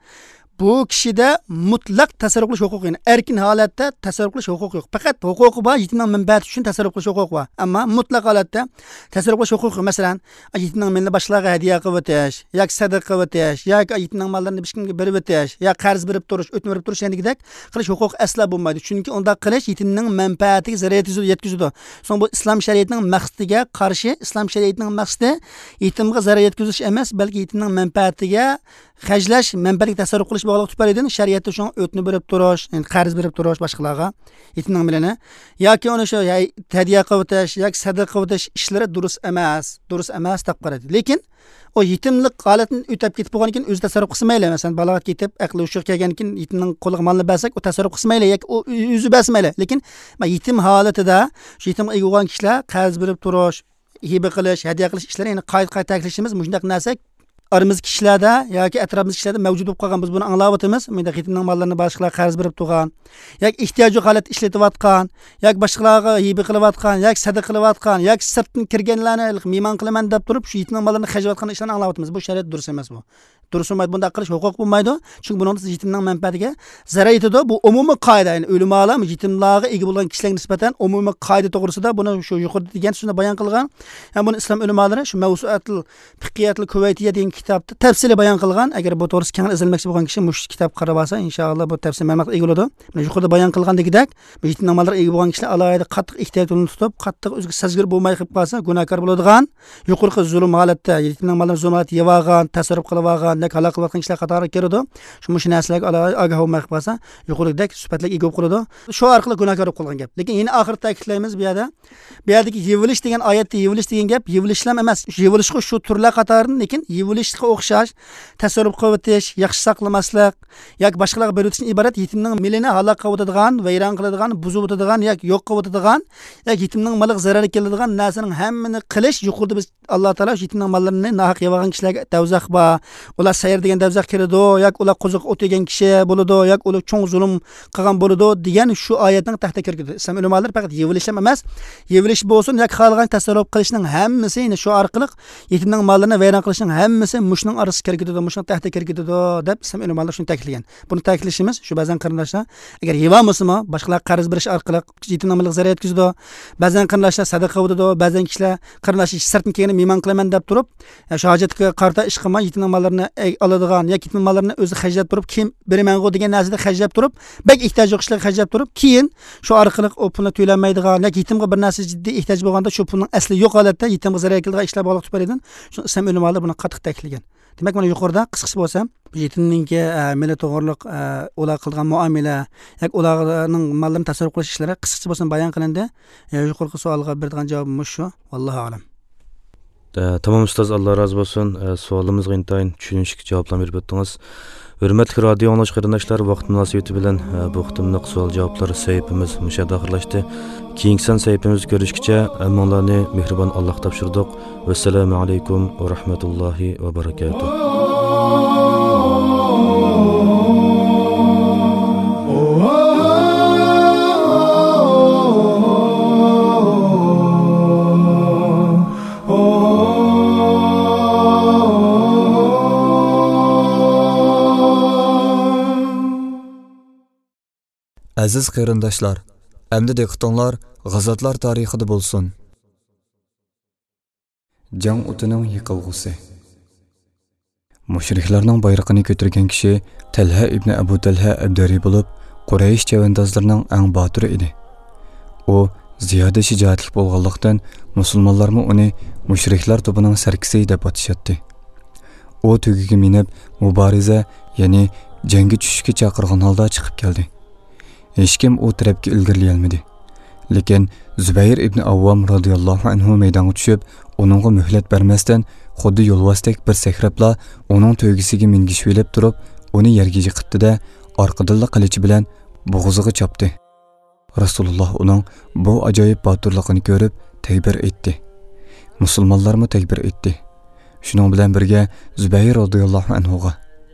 بۇ كىشىدە مۇتلەق تەسەررۇپ قىلىش ھوقۇقى، يەنى ئەركىن ھالەتتە تەسەررۇپ قىلىش ھوقۇقى يوق. پەقەت ھوقۇقى بار، يېتىمنىڭ مەنپەئەتى ئۈچۈن تەسەررۇپ قىلىش ھوقۇقى بار. ئەمما مۇتلەق ھالەتتە تەسەررۇپ قىلىش ھوقۇقى يوق. مەسىلەن، يېتىمنىڭ مېلىنى باشقىلارغا ھەدىيە قىلىۋېتىش ياكى سەدىقە قىلىۋېتىش ياكى يېتىمنىڭ ماللىرىنى ھېچكىمگە بېرىۋېتىش يا قەرز بېرىپ تۇرۇش، ئۆتۈنۈپ بېرىپ تۇرۇش دېگەندەك قىلىش ھوقۇقى ئەسلا بولمايدۇ. چۈنكى ئۇنداق قىلىش يېتىمنىڭ مەنپەئەتىگە زەرەر يەتكۈزىدۇ، يەتكۈزىدۇ. سوڭ بۇ ئىسلام شەرىئىتىنىڭ مەقسىتىگە قارشى، ئىسلام شەرىئىتىنىڭ مەقسىتى يېتىمغا زەرەر يەتكۈزۈش ئەمەس، بەلكى يېتىمنىڭ مەنپەئەتىگە خەجلەش، مەنپەئەتكە تەسەررۇپ قىلىش بولغانلىقى تۈپەيلىدىن شەرىئەتتە شۇڭا ئۆتنە بېرىپ تۇرۇش، يەنى قەرز بېرىپ تۇرۇش باشقىلارغا يېتىمنىڭ مېلىنى ياكى ئۇنى شۇ ھەي-، ھەدىيە قىلىۋېتىش ياكى سەدىقە قىلىۋېتىش ئىشلىرى دۇرۇس ئەمەس، دۇرۇس ئەمەس دەپ قارايدۇ. لېكىن ئۇ يېتىملىق ھالەتتىن ئۆتۈپ كېتىپ بولغاندىن كېيىن ئۆزى تەسەررۇپ قىلسا مەيلى. مەسىلەن، بالاغەت كېتىپ، ئەقلى ھوشىغا كەلگەندىن كېيىن يېتىمنىڭ قولىغا مالنى بەرسەك، ئۇ تەسەررۇپ قىلسا مەيلى ياكى ئۇ ئۆزى بەرسە مەيلى. لېكىن يېتىم ھالىتىدە شۇ يېتىمغا ئىگە بولغان كىشىلەر قەرز بېرىپ تۇرۇش، ھىبە قىلىش، ھەدىيە قىلىش ئىشلىرى، يەنى قايتا-قايتا تەكىتلىشىمىز، مۇشۇنداق نەرسە ئارىمىزدىكى كىشىلەردە ياكى ئەتراپىمىزدىكى كىشىلەردە مەۋجۇت بولۇپ قالغان، بىز بۇنى ئاڭلاۋاتىمىز. مۇنداق يېتىمنىڭ ماللىرىنى باشقىلارغا قەرز بېرىپ تۇرغان ياكى ئېھتىياجلىق ھالەتتە ئىشلىتىۋاتقان ياكى باشقىلارغا ھىبە قىلىۋاتقان ياكى سەدىقە قىلىۋاتقان ياكى سىرتتىن كىرگەنلەرنى مېھمان قىلىمەن دەپ تۇرۇپ، شۇ يېتىمنىڭ ماللىرىنى خەجلەۋاتقان ئىشلارنى ئاڭلاۋاتىمىز. بۇ شەرىئەتتە دۇرۇس ئەمەس بۇ. دۇرۇس بولمايدۇ، بۇنداق قىلىش ھوقۇق بولمايدۇ. چۈنكى بۇنىڭدا سىز يېتىمنىڭ مەنپەئەتىگە زەرەر يېتىدۇ. بۇ ئومۇمىي قائىدە، يەنى ئۆلىمالار يېتىملارغا ئىگە بولغان كىشىلەرگە نىسبەتەن ئومۇمىي قائىدە توغرىسىدا بۇنى شۇ يۇقىرىدا دېگەن سۆزنى بايان قىلغان. يەنى بۇنى ئىسلام ئۆلىمالىرى شۇ مەۋسۇئەتۇل فىقھىيەتۇل كۇۋەيتىيە دېگەن كىتابتا تەپسىلىي بايان قىلغان. ئەگەر بۇ توغرىسىدا كەڭرى ئىزدەنمەكچى بولغان كىشى مۇشۇ كىتابقا قاراپ ئالسا، ئىنشائاللا بۇ تەپسىلىي مەلۇماتقا ئىگە بولىدۇ. مانا يۇقىرىدا بايان قىلغاندىكىدەك، بۇ يېتىمنىڭ ماللىرىغا ئىگە بولغان كىشىلەر ئالاھىدە قاتتىق ئېھتىيات يولىنى تۇتۇپ، قاتتىق ئۆزىگە سەزگۈر بولماي قېلىپ قالسا، گۇناھكار بولىدىغان، يۇقىرىقى زۇلۇم ھالەتتە، يېتىمنىڭ مالىنى زۇلۇم ھالەتتە يەۋالغان، تەسەررۇپ قىلىۋالغان، دەك ھالاك قىلىۋاتقان كىشىلەر قاتارىغا كىرىدۇ. شۇ مۇشۇ نەرسىلەرگە ئالا-، ئاگاھ بولماي قېلىپ قالسا، يۇقىرىدەك سۈپەتلەرگە ئىگە بولۇپ قالىدۇ. شۇ ئارقىلىق گۇناھكار بولۇپ قالغان گەپ. لېكىن يەنە ئاخىرىدا تەكىتلەيمىز بۇ يەردە. بۇ يەردىكى يېۋىلىش دېگەن ئايەتتە يېۋىلىش دېگەن گەپ، يېۋىلىشلام ئەمەس. يېۋىلىشقا شۇ تۈرلەر قاتارىدىن، لېكىن يېۋىلىشقا ئوخشاش تەسەررۇپ قىلىۋېتىش، ياخشى ساقلىماسلىق، ياكى باشقىلارغا بېرىۋېتىشتىن ئىبارەت يېتىمنىڭ مېلىنى ھالاك قىلىۋېتىدىغان، ۋەيران قىلىدىغان، بۇزۇۋېتىدىغان ياكى يوق قىلىۋېتىدىغان، ياكى يېتىمنىڭ مالىغا زەرەر كېلىدىغان نەرسىنىڭ ھەممىنى قىلىش يۇقىرىدا بىز ئاللا تائالا شۇ يېتىمنىڭ ماللىرىنى ناھەق يەۋالغان كىشىلەرگە دوزاخ بار. ئۇلار سەئىر دېگەن دەۋزەخ كىرىدۇ، ياكى ئۇلار قوزۇققا ئوت يېگەن كىشى بولىدۇ، ياكى ئۇلار چوڭ زۇلۇم قىلغان بولىدۇ دېگەن شۇ ئايەتنىڭ تەھتىگە كىرگۈدى. ئىسلام ئۆلىمالىرى پەقەت يېپىلىش ھەم ئەمەس، يېپىلىش بولسۇن ياكى خالىغان تەسەررۇپ قىلىشنىڭ ھەممىسى، يەنى شۇ ئارقىلىق يېتىمنىڭ ماللىرىنى ۋەيران قىلىشنىڭ ھەممىسى مۇشۇنىڭ ئارىسىغا كىرگۈدىدۇ، مۇشۇنىڭ تەھتىگە كىرگۈدىدۇ دەپ ئىسلام ئۆلىمالىرى شۇنى تەكىتلىگەن. بۇنى تەكىتلىشىمىز شۇ بەزەن قېرىنداشلار، ئەگەر يېپالمىسىمۇ، باشقىلارغا قەرز بېرىش ئارقىلىق يېتىمنىڭ مالىغا زەرەر يەتكۈزىدۇ. بەزەن قېرىنداشلار سەدىقە قىلىۋېتىدۇ، بەزەن كىشىلەر قېرىنداش سىرتتىن كەلگەندە مېھمان قىلىمەن دەپ تۇرۇپ، شۇ ھاجەتكە قارىتا ئىش قىلماي، يېتىمنىڭ ماللىرىنى ئالىدىغان ياكى يېتىمنىڭ ماللىرىنى ئۆزى خەجلەپ تۇرۇپ، كېيىن بېرىمەنغۇ دېگەن نەرسىدە خەجلەپ تۇرۇپ، بەك ئېھتىياجلىق كىشىلەرگە خەجلەپ تۇرۇپ، كېيىن شۇ ئارقىلىق ئۇ پۇلنى تۆلەلمەيدىغان ياكى يېتىمغا بىر نەرسە جىددىي ئېھتىياج بولغاندا، شۇ پۇلنىڭ ئەسلى يوق ھالەتتە يېتىمغا زەرەر كېلىدىغان ئىشلار بولغانلىقى تۈپەيلىدىن، شۇ ئىسلام ئۆلىمالىرى بۇنى قاتتىق تەكىتلىگەن. دېمەك، مانا يۇقىرىدا قىسقىچە بولسا، يېتىمنىڭكى، ئە، مېلى توغرۇلۇق، ئە، ئۇلار قىلىدىغان مۇئامىلە، ياكى ئۇلارنىڭ ماللىرىنى تەسەررۇپ قىلىش ئىشلىرى قىسقىچە بولسىمۇ بايان قىلىندى. ئە، يۇقىرىقى سوئالغا بېرىدىغان جاۋابىم مۇشۇ. ۋاللاھۇ ئەلەم. ئە، تامام ئۇستاز، ئاللا رازى بولسۇن. ئە، سوئالىمىزغا ئىنتايىن چۈشىنىشلىك جاۋابلارنى بېرىپ ئۆتتىڭىز. ھۆرمەتلىك رادىئو ئاڭلىغۇچى قېرىنداشلار، ۋاقىت مۇناسىۋىتى بىلەن، ئە، بۇ قېتىملىق سوئال جاۋابلار سەھىپىمىز مۇشۇ يەردە ئاخىرلاشتى. كېيىنكى سان سەھىپىمىزدە كۆرۈشكىچە، ھەممىڭلارنى مېھرىبان ئاللاغا تاپشۇردۇق. ۋەسسالامۇ ئەلەيكۇم ۋە رەھمەتۇللاھى ۋە بەرىكاتۇھ. ئەزىز قېرىنداشلار، ئەمدى دىققىتىڭلار غازاتلار تارىخىدا بولسۇن. جەڭ ئوتىنىڭ يېقىلغۇسى. مۇشرىكلارنىڭ بايرىقىنى كۆتۈرگەن كىشى تەلھە ئىبنى ئەبۇ تەلھە ئەبدەرى بولۇپ، قۇرەيش چەۋەندازلىرىنىڭ ئەڭ باتۇرى ئىدى. ئۇ زىيادە شىجائەتلىك بولغانلىقتىن، مۇسۇلمانلارمۇ ئۇنى مۇشرىكلار توپىنىڭ سەركىسى دەپ ئاتىشاتتى. ئۇ تۆگىگە مىنىپ، مۇبارىزە، يەنى جەڭگە چۈشۈشكە چاقىرغان ھالدا چىقىپ كەلدى. ھېچكىم ئۇ تەرەپكە ئىلگىرىلىيەلمىدى. لېكىن زۇبەير ئىبنى ئاۋۋام رازىياللاھۇ ئەنھۇ مەيدانغا چۈشۈپ، ئۇنىڭغا مۆھلەت بەرمەستىن، خۇددى يولۋاستەك بىر سەكرەپلا ئۇنىڭ تۆگىسىگە مىنگىشىۋېلىپ تۇرۇپ، ئۇنى يەرگە يىقىتتى-دە، ئارقىدىنلا قىلىچى بىلەن بوغۇزىغا چاپتى. رەسۇلۇللاھ ئۇنىڭ بۇ ئاجايىپ باتۇرلۇقىنى كۆرۈپ تەكبىر ئېيتتى. مۇسۇلمانلارمۇ تەكبىر ئېيتتى. شۇنىڭ بىلەن بىرگە زۇبەير رازىياللاھۇ ئەنھۇغا،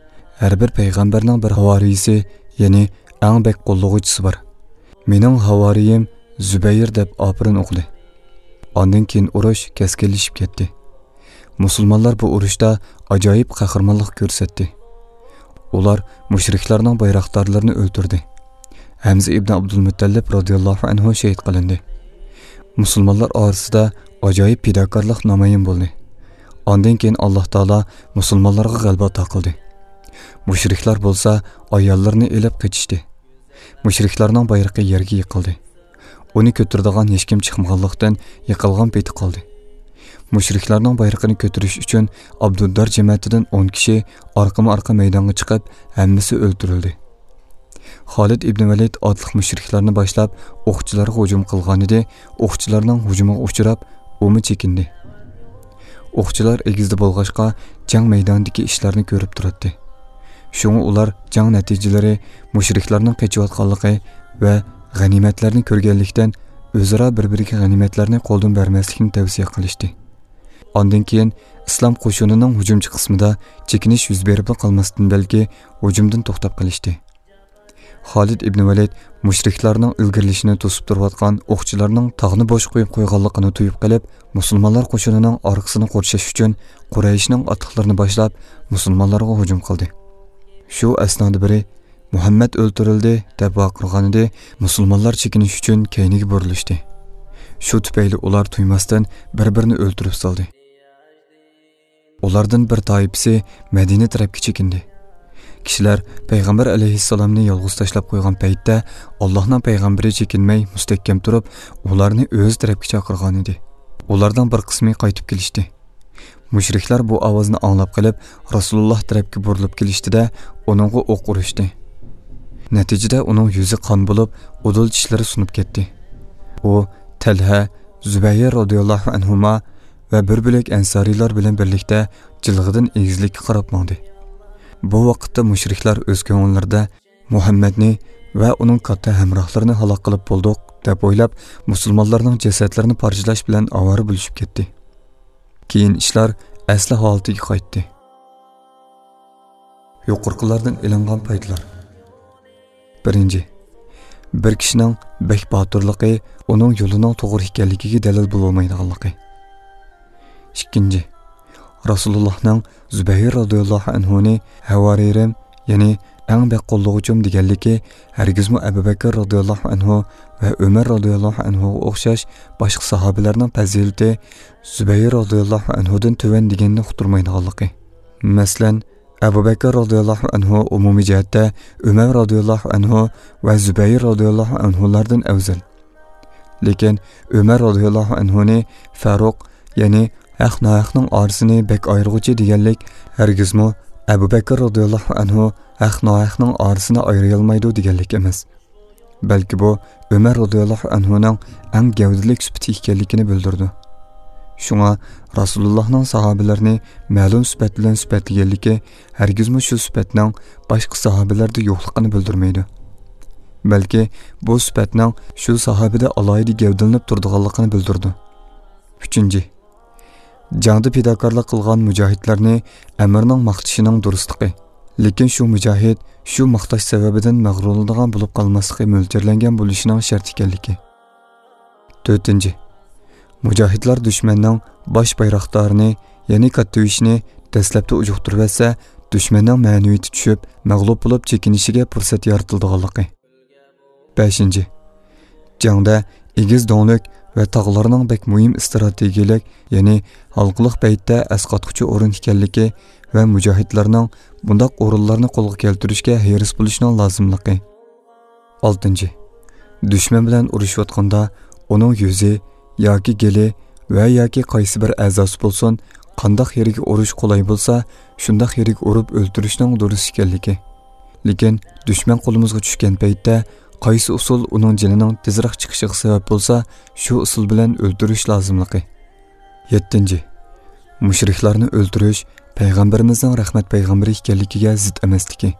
ھەر بىر پەيغەمبەرنىڭ بىر ھاۋارىيسى، يەنى ئەڭ بەك قوللىغۇچىسى بار. مېنىڭ ھاۋارىيىم زۇبەير دەپ ئاپىرىن ئوقۇدى. ئاندىن كېيىن ئۇرۇش كەسكىنلىشىپ كەتتى. مۇسۇلمانلار بۇ ئۇرۇشتا ئاجايىپ قەھرىمانلىق كۆرسەتتى. ئۇلار مۇشرىكلارنىڭ بايراقدارلىرىنى ئۆلتۈردى. ھەمزە ئىبنى ئابدۇلمۇتەللىپ رازىياللاھۇ ئەنھۇ شېھىت قىلىندى. مۇسۇلمانلار ئارىسىدا ئاجايىپ پىداكارلىق نامايان بولدى. ئاندىن كېيىن ئاللاھ تائالا مۇسۇلمانلارغا غەلىبە ئاتا قىلدى. مۇشرىكلار بولسا ئاياللىرىنى ئېلىپ قېچىشتى. مۇشرىكلارنىڭ بايرىقى يەرگە يىقىلدى. ئۇنى كۆتۈرىدىغان ھېچكىم چىقمىغانلىقتىن، يىقىلغان پېتى قالدى. مۇشرىكلارنىڭ بايرىقىنى كۆتۈرۈش ئۈچۈن ئابدۇددار جەمەتىدىن ئون كىشى ئارقىمۇ ئارقا مەيدانغا چىقىپ، ھەممىسى ئۆلتۈرۈلدى. خالىد ئىبنى ۋەلىد ئاتلىق مۇشرىكلارنى باشلاپ، ئوقچىلارغا ھۇجۇم قىلغانىدى، ئوقچىلارنىڭ ھۇجۇمىغا ئۇچراپ، ئۇمۇ چېكىندى. ئوقچىلار ئېگىزدە بولغاچقا، جەڭ مەيدانىدىكى ئىشلارنى كۆرۈپ تۇراتتى. شۇڭا ئۇلار جەڭ نەتىجىلىرى، مۇشرىكلارنىڭ قېچىۋاتقانلىقى ۋە غەنىيمەتلەرنى كۆرگەنلىكتىن، ئۆزئارا بىر-بىرىگە غەنىيمەتلەرنى قولدىن بەرمەسلىكنى تەۋسىيە قىلىشتى. ئاندىن كېيىن ئىسلام قوشۇنىنىڭ ھۇجۇمچى قىسمىدا چېكىنىش يۈز بېرىپلا قالماستىن بەلكى ھۇجۇمدىن توختاپ قېلىشتى. خالىد ئىبنى ۋەلىد مۇشرىكلارنىڭ ئىلگىرىلىشىنى توسۇپ تۇرۇۋاتقان ئوقچىلارنىڭ تاغنى بوش قويۇپ قويغانلىقىنى تۇيۇپ قېلىپ، مۇسۇلمانلار قوشۇنىنىڭ ئارقىسىنى قورشاش ئۈچۈن قۇرەيشنىڭ ئاتلىقلىرىنى باشلاپ، مۇسۇلمانلارغا ھۇجۇم قىلدى. شۇ ئەسنادا بىرى، «مۇھەممەد ئۆلتۈرۈلدى!» دەپ ۋارقىرىغانىدى، مۇسۇلمانلار چېكىنىش ئۈچۈن كەينىگە بۇرۇلۇشتى. شۇ تۈپەيلى ئۇلار تۇيماستىن بىر-بىرىنى ئۆلتۈرۈپ سالدى. ئۇلاردىن بىر تائىپىسى مەدىنە تەرەپكە چېكىندى. كىشىلەر پەيغەمبەر ئەلەيھىسسالامنى يالغۇز تاشلاپ قويغان پەيتتە، ئاللاھنىڭ پەيغەمبىرى چېكىنمەي مۇستەھكەم تۇرۇپ، ئۇلارنى ئۆزى تەرەپكە چاقىرغانىدى. ئۇلارنىڭ بىر قىسمى قايتىپ كېلىشتى. مۇشرىكلار بۇ ئاۋازنى ئاڭلاپ قېلىپ، رەسۇلۇللاھ تەرەپكە بۇرۇلۇپ كېلىشتى-دە، ئۇنىڭغا ئوق ئۇرۇشتى. نەتىجىدە ئۇنىڭ يۈزى قان بولۇپ، ئۇدۇل چىشلىرى سۇنۇپ كەتتى. ئۇ تەلھە، زۇبەير رازىياللاھۇ ئەنھۇما ۋە بىر بۆلەك ئەنسارىيلار بىلەن بىرلىكتە جىلغىدىن ئېگىزلىككە قاراپ ماڭدى. بۇ ۋاقىتتا مۇشرىكلار ئۆز كۆڭۈللىرىدە مۇھەممەدنى ۋە ئۇنىڭ كاتتا ھەمراھلىرىنى ھالاك قىلىپ بولدۇق، دەپ ئويلاپ، مۇسۇلمانلارنىڭ جەسەتلىرىنى پارچىلاش بىلەن ئاۋارە بولۇشۇپ كەتتى. كېيىن ئىشلار ئەسلى ھالىتىگە قايتتى. يۇقىرىقىلاردىن ئېلىنغان پايدىلار. بىرىنچى، بىر كىشىنىڭ بەك باتۇرلۇقى ئۇنىڭ يولىنىڭ توغرا ئىكەنلىكىگە دەلىل بولالمايدىغانلىقى. ئىككىنچى، رەسۇلۇللاھنىڭ زۇبەير رازىياللاھۇ ئەنھۇنى ھەۋارىيىم، يەنى ئەڭ بەك قوللىغۇچۇم دېگەنلىكى ھەرگىزمۇ ئەبۇ بەكىر رازىياللاھۇ ئەنھۇ ۋە ئۆمەر رازىياللاھۇ ئەنھۇغا ئوخشاش باشقا ساھابىلەرنىڭ پەزىلىتى زۇبەير رازىياللاھۇ ئەنھۇدىن تۆۋەن دېگەننى ئۇقتۇرمايدىغانلىقى. مەسىلەن، ئەبۇ بەكىر رازىياللاھۇ ئەنھۇ ئومۇمىي جەھەتتە ئۆمەر رازىياللاھۇ ئەنھۇ ۋە زۇبەير رازىياللاھۇ ئەنھۇلاردىن ئەۋزەل. لېكىن ئۆمەر رازىياللاھۇ ئەنھۇنى فاروق، يەنى ھەق ناھەقنىڭ ئارىسىنى بەك ئايرىغۇچى دېگەنلىك ھەرگىزمۇ ئەبۇ بەكىر رازىياللاھۇ ئەنھۇ ھەق ناھەقنىڭ ئارىسىنى ئايرىيالمايدۇ دېگەنلىك ئەمەس. بەلكى بۇ ئۆمەر رازىياللاھۇ ئەنھۇنىڭ ئەڭ گەۋدىلىك سۈپىتى ئىكەنلىكىنى بىلدۈرىدۇ. شۇڭا رەسۇلۇللاھنىڭ ساھابىلەرنى مەلۇم سۈپەت بىلەن سۈپەتلىگەنلىكى ھەرگىزمۇ شۇ سۈپەتنىڭ باشقا ساھابىلەردە يوقلۇقىنى بىلدۈرمەيدۇ. بەلكى بۇ سۈپەتنىڭ شۇ ساھابىدە ئالاھىدە گەۋدىلىنىپ تۇرىدىغانلىقىنى بىلدۈرىدۇ. ئۈچىنچى، جەڭدە پىداكارلىق قىلغان مۇجاھىدلارنى ئەمىرنىڭ ماختىشىنىڭ دۇرۇسلۇقى، لېكىن شۇ مۇجاھىد شۇ ماختاش سەۋەبىدىن مەغرۇرلىنىدىغان بولۇپ قالماسلىقى مۆلچەرلەنگەن بولۇشىنىڭ شەرت ئىكەنلىكى. تۆتىنچى، مۇجاھىدلار دۈشمەننىڭ باش بايراقدارىنى، يەنى كاتتىۋېشنى دەسلەپتە ئۇجۇقتۇرۇۋەتسە، دۈشمەننىڭ مەنىۋىيىتى چۈشۈپ، مەغلۇپ بولۇپ چېكىنىشىگە پۇرسەت يارىتىلىدىغانلىقى. بەشىنچى، جەڭدە ئېگىز دۆڭلۈك ۋە تاغلارنىڭ بەك مۇھىم ئىستراتېگىيىلىك، يەنى ھالقىلىق پەيتتە ئەسقاتقۇچى ئورۇن ئىكەنلىكى ۋە مۇجاھىدلارنىڭ بۇنداق ئورۇنلارنى قولغا كەلتۈرۈشكە ھېرىس بولۇشىنىڭ لازىملىقى. ئالتىنچى، دۈشمەن بىلەن ئۇرۇشۇۋاتقاندا ئۇنىڭ يۈزى ياكى گېلى ۋە ياكى قايسى بىر ئەزاسى بولسۇن، قانداق يېرىگە ئۇرۇش قولاي بولسا، شۇنداق يېرىگە ئۇرۇپ ئۆلتۈرۈشنىڭ دۇرۇس ئىكەنلىكى. لېكىن دۈشمەن قولىمىزغا چۈشكەن پەيتتە، قايسى ئۇسۇل ئۇنىڭ جېنىنىڭ تېزرەك چىقىشىغا سەۋەب بولسا، شۇ ئۇسۇل بىلەن ئۆلتۈرۈش لازىملىقى. يەتتىنچى، مۇشرىكلارنى ئۆلتۈرۈش پەيغەمبىرىمىزنىڭ رەھمەت پەيغەمبىرى ئىكەنلىكىگە زىت ئەمەسلىكى.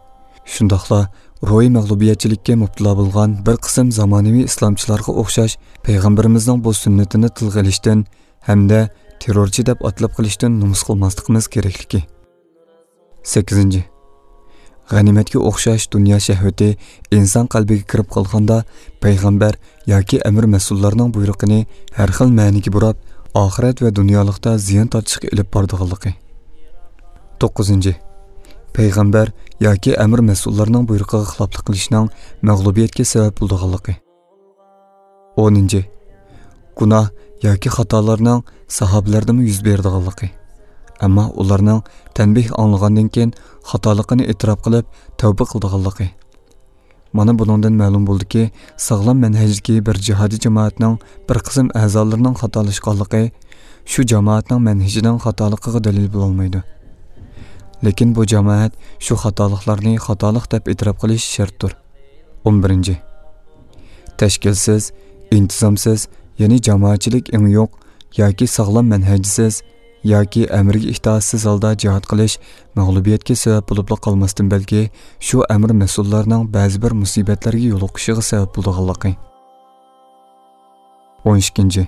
شۇنداقلا روھىي مەغلۇبىيەتچىلىككە مۇپتىلا بولغان بىر قىسىم زامانىۋى ئىسلامچىلارغا ئوخشاش پەيغەمبىرىمىزنىڭ بۇ سۈننىتىنى تىلغا ئېلىشتىن ھەمدە تېررورچى دەپ ئاتىلىپ قېلىشتىن نومۇس قىلماسلىقىمىز كېرەكلىكى. سەككىزىنچى، غەنىيمەتكە ئوخشاش دۇنيا شەھۋىتى ئىنسان قەلبىگە كىرىپ قالغاندا، پەيغەمبەر ياكى ئەمىر مەسئۇللارنىڭ بۇيرۇقىنى ھەر خىل مەنىگە بۇراپ، ئاخىرەت ۋە دۇنيالىقتا زىيان تارتىشقا ئېلىپ بارىدىغانلىقى. توققۇزىنچى، پەيغەمبەر ياكى ئەمىر مەسئۇللارنىڭ بۇيرۇقىغا خىلاپلىق قىلىشنىڭ مەغلۇبىيەتكە سەۋەب بولىدىغانلىقى. ئونىنچى، گۇناھ ياكى خاتالارنىڭ ساھابىلەردىمۇ يۈز بېرىدىغانلىقى، ئەمما ئۇلارنىڭ تەنبىھ ئاڭلىغاندىن كېيىن خاتالىقىنى ئېتىراپ قىلىپ تەۋبە قىلىدىغانلىقى. مانا بۇنىڭدىن مەلۇم بولدىكى، ساغلام مەنھەجدىكى بىر جىھادىي جامائەتنىڭ بىر قىسىم ئەزالىرىنىڭ خاتالاشقانلىقى شۇ جامائەتنىڭ مەنھىجىنىڭ خاتالىقىغا دەلىل بولالمايدۇ. لېكىن بۇ جامائەت شۇ خاتالىقلارنى خاتالىق دەپ ئېتىراپ قىلىشى شەرتتۇر. ئون بىرىنچى، تەشكىلسىز، ئىنتىزامسىز، يەنى جامائەتچىلىك ئېڭى يوق ياكى ساغلام مەنھەجسىز ياكى ئەمرىگە ئىتائەتسىز ھالدا جىھاد قىلىش مەغلۇبىيەتكە سەۋەب بولۇپلا قالماستىن، بەلكى شۇ ئەمىر مەسئۇللارنىڭ بەزى بىر مۇسىبەتلەرگە يولۇقۇشىغا سەۋەب بولىدىغانلىقى. ئون ئىككىنچى،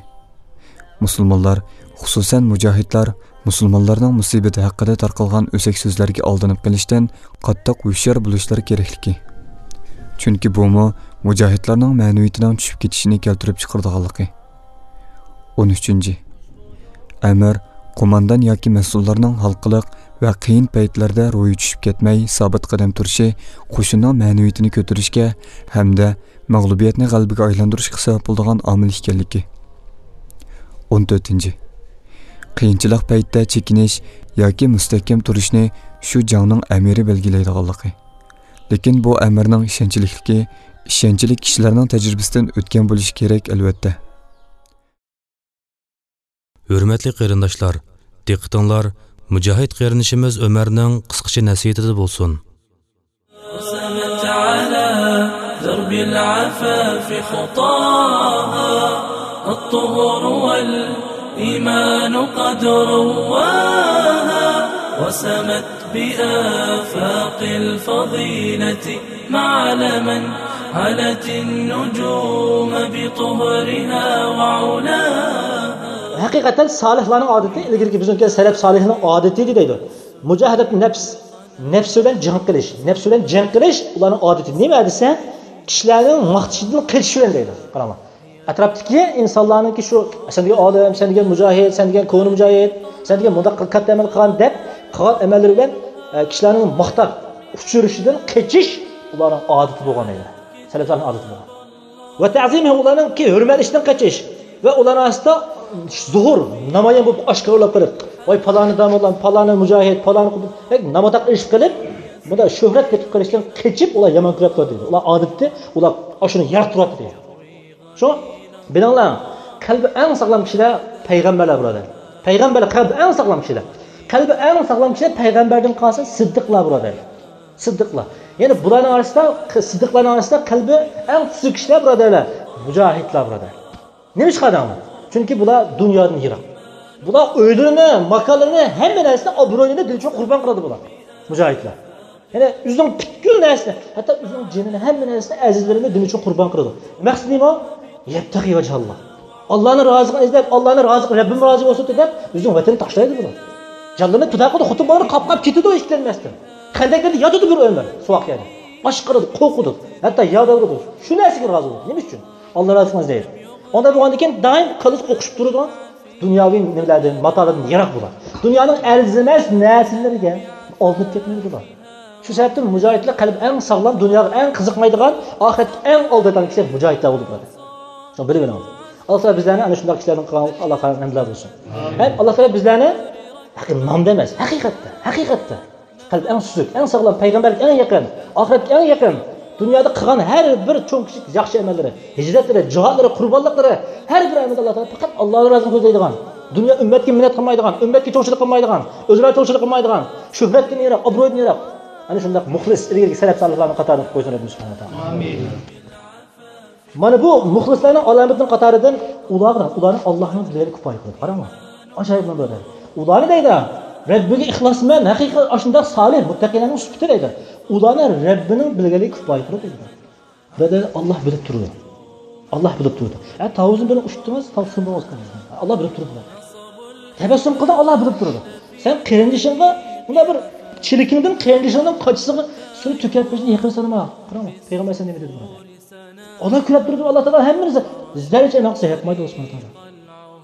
مۇسۇلمانلار، خۇسۇسەن مۇجاھىدلار، مۇسۇلمانلارنىڭ مۇسىبىتى ھەققىدە تارقالغان ئۆسەك سۆزلەرگە ئالدىنىپ قېلىشتىن قاتتىق ھوشيار بولۇشلىرى كېرەكلىكى. چۈنكى بۇمۇ مۇجاھىدلارنىڭ مەنىۋىيىتىنىڭ چۈشۈپ كېتىشىنى كەلتۈرۈپ چىقىرىدىغانلىقى. ئون ئۈچىنچى، ئەمىر، قوماندان ياكى مەسئۇللارنىڭ ھالقىلىق ۋە قىيىن پەيتلەردە روھى چۈشۈپ كەتمەي، سابىت قەدەم تۇرۇشى قوشۇننىڭ مەنىۋىيىتىنى كۆتۈرۈشكە ھەمدە مەغلۇبىيەتنى غەلىبىگە ئايلاندۇرۇشقا سەۋەب بولىدىغان ئامىل ئىكەنلىكى. ئون تۆتىنچى، قىيىنچىلىق پەيتتە چېكىنىش ياكى مۇستەھكەم تۇرۇشنى شۇ جەڭنىڭ ئەمىرى بەلگىلەيدىغانلىقى. لېكىن بۇ ئەمىرنىڭ ئىشەنچلىكلىكى ئىشەنچلىك كىشىلەرنىڭ تەجرىبىسىدىن ئۆتكەن بولۇشى كېرەك، ئەلۋەتتە. ھۆرمەتلىك قېرىنداشلار، دىققىتىڭلار مۇجاھىد قېرىندىشىمىز ئۆمەرنىڭ قىسقىچە نەسىھىتىدە بولسۇن. رسمت على درب العفاف خطاها، الطهر والإيمان قد رواها، رسمت بآفاق الفضيلة معلما، علت النجوم بطهرها وعلاها. ھەقىقەتەن سالىھلارنىڭ ئادىتى، ئىلگىرىكى بىزنىڭكى سەلەپ سالىھنىڭ ئادىتى دەيدۇ. مۇجاھىدەت نەپس، نەپسى بىلەن جەڭ قىلىش. نەپسى بىلەن جەڭ قىلىش ئۇلارنىڭ ئادىتى. نېمە دېسە، كىشىلەرنىڭ ماختىشىدىن قېچىش بىلەن دەيدۇ. قاراڭلار. ئەتراپتىكى ئىنسانلارنىڭكى شۇ، سەن دېگەن ئالىم، سەن دېگەن مۇجاھىد، سەن دېگەن كونا مۇجاھىد، سەن دېگەن مۇنداق كاتتا ئەمەل قىلغان دەپ، قىلغان ئەمەللىرى بىلەن، ئە، كىشىلەرنىڭ ماختاپ ئۇچرىشىدىن قېچىش ئۇلارنىڭ ئادىتى بولغان دەيدۇ. سەلەپلەرنىڭ ئادىتى بولغان. ۋە تەزىمى، ئۇلارنىڭكى ھۆرمەتلىشىدىن قېچىش ۋە ئۇلارنىڭ ئارىسىدا زۇھۇر، نامايان بولۇپ ئاشكارىلاپ قېلىپ، ۋاي پالانى داموللام، پالانى مۇجاھىد، پالانى قۇدۇم، بەك ناماتاق ئىش قىلىپ، بۇنداق شۆھرەت كېتىپ قېلىشتىن قېچىپ، ئۇلار يامان كۆرۈپ تۇراتتى. ئۇلار ئادىتى، ئۇلار ئاشۇنى يەر تۇراتتى. شۇ بىلىڭلار، قەلبى ئەڭ ساغلام كىشىلەر پەيغەمبەرلەر، بۇرادەر. پەيغەمبەرلەر قەلبى ئەڭ ساغلام كىشىلەر. قەلبى ئەڭ ساغلام كىشىلەر پەيغەمبەردىن قالسا سىددىقلار، بۇرادەر. سىددىقلار. يەنى بۇلارنىڭ ئارىسىدا، سىددىقلارنىڭ ئارىسىدا قەلبى ئەڭ سۈزۈك كىشىلەر، بۇرادەرلەر، مۇجاھىدلار، بۇرادەر. نېمە ئىش قىلدىڭلار؟ چۈنكى بۇلار دۇنيادىن يىراق. بۇلار ئۆيلىرىنى، ماكانلىرىنى، ھەممە نەرسىنى، ئابرۇيىنى دىن ئۈچۈن قۇربان قىلىدۇ بۇلار. مۇجاھىدلار. يەنى ئۆزىنىڭ پۈتكۈل نەرسىنى، ھەتتا ئۆزىنىڭ جېنىنى، ھەممە نەرسىنى، ئەزىزلىرىنى دىن ئۈچۈن قۇربان قىلىدۇ. مەقسىتى نېمە؟ يەبتەغى ۋەجھاللا. ئاللانى رازىلىقىنى ئىزدەپ، ئاللانى رازىلىقى، رەببىم رازى بولسۇن دەپ، ئۆزىنىڭ ۋەتىنىنى تاشلايدۇ بۇلار. جانلىرىنى پىدا قىلىدۇ، خوتۇن بالىلىرى قاپقاپ كېتىدۇ ئىككىلەنمەستىن. خەندەكلەردە ياتىدۇ بىر ئۆمۈر، سوغۇق يەردە. ئاشقىرىدۇ، قورقىدۇ، ھەتتا يادىغىرىدۇ. شۇ نەرسىگە رازى بولىدۇ. نېمە ئۈچۈن؟ ئاللا رازىلىقىنى ئىزدەيدۇ. ئۇنداق بولغاندىن كېيىن دائىم كاللىسى ئوقۇشۇپ تۇرىدۇ. دۇنياۋى نېمىلەردىن، ماتالىردىن يىراق بولىدۇ. دۇنيانىڭ ئەرزىمەس نەرسىلىرىگە ئالدىنىپ كەتمەيدۇ بۇلار. شۇ سەۋەبتىن مۇجاھىدلار قەلبى ئەڭ ساغلام، دۇنياغا ئەڭ قىزىقمايدىغان، ئاخىرەتكە ئەڭ ئالدىرايدىغان كىشىلەر مۇجاھىدلار بولىدۇ، بۇرادەر. شۇنى بىلىۋېلىڭ. ئاللا تائالا بىزلەرنى ئەنە شۇنداق كىشىلەردىن قىلغان، ئاللا ھەمدۇللا بولسۇن. ھەم ئاللا تائالا بىزلەرنى ھەقىقىي نامدا ئەمەس، ھەقىقەتتە، ھەقىقەتتە قەلبى ئەڭ سۈزۈك، ئەڭ ساغلام، پەيغەمبەرگە ئەڭ يېقىن، ئاخىرەتكە ئەڭ يېقىن، دۇنيادا قىلغان ھەر بىر چوڭ كىچىك ياخشى ئەمەللىرى، ھىجرەتلىرى، جىھادلىرى، قۇربانلىقلىرى، ھەر بىر ئەمەلدە ئاللا تائالا پەقەت ئاللانىڭ رازىلىقىنى كۆزلەيدىغان، دۇنيا ئۈممەتكە مىننەت قىلمايدىغان، ئۈممەتكە چوڭچىلىق قىلمايدىغان، ئۆزىنى چوڭچىلىق قىلمايدىغان، شۆھرەتتىن يىراق، ئابرۇيدىن يىراق، ئەنە شۇنداق مۇخلىس، ئىلگىرىكى سەلەپ سالىھلارنىڭ قاتارىدا قويسۇن رەببىمىز سۇبھانەھۇ ۋە تائالا. ئامىن. مانا بۇ مۇخلىسلارنىڭ ئالامىتىنىڭ قاتارىدىن ئۇلارنى، ئۇلارنى ئاللانىڭ بىلەن كۇپايە قىلىدۇ. قاراڭلار. ئاجايىپ نەمۇنە. ئۇلارنى دەيدۇ، رەببىگە ئىخلاسمەن، ھەقىقىي ئاشۇنداق سالىھ، مۇتتەقىيلەرنىڭ سۈپىتى دەيدۇ. ئۇلارنى رەببىنىڭ بىلگەنلىكى كۇپايە قىلىدۇ دەيدۇ. بۇ دەيدۇ، ئاللا بىلىپ تۇرىدۇ. ئاللا بىلىپ تۇرىدۇ. ھە، تاۋۇزنى بىلەن ئۇچتىڭىز، تاۋۇز سۇنۇپ بولماس. ئاللا بىلىپ تۇرىدۇ. تەبەسسۇم قىلدىڭ، ئاللا بىلىپ تۇرىدۇ. سەن قېرىندىشىڭغا مۇنداق بىر چېلىكىڭدىن، قېرىندىشىڭدىن قاچىسىغا سۇ تۆكۈپ بېشىنى يېقىمسەنما؟ قاراڭ، پەيغەمبەر ئەلەيھىسسالام نېمە دېدى بۇنىڭغا؟ ئاللا كۆرۈپ تۇرىدۇ، ئاللا تائالا ھەممىنى زەررىچە ئەمەل قىلسا ياقمايدۇ ئاللا سۇبھانەھۇ ۋە تائالا.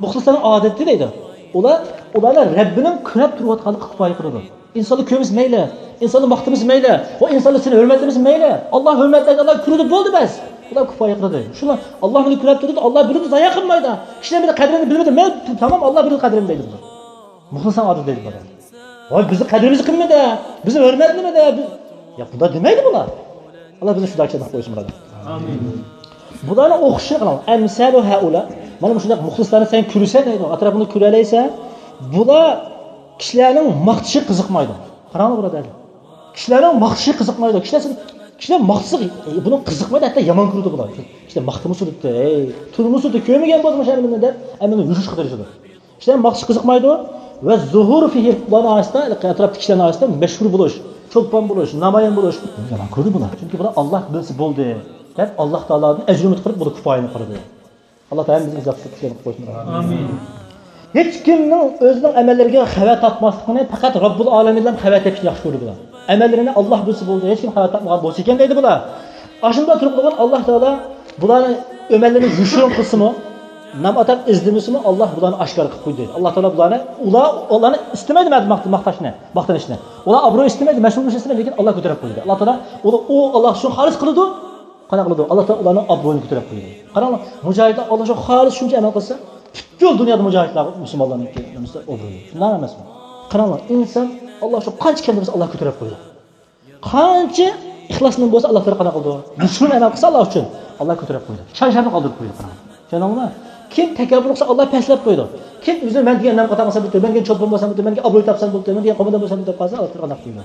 مۇخلىسلارنىڭ ئادىتى دەيدۇ. ئۇلار، ئۇلارنى رەببىنىڭ كۆرۈپ تۇرۇۋاتقانلىقىغا كۇپايە قىلىدۇ. ئىنسانلار كۆرمىسە مەيلى، ئىنسانلار ماختىمىسا مەيلى، ۋە ئىنسانلار سېنى ھۆرمەتلىمىسە مەيلى، ئاللا ھۆرمەتلەيدۇ، ئاللا كۆرىدۇ، بولدى بەس. ئۇلار كۇپايە قىلىدۇ. شۇلار ئاللا مېنى كۆرۈپ تۇرىدۇ، ئاللا بىلىدۇ، زايە قىلمايدۇ. كىشىلەر مېنى قەدرىمنى بىلمىدى، مەن تامام ئاللا بىلىدۇ قەدرىمنى دەيدۇ بۇلار. مۇخلىسنىڭ ئادىتى دەيدۇ بۇلار. ۋاي بىزنى قەدرىمىزنى قىلمىدى، بىزنى ھۆرمەتلىمىدى. بىز، يا بۇنداق دېمەيدۇ بۇلار. ئاللا بىزنى شۇنداق چىداپ قويسۇن بۇلار. ئامىن. بۇلارنىڭ ئوخشىشىنى قىلىڭ. ئەمسەلۇ ھەئۇلا. مانا مۇشۇنداق مۇخلىسلارنى سەن كۆرسەن دەيدۇ. ئەتراپىڭدا كۆرەلەيسەن. بۇلار كىشىلەرنىڭ ماختىشىغا قىزىقمايدۇ. قاراڭلار بۇرادەرلەر. كىشىلەرنىڭ ماختىشىغا قىزىقمايدۇ. كىشىلەر، كىشىلەر ماختىسا، ئە، بۇنىڭ قىزىقمايدۇ، ھەتتا يامان كۆرىدۇ بۇلار. كىشىلەر ماختىمۇ سۈرۈپتۇ، ئەي، تۇرمۇ سۈرۈپتۇ، كۆرمىگەن بولدىمۇ شەرمىنى دەپ، ئەمىنى يۈرۈشكە تىرىشىدۇ. كىشىلەر ماختىشىغا قىزىقمايدۇ. ۋە زۇھۇر فىھى، ئۇلارنىڭ ئارىسىدا، ئەتراپتىكى كىشىلەرنىڭ ئارىسىدا مەشھۇر بولۇش، چولپان بولۇش، نامايان بولۇش، يامان كۆردى بۇلار. چۈنكى بۇلار ئاللا بىلسە بولدى دەپ، ئاللا تائالادىن ئەجىر ئۈمىد قىلىپ، بۇلار كۇپايىنى قىلدى. ئاللا تائالا ھەممىمىزنى ئىجابەت قىلىپ كۈچلەرنى قويسۇن. ئامىن. ھېچكىمنىڭ ئۆزىنىڭ ئەمەللىرىگە خەۋەر تارتماسلىقىنى پەقەت رەببۇل ئالەمىنلا خەۋەر تېپىشنى ياخشى كۆرىدۇ بۇلار. ئەمەللىرىنى ئاللا بىلسە بولدى، ھېچكىم خەۋەر تارتمىغان بولسا ئىكەن دەيدۇ بۇلار. ئاشۇنداق تۇرۇپ قالغان ئاللا تائالا بۇلارنى ئەمەللىرىنى يوشۇرۇن قىلسىمۇ، ناماتاق ئىزدىمىسىمۇ، ئاللا بۇلارنى ئاشكارا قىلىپ قويدى. ئاللا تائالا بۇلارنى، ئۇلار، ئۇلارنى ئىستىمەيدۇ ماختاشنى، ماختىنىشنى. ئۇلار ئابرۇي ئىستىمەيدۇ، مەشھۇر بولۇشنى ئىستىمەيدۇ، لېكىن ئاللا كۆتۈرۈپ قويدى. ئاللا تائالا ئۇلار، ئۇ ئاللا ئۈچۈن خالىس قىلىدۇ. قانداق قىلىدۇ؟ ئاللا تائالا ئۇلارنىڭ ئابرۇيىنى كۆتۈرۈپ قويىدۇ. قاراڭلار، مۇجاھىدلار ئاللا شۇ خالىس شۇنچە ئەمەل قىلسا، پۈتكۈل دۇنيادا مۇجاھىدلار مۇسۇلمانلارنىڭكى نېمىسى ئوبرۇيى. شۇنداق ئەمەسمۇ؟ قاراڭلار، ئىنسان ئاللا شۇ قانچە كەلدى بولسا، ئاللا كۆتۈرۈپ قويىدۇ. قانچە ئىخلاسنىڭ بولسا، ئاللا تائالا قانداق قىلىدۇ؟ يوشۇرۇن ئەمەل قىلسا، ئاللا ئۈچۈن، ئاللا كۆتۈرۈپ قويىدۇ. شان-شەرەپنى قالدۇرۇپ قويىدۇ. قاراڭلار. چۈشەندىڭىزمۇ؟ كىم تەكەببۇر قىلسا، ئاللا پەسلەپ قويىدۇ. كىم ئۆزىنى مەن دېگەن نام قاتارغا سەبىت، مەن دېگەن چولپان بولسام بولدى، مەن دېگەن ئابرۇي تاپسام بولدى، مەن دېگەن قوماندان بولسام بولدى دەپ قالسا، ئاللا تائالا قانداق قىلىدۇ؟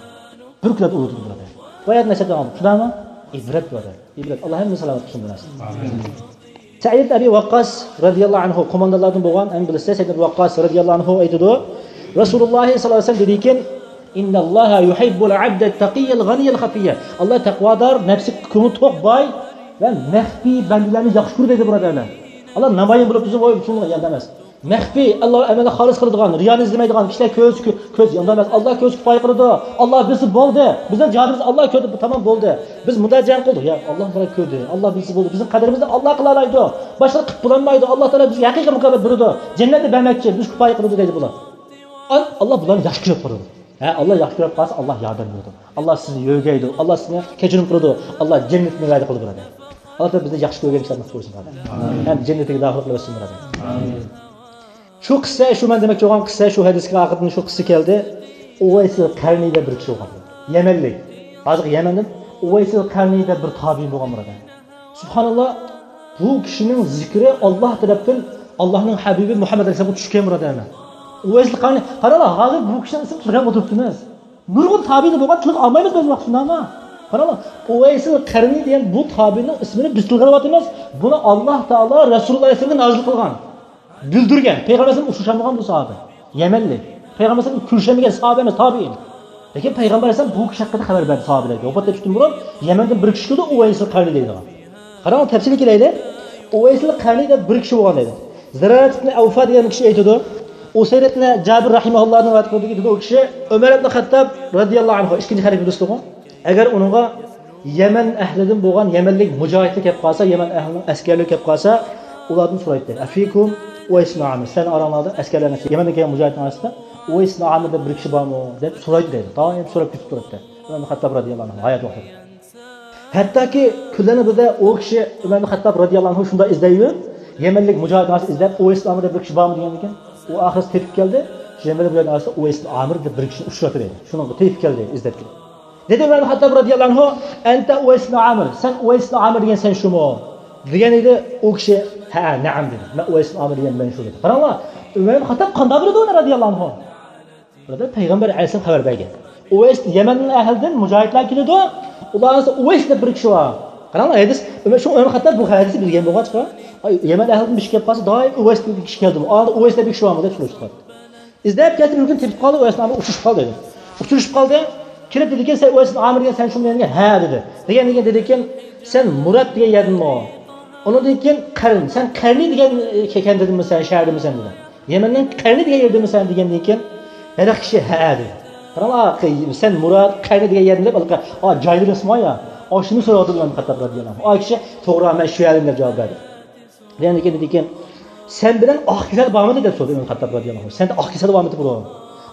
بىر كۈنلەردە ئۇرۇتىدۇ بۇلار. بۇ ئايەت نەسىھەت قىلغان شۇنداقمۇ؟ ئىبرەت بۇ ئادەم. ئىبرەت. ئاللا ھەممىنى سالامەت قىلسۇن بۇ نەرسىدىن. سەئىد ئىبن ئەبى ۋەققاس رەزىياللاھۇ ئەنھۇ قوماندانلاردىن بولغان، ھەممە بىلىسىز، سەئىد ئىبن ۋەققاس رەزىياللاھۇ ئەنھۇ ئېيتىدۇ، رەسۇلۇللاھ سەللەللاھۇ ئەلەيھى ۋەسەللەم دېدىكىن، ئىنناللاھا يۇھىببۇل ئەبدەت تەقىييەل غەنىيەل خەفىييە. ئاللا تەقۋادار، نەپسى كۆڭلى توق باي ۋە مەخپىي بەندىلەرنى ياخشى كۆرىدۇ دەيدۇ بۇرادەرلەر. ئاللا نامايان بولۇپ بىزنى ۋاي شۇنىڭغا يەردە ئەمەس. مەخپىي، ئاللا ئەمەلنى خالىس قىلىدىغان، رىيانى ئىزدىمەيدىغان، كىشىلەر كۆرسە كۆ-، كۆز ياندۇرماس. ئاللا كۆرسە كۇپايە قىلىدۇ. ئاللا بىلسە بولدى. بىزنىڭ جاھانىمىزنى ئاللا كۆردى، بۇ تامام بولدى. بىز مۇنداق جەڭ قىلدۇق. يا، ئاللا تائالا كۆردى. ئاللا بىلسە بولدى. بىزنىڭ قەدرىمىزنى ئاللا قىلالايدۇ. باشقىلار قىلىپ بولالمايدۇ. ئاللا تائالا بىزگە ھەقىقىي مۇكاپات بېرىدۇ. جەننەتنى بەرمەكچى، بىز كۇپايە قىلىدۇ دەيدۇ بۇلار. ئال-، ئاللا بۇلارنى ياخشى كۆرۈپ قارىدۇ. ھە، ئاللا ياخشى كۆرۈپ قالسا، ئاللا ياردەم بېرىدۇ. ئاللا سىزنى يۆگەيدۇ. ئاللا سىزنى كەچۈرۈم قىلىدۇ. ئاللا جەننەتنى ۋەدە قىلدى بۇرادەر. ئاللا تائالا بىزنى ياخشى كۆرگەن كىشىلەردىن قىلسۇن بۇرادەر. ھەم جەننىتىگە داخىل قىلىۋەتسۇن بۇرادەر. شۇ قىسسە، شۇ مەن دېمەكچى بولغان قىسسە، شۇ ھەدىسكە ئاخىرىدىن شۇ قىسسە كەلدى. ئۇۋەيسىل قەرنىي دەپ بىر كىشى بولغان. يەمەنلىك. ھازىرقى يەمەندىن ئۇۋەيسىل قەرنىي دەپ بىر تابىئىن بولغان بۇرادەر. سۇبھاناللا، بۇ كىشىنىڭ زىكرى ئاللا تەرەپتىن، ئاللانىڭ ھەبىبى مۇھەممەد ئەلەيھىسسالامغا چۈشكەن بۇرادەر. ئۇۋەيسىل قەرنىي، قاراڭلار، ھازىر بۇ كىشىنىڭ ئىسمىنى تىلغا ئولتۇرۇپتىمىز. نۇرغۇن تابىئىنى بولغان، تىلغا ئالمايمىز بىز ۋاقىت شۇنداقمۇ؟ قاراڭلار، ئۇۋەيسىل قەرنىي دېگەن بۇ تابىئىنىڭ ئىسمىنى بىز تىلغا ئېلىۋاتىمىز. بۇنى ئاللا تائالا رەسۇلۇللا ئەلەيھىسسالامغا نازىل قىلغان. بىلدۈرگەن. پەيغەمبەر ئەلەيھىسسالام ئۇچرىشالمىغان بۇ ساھابە. يەمەنلىك. پەيغەمبەر ئەلەيھىسسالام كۆرۈشەلمىگەن ساھابە ئەمەس، تابىئىن. لېكىن پەيغەمبەر ئەلەيھىسسالام بۇ كىشى ھەققىدە خەۋەر بەردى ساھابىلەرگە. ۋاپات تېپىشتىن بۇرۇن يەمەندىن بىر كىشى كېلىدۇ، ئۇۋەيسىل قەرنىي دەيدىغان. قاراڭ، تەپسىلىي كېلەيلى. ئۇۋەيسىل قەرنىي دەپ بىر كىشى بولغان دەيدۇ. زىرارەت ئىبن ئەۋفا دېگەن كىشى ئېيتىدۇ. ئۇسەيرەت ئىبن جابىر رەھىمەھۇللانىڭ رىۋايەت قىلدىكى دېدى، ئۇ كىشى ئۆمەر ئىبن خەتتاب رەزىياللاھۇ ئەنھۇ، ئىككىنچى خەلىپە دوستىغۇ. ئەگەر ئۇنىڭغا يەمەن ئەھلىدىن بولغان يەمەنلىك مۇجاھىدلار كەپ قالسا، يەمەن ئەھلىنىڭ ئەسكەرلىرى كەپ قالسا، ئۇلاردىن سورايتتى. ئەفىكۇم ئۇۋەيس ئىبن ئامىر. سەن ئاراڭلاردا ئەسكەرلەرنى، يەمەندىن كەلگەن مۇجاھىدنىڭ ئارىسىدا ئۇۋەيس ئىبن ئامىر دەپ بىر كىشى بارمۇ؟ دەپ سورايتتى دەيدۇ. دائىم سوراپ كېتىپ تۇراتتى. ئۆمەر ئىبن خەتتاب رەزىياللاھۇ ئەنھۇ ھايات ۋاقتىدا. ھەتتاكى كۈنلەرنىڭ بىرىدە ئۇ كىشى، ئۆمەر ئىبن خەتتاب رەزىياللاھۇ ئەنھۇ شۇنداق ئىزدەيۋېرىپ، يەمەنلىك مۇجاھىدنىڭ ئارىسىدا ئىزدەپ، ئۇۋەيس ئىبن ئامىر دەپ بىر كىشى بارمۇ دېگەندىكىن، ئۇ ئاخىرى تېپىپ كەلدى. شۇ يەمەنلىك مۇجاھىدنىڭ ئارىسىدا ئۇۋەيس ئىبن ئامىر دەپ بىر كىشىنى ئۇچراتتى دەيدۇ. شۇنىڭغا تېپىپ كەلدى، ئىزدەپ كېلىپ. دېدى ئۆمەر ئىبن خەتتاب رەزىياللاھۇ ئەنھۇ، ئەنتە ئۇۋەيس ئىبن ئامىر، سەن ئۇۋەيس ئىبن ئامىر دېگەن سەن شۇمۇ؟ دېگەن ئىدى. ئۇ كىشى، ھە، نەئەم دېدى. مەن ئۇۋەيس ئىبن ئامىر دېگەن مەن شۇ دېدى. قاراڭلار، ئۆمەر ئىبن خەتتاب قانداق بىلىدۇ ئۇنى رەزىياللاھۇ ئەنھۇ؟ بۇرادەر، پەيغەمبەر ئەلەيھىسسالام خەۋەر بەرگەن. ئۇۋەيس، يەمەن ئەھلىدىن مۇجاھىدلار كېلىدۇ. ئۇلار ئارىسىدا ئۇۋەيس دەپ بىر كىشى بار. قاراڭلار، ھەدىس، ئۆمەر، شۇ ئۆمەر خەتتاب بۇ ھەدىسنى بىلگەن بولغاچقا، ئاي، يەمەن ئەھلىدىن بىر كىشى كەپ قالسا، دائىم ئۇۋەيس دېگەن كىشى كەلدىمۇ؟ ئۇ ئارىدا ئۇۋەيس دەپ بىر كىشى بارمۇ دەپ سوراشتى. ئىزدەپ كەتتى، بىر كۈنى تېپىپ قالدى، ئۇۋەيس ئامىر ئۇچرىشىپ قالدى دەيدۇ. ئۇچرىشىپ قالدى. كېلىپ دېدىكەن، سەن ئۇۋەيس ئامىر دېگەن سەن شۇمۇ دېگەن، ھە دېدى. دېگەندىن كېيىن دېدىكەن، سەن مۇراد دېگەن يەردىنمۇ؟ ئۇنىڭدىن كېيىن قەرن، سەن قەرنى دېگەن، ئە، كەنتىدىنمۇ سەن، شەھەردىنمۇ سەن دېدى. يەمەننىڭ قەرنى دېگەن يېرىدىنمۇ سەن دېگەندىن كېيىن، ھېلىقى كىشى ھە دېدى. قاراڭلار، سەن مۇراد، قەرنى دېگەن يەردىن دەپ، ھېلىقى، ئا، جايلىرى ئىسمى يا، ئاشۇنى سورىدى ئۆمەر خەتتاب رەزىياللاھۇ ئەنھۇ. ئا كىشى، توغرا، مەن شۇ يەردىن دەپ جاۋاب بەردى. دېگەندىن كېيىن، دېدىكەن، سەن بىلەن ئاق كېسەل بارمىدى دەپ سورىدى ئۆمەر خەتتاب رەزىياللاھۇ ئەنھۇ. سەندە ئاق كېسەل بارمىدى بۇرۇن؟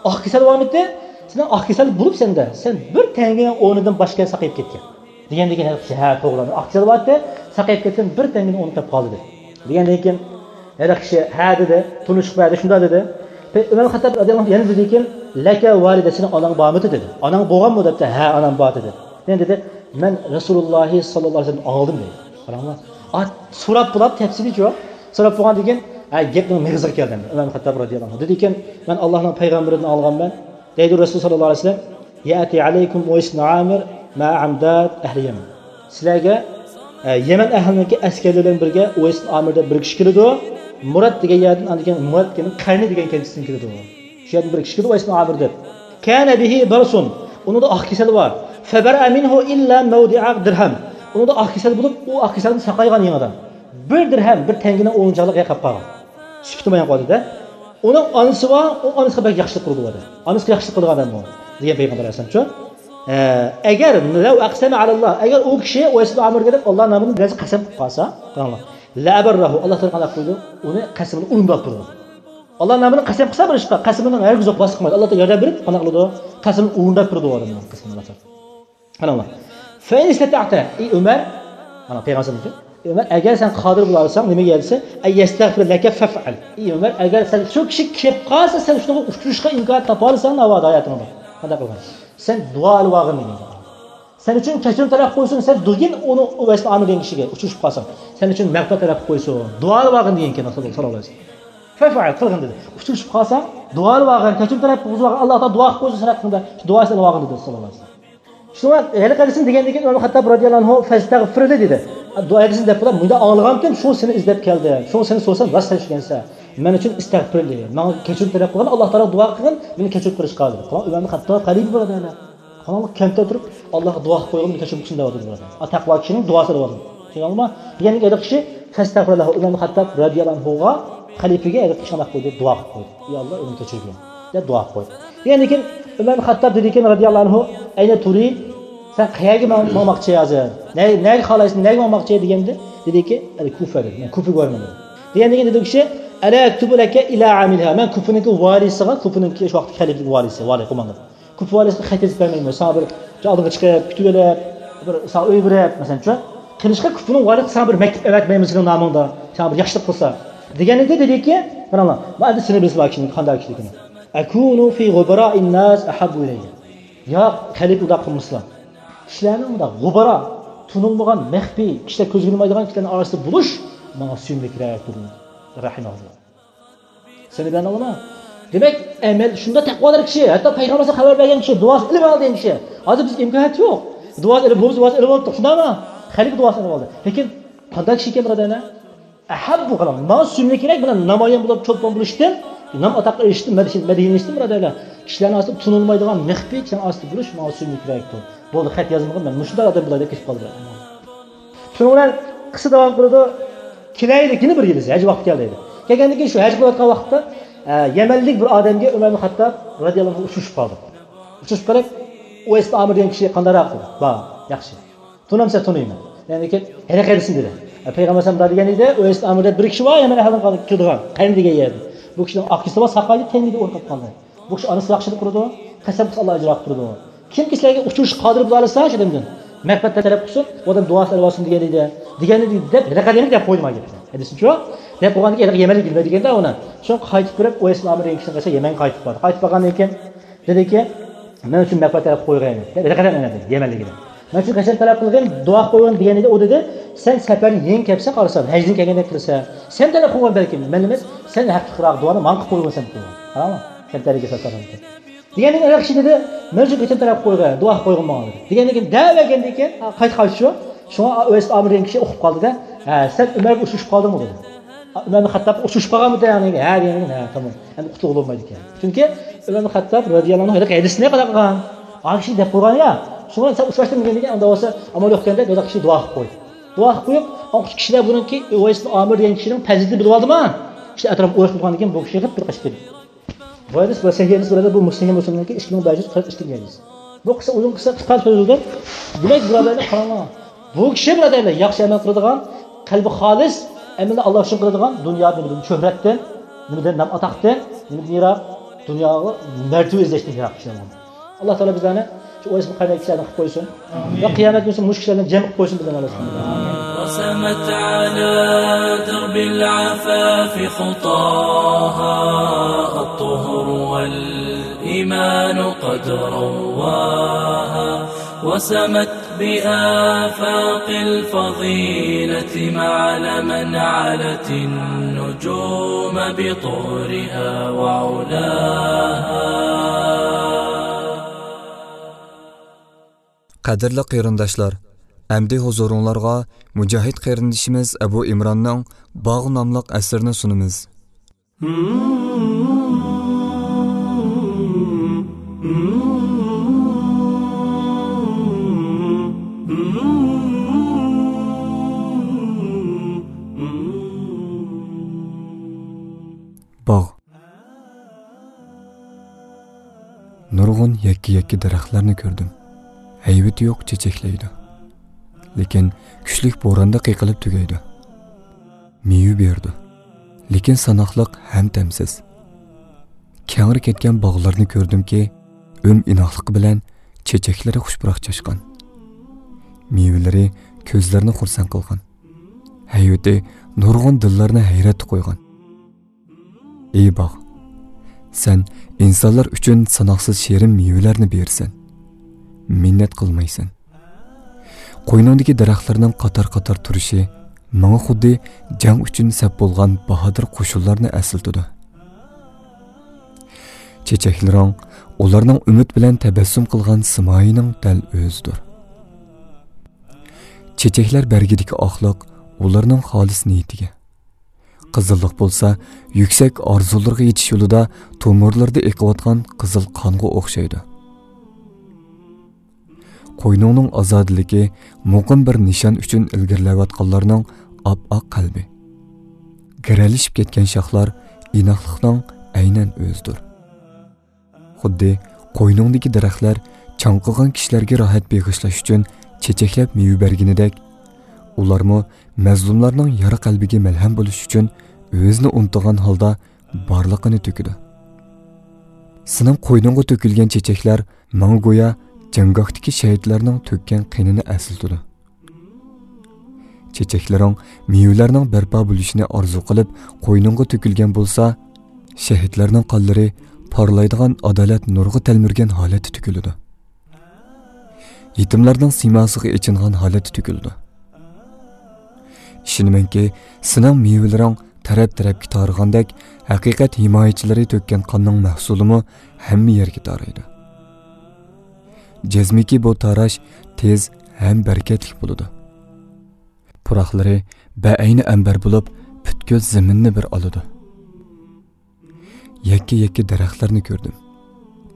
ئاق كېسەل بارمىدى؟ سېنىڭ ئاق كېسەل بولۇپ سەندە، سەن بىر تەڭگىنىڭ ئورنىدىن باشقا ساقىيىپ كەتكەن. دېگەندىن كېيىن ھېلىقى كىشى، ھە، توغرا، ئاق كېسەل بارتتى، ساقىيىپ كەتتىم، بىر تەڭگىنى ئۇنتۇپ قالدى دېدى. دېگەندىن كېيىن ھېلىقى كىشى، ھە دېدى، تونۇشلۇق بەردى، شۇنداق دېدى. ئۆمەر خەتتاب رەزىياللاھۇ ئەنھۇ يەنە دېدىكەن، لەكە ۋالىدە، سېنىڭ ئاناڭ بارمىدى دېدى. ئاناڭ بولغانمۇ دەپتۇ، ھە، ئانام بار دېدى. يەنە دېدى، مەن رەسۇلۇللاھى ساللاللاھۇ ئەلەيھى ۋەسەللەمدىن ئاڭلىدىم دېدى. قاراڭلار. ئا، سوراپ بولاپ تەپسىلىيچۇ. سوراپ بولغاندىن كېيىن، ھە، گەپنىڭ مېغىزىغا كەلدى ئەمدى. ئۆمەر خەتتاب رەزىياللاھۇ ئەنھۇ دېدىكەن، مەن ئاللاھنىڭ پەيغەمبىرىدىن ئاڭلىغانمەن. دەيدۇ رەسۇل ساللاللاھۇ ئەلەيھى ۋەسەللەم، يەتى ئەلەيكۇم ئۇۋەيس ئىبن ئامىر مەئە ئەمداد ئەھلى يەمەن. سىلەرگە، ئە، يەمەن ئەھلىنىڭكى ئەسكەرلىرى بىلەن بىرگە ئۇۋەيس ئىبن ئامىر دەپ بىر كىشى كېلىدۇ. مۇراد دېگەن يەردىن، ئاندىن كېيىن مۇراد دېگەن قەرنى دېگەن كەنتىدىن كېلىدۇ. شۇ يەردىن بىر كىشى كېلىدۇ، ئۇۋەيس ئىبن ئامىر دەپ. كانە بىھى بەرسۇن. ئۇنىڭدا ئاق كېسەل بار. فەبەرئە مىنھۇ ئىللا مەۋدىئە دىرھەم. ئۇنىڭدا ئاق كېسەل بولۇپ، ئۇ ئاق كېسەلدىن ساقايغان يېڭىدىن. بىر دىرھەم، بىر تەڭگىنىڭ ئورنىغا يەر قاپقان. سۈكۈتى مايان قالدى-دە. ئۇنىڭ ئانىسى بار، ئۇ ئانىسىغا بەك ياخشىلىق قىلىدۇ ئۇ ئادەم. ئانىسىغا ياخشىلىق قىلىدىغان ئادەم ئۇ. دېگەن پەيغەمبەر ئەلەيھىسسالام شۇ. ئە، ئەگەر لەۋ ئەقسەمە ئەلەللا، ئەگەر ئۇ كىشى ئۇۋەيس ئىبن ئامىرغا دەپ ئاللا نامىدىن بىرەرسى قەسەم قىلىپ قالسا، قاراڭلار. لەئەبەررەھۇ، ئاللا تائالا قانداق قىلىدۇ؟ ئۇنى قەسىمىنى ئورۇنداپ تۇرىدۇ. ئاللا نامىدىن قەسەم قىلسا بىر ئىشقا، قەسىمىنىڭ ھەرگىز يوق، باسقۇمايدۇ. ئاللا تائالا ياردەم بېرىپ، قانداق قىلىدۇ؟ قەسىمىنى ئورۇنداپ تۇرىدۇ ئۇ ئادەمنىڭ قەسىمىنى ئاللا تائالا. قاراڭلار. فەئىن ئىستەتەئتە، ئى ئۆمەر، مانا پەيغەمبەر ئېيتتى، ئۆمەر، ئەگەر سەن قادىر بولالىساڭ، نېمىگە دېسە، ئەن يەستەغفىر لەكە فەفئەل. ئى ئۆمەر، ئەگەر سەن شۇ كىشى كېلىپ قالسا، سەن شۇنىڭغا ئۇچرىشىشقا ئىمكانىيەت تاپالىساڭ، ناۋادا ھاياتىڭدا قانداق قىلغان؟ سەن دۇئا ئېلىۋالغىن دېگەن. سەن ئۈچۈن كەچۈرۈم تەلەپ قىلىپ قويسۇن، سەن دېگىن ئۇنى ئۇۋەيس ئامىر دېگەن كىشىگە ئۇچرىشىپ قالساڭ، سەن ئۈچۈن مەغپىرەت تەلەپ قىلىپ قويسۇن، دۇئا ئېلىۋالغىن دېگەنكەن رەسۇلۇللا ساللاللاھۇ ئەلەيھى ۋەسەللەم. فەفئەل، قىلغىن دېدى. ئۇچرىشىپ قالساڭ، دۇئا ئېلىۋالغىن، كەچۈرۈم تەلەپ قىلغۇزۇۋالغىن، ئاللا تائالا دۇئا قىلىپ قويسۇن سەن ھەققىڭدە، شۇ دۇئاسىنى ئېلىۋالغىن دېدى ساللاللاھۇ ئەلەيھى ۋەسەللەم. شۇڭا ھېلىقى ھەدىسنى دېگەندىن كېيىن ئۆمەر خەتتاب رەزىياللاھۇ ئەنھۇ فەستەغفىرلى دېدى. دۇئا ھەدىسىنى دەپ بولۇپ، مۇنداق ئاڭلىغانتىم، شۇ سېنى ئىزدەپ كەلدىم، شۇ سېنى سورىسام راست سەن ئىكەنسەن. مەن ئۈچۈن ئىستەغفىرلى، ماڭا كەچۈرۈم تەلەپ قىلغىن، ئاللا تائالاغا دۇئا قىلغىن، مېنى كەچۈرۈپ قىلىشقا دېدى. قاراڭ، ئۆمەر خەتتاب خەلىپە بۇرادەرلەر. قاراڭ، كەنتتە تۇرۇپ ئاللاغا دۇئا قىلىپ قويغىن، مېنى كەچۈرۈم قىلسۇن دەۋاتىدۇ بۇرادەر. ئا، تەقۋا كىشىنىڭ دۇئاسى دەۋاتىدۇ. چۈشەندىڭلارمۇ؟ دېگەندىن كېيىن ھېلىقى كىشى فەستەغفىرلەھۇ، ئۆمەر خەتتاب رەزىياللاھۇ ئەنھۇغا، خەلىپىگە ھېلىقى كىشى قانداق قىلدى؟ دۇئا قىلىپ قويدى. يا ئاللا، ئۆمەرنى كەچۈرگىن. دەپ دۇئا قويدى. دېگەندىن كېيىن ئۆمەر ئىبن خەتتاب دېدىكەن، رەزىياللاھۇ ئەنھۇ، ئەينە تۇرىد؟ سەن قەيەرگە ماڭ-، ماڭماقچى ھازىر؟ نە-، نەگە خالايسەن؟ نەگە ماڭماقچى؟ دېگەندە دېدىكى، ئەل كۇفە دېدى. مەن كۇفىگە بارىمەن دېدى. دېگەندىن كېيىن دېدى ئۇ كىشى، ئەلا ئەكتۇبۇ لەكە ئىلا ئامىلىھا؟ مەن كۇفىنىڭكى ۋالىسىغا، كۇفىنىڭكى شۇ ۋاقىتتىكى خەلىپىلىك ۋالىسى، ۋالىي قوماندان. كۇفا ۋالىسىغا خەت يېزىپ بەرمەيمەن. ساڭا بىر ئالدىغا چىقىپ، كۈتۈۋېلىپ، بىر ساڭا ئۆي بېرىپ، مەسىلەن، شۇ قىلىشقا كۇفىنىڭ ۋالىسى ساڭا بىر مەكتۇپ ئەۋەتمەيمەن سېنىڭ نامىڭدا، ساڭا بىر ياخشىلىق قىلسا. دېگەنىدى، دېدىكى، قاراڭلار، ما ئەمدى سىنى بىلسىلا كىشىنىڭ قانداق كىشىلىكىنى. ئەكۇنۇ فى غۇبراء الناس ئەھەببۇ ئىلەييە. يا خەلىپە ئۇنداق قىلمىسىلا. كىشىلەرنىڭ مۇنداق غۇبارا، تونۇلمىغان، مەخپىي، كىشىلەر كۆزگە ئىلمايدىغان كىشىلەرنىڭ ئارىسىدا بولۇش ماڭا سۆيۈملۈكرەك تۇرىدۇ. رەھىمەھۇللا. سەن بىلەن ئالىما. دېمەك، ئەمەل شۇنداق تەقۋادار كىشى، ھەتتا پەيغەمبەر خەۋەر بەرگەن كىشى، دۇئاسى ئېلىپ ئالدى دېگەن كىشى. ھازىر بىز ئىمكانىيەت يوق. دۇئاسى ئېلىپ، بولمىسا دۇئاسى ئېلىپ ئالدۇق، شۇنداقمۇ؟ خەلىپە دۇئاسىنى ئېلىپ ئالدى. لېكىن قانداق كىشى ئىكەن، بۇرادەرلەر؟ ئەھەببۇ، قاراڭ، ماڭا سۆيۈملۈكرەك، مانا نامايان بولۇپ، چولپان بولۇشتىن، نام ئاتاققا ئېرىشىشتىن، مەدھىي-، مەدھىيلىنىشتىن، بۇرادەرلەر. كىشىلەرنىڭ ئارىسىدا تونۇلمايدىغان، مەخپىي كىشىلەرنىڭ ئارىسىدا بولۇش ماڭا سۆيۈملۈكرەكتۇر. بولدى، خەت يازمىغىن، مەن مۇشۇنداق ئادەم بولاي دەپ كېتىپ قالدى. شۇنىڭ بىلەن قىسسە داۋام قىلىدۇ. كېلەيلى، يەنە بىر يىل ھەج ۋاقتى كەلدى دېدى. كەلگەندىن كېيىن شۇ ھەج قىلىۋاتقان ۋاقىتتا، ئە، يەمەنلىك بىر ئادەمگە ئۆمەر ئىبن خەتتاب رەزىياللاھۇ ئەنھۇ ئۇچرىشىپ قالدى. ئۇچرىشىپ قېلىپ، ئۇۋەيس ئامىر دېگەن كىشى قانداقراق دېدى. بار، ياخشى. تونۇمسەن تونۇيمەن. يەنى كېيىن ھېلىقى ھەدىسنى دېدى. ئە، پەيغەمبەر ئەلەيھىسسالام دېگەن ئىدى، ئۇۋەيس ئامىر دەپ بىر كىشى بار، يەمەن ئەھلىدىن قالغان، كىرىدىغان، قەينى دېگەن يەردە. بۇ كىشىنىڭ ئاكىسى بار، ساقايدى، تەگمىدى، ئورۇنغا قالدى. بۇ كىشى ئانىسى ياخشى دەپ تۇرىدۇ، قەسەم قىلسا ئاللا ئاجر ئاقتۇرىدۇ. كىمكى سىلەرگە ئۇچرىشىشقا قادىر بولالايسا شۇ ئادەمدىن مەغپىرەت تەلەپ قىلسۇن، ئۇ ئادەم دۇئاسىنى ئېلىۋالسۇن دېگەن ئىدى. دېگەن ئىدى دەپ ھېلىقى دېگەن گەپ قويدى مانا گەپنى. ھەدىسىچۇ؟ دەپ قويغاندىن كېيىن ھېلىقى يەمەنلىك بىلمەيدىكەن-دە ئۇنى. شۇڭا قايتىپ بېرىپ ئۇۋەيس ئامىر دېگەن كىشىنىڭ قېشىغا يەمەنگە قايتىپ باردى. قايتىپ بارغاندىن كېيىن دېدىكى، مەن ئۈچۈن مەغپىرەت تەلەپ قويغايمەن دەپ ھېلىقى دەپ ئەينەدى يەمەنلىكىدە. مەن ئۈچۈن قەسەم تەلەپ قىلغىن، دۇئا قىلىپ قويغىن دېگەن ئىدى. ئۇ دېدى، سەن سەپەرنى يېڭى كەپسەن قارىسام، ھەجدىن كەلگەندەك كىرىسەن. سەن تەلەپ قىلغان بەلكىم، مەن ئەمەس، سەن ھەقلىقراق دۇئانى ماڭا قىلىپ قويغىن سەن دېدى. قاراڭ، كەمتەرلىككە سەپەر قىلغان. دېگەندىن كېيىن ئەر كىشى دېدى، مەن شۇ كېچىنى تەلەپ قويغىن، دۇئا قويغىن ماڭا دېدى. دېگەندىن كېيىن دەۋەرگەندىن كېيىن، ھە، قايتا قايتىشۇ. شۇڭا ئۇۋەيس ئامىر دېگەن كىشى ئۇقۇپ قالدى-دە، ھە، سەن ئۆمەرگە ئۇچرىشىپ قالدىڭمۇ دېدى. ئۆمەر ئىبن خەتتاب ئۇچرىشىپ قالغانمىدى دېگەن، ھە دېگەن، ھە، تامام. ئەمدى قۇتۇلغىلى بولمايدىكەن. چۈنكى ئۆمەر ئىبن خەتتاب رەزىياللاھۇ ئەنھۇ ھېلىقى ھەدىسنى قانداق قىلغان؟ ئا كىشى دەپ قويغان يا. شۇڭا سەن ئۇچراشتىن دېگەندىن كېيىن ئانداق بولسا ئامال يوق ئىكەن دەپ ھېلىقى كىشى دۇئا قىلىپ قويدى. دۇئا قىلىپ قويۇپ، ئاڭقۇچ كىشىلەر بۇنىڭكى ئۇۋەيس ئامىر دېگەن كىشىنىڭ پەزىلىتىنى بىلىۋالدىما؟ كىشىلەر ئەتراپقا ئويۇشۇپ تۇرغاندىن كېيىن بۇ كىشى غىپ بىر قېچىپ كەتتى. بۇ ھەدىس، بۇ سەھىھ ھەدىس، بۇرادەر، بۇ مۇسلىم ھەدىس، بۇ ئىككى مىڭ بەش يۈز قىرىق ئىككىنچى ھەدىس. بۇ قىسسە ئۇزۇن قىسسە، قىسقا سۆزلىدىم. دېمەك، بۇرادەرلەر، قاراڭلار. بۇ كىشى، بۇرادەرلەر، ياخشى ئەمەل قىلىدىغان، قەلبى خالىس، ئەمىلىنى ئاللا ئۈچۈن قىلىدىغان، دۇنيا نېمىدىن، شۆھرەتتىن، نېمىدىن، نام ئاتاقتىن، نېمىدىن يىراق، دۇنياغا مەرتىۋە ئىزدەشتىن يىراق كىشىلەر بولدى. ئاللا تائالا بىزلەرنى شۇ ئۇۋەيس ئامىر قەينەك كىشىلەردىن قىلىپ قويسۇن. ئامىن. ۋە قىيامەت كۈنى مۇشۇ كىشىلەردىن جەم قىلىپ قويسۇن بىزلەرنى ئاللا سۇبھانەھۇ ۋە تائالا. رسمت على درب العفاف خطاها الطهر والإيمان قد رواها وسمت بآفاق الفضيلة معلما علت النجوم بطهرها وعلاها. قەدىرلىك قېرىنداشلار، ئەمدى ھۇزۇرۇڭلارغا مۇجاھىد قېرىندىشىمىز ئەبۇ ئىمراننىڭ باغ ناملىق ئەسىرىنى سۇنىمىز. باغ. نۇرغۇن يەككە-يەككە دەرەخلەرنى كۆردۈم. ھەيۋىتى يوق، چېچەكلەيدۇ. لېكىن كۈچلۈك بوراندا قېقىلىپ تۈگەيدۇ. مېۋە بېرىدۇ. لېكىن ساناقلىق ھەم تەمسىز. كەڭرى كەتكەن باغلارنى كۆردۈمكى، ئۈم ئىناقلىقى بىلەن چېچەكلىرى خۇش پۇراق چاچقان. مېۋىلىرى كۆزلەرنى خۇرسەن قىلغان. ھەيۋىتى نۇرغۇن دىللارنى ھەيرەتتە قويغان. ئى باغ، سەن ئىنسانلار ئۈچۈن ساناقسىز شېرىن مېۋىلەرنى بېرىسەن. مىننەت قىلمايسەن. قوينۇڭدىكى دەرەخلەرنىڭ قاتار-قاتار تۇرۇشى ماڭا خۇددى جەڭ ئۈچۈن سەپ بولغان باھادىر قوشۇنلارنى ئەسلىتىدۇ. چېچەكلىرىڭ ئۇلارنىڭ ئۈمىد بىلەن تەبەسسۇم قىلغان سىمايىنىڭ دەل ئۆزىدۇر. چېچەكلەر بەرگىدىكى ئاقلىق ئۇلارنىڭ خالىس نىيىتىگە. قىزىللىق بولسا يۈكسەك ئارزۇلىرىغا يېتىش يولىدا تومۇرلىرىدا ئېقىۋاتقان قىزىل قانغا ئوخشايدۇ. قوينۇڭنىڭ ئازادىلىكى مۇقىم بىر نىشان ئۈچۈن ئىلگىرىلەۋاتقانلارنىڭ ئاپئاق قەلبى. گىرەلىشىپ كەتكەن شاخلار ئىناقلىقنىڭ ئەينەن ئۆزىدۇر. خۇددى قوينۇڭدىكى دەرەخلەر چاڭقىغان كىشىلەرگە راھەت بېغىشلاش ئۈچۈن چېچەكلەپ مېۋە بەرگىنىدەك، ئۇلارمۇ مەزلۇملارنىڭ يارا قەلبىگە مەلھەم بولۇش ئۈچۈن ئۆزىنى ئۇنتۇغان ھالدا بارلىقىنى تۆكىدۇ. سېنىڭ قوينۇڭغا تۆكۈلگەن چېچەكلەر ماڭا گويا جەڭگاھتىكى شەھىدلەرنىڭ تۆككەن قېنىنى ئەسلىتىدۇ. چېچەكلىرىڭ مېۋىلەرنىڭ بەرپا بولۇشىنى ئارزۇ قىلىپ قوينۇڭغا تۆكۈلگەن بولسا، شەھىدلەرنىڭ قانلىرى پارلايدىغان ئادالەت نۇرىغا تەلمۈرگەن ھالەتتە تۆكۈلىدۇ. يېتىملەرنىڭ سىيماسىغا ئېچىنغان ھالەتتە تۆكۈلىدۇ. ئىشىنىمەنكى، سېنىڭ مېۋىلىرىڭ تەرەپ-تەرەپكە تارىغاندەك، ھەقىقەت ھىمايىچىلىرى تۆككەن قاننىڭ مەھسۇلىمۇ ھەممە يەرگە تارايدۇ. جەزمىكى، بۇ تاراش تېز ھەم بەرىكەتلىك بولىدۇ. پۇراقلىرى بەئەينى ئەمبەر بولۇپ، پۈتكۈل زېمىننى بىر ئالىدۇ. يەككە-يەككە دەرەخلەرنى كۆردۈم.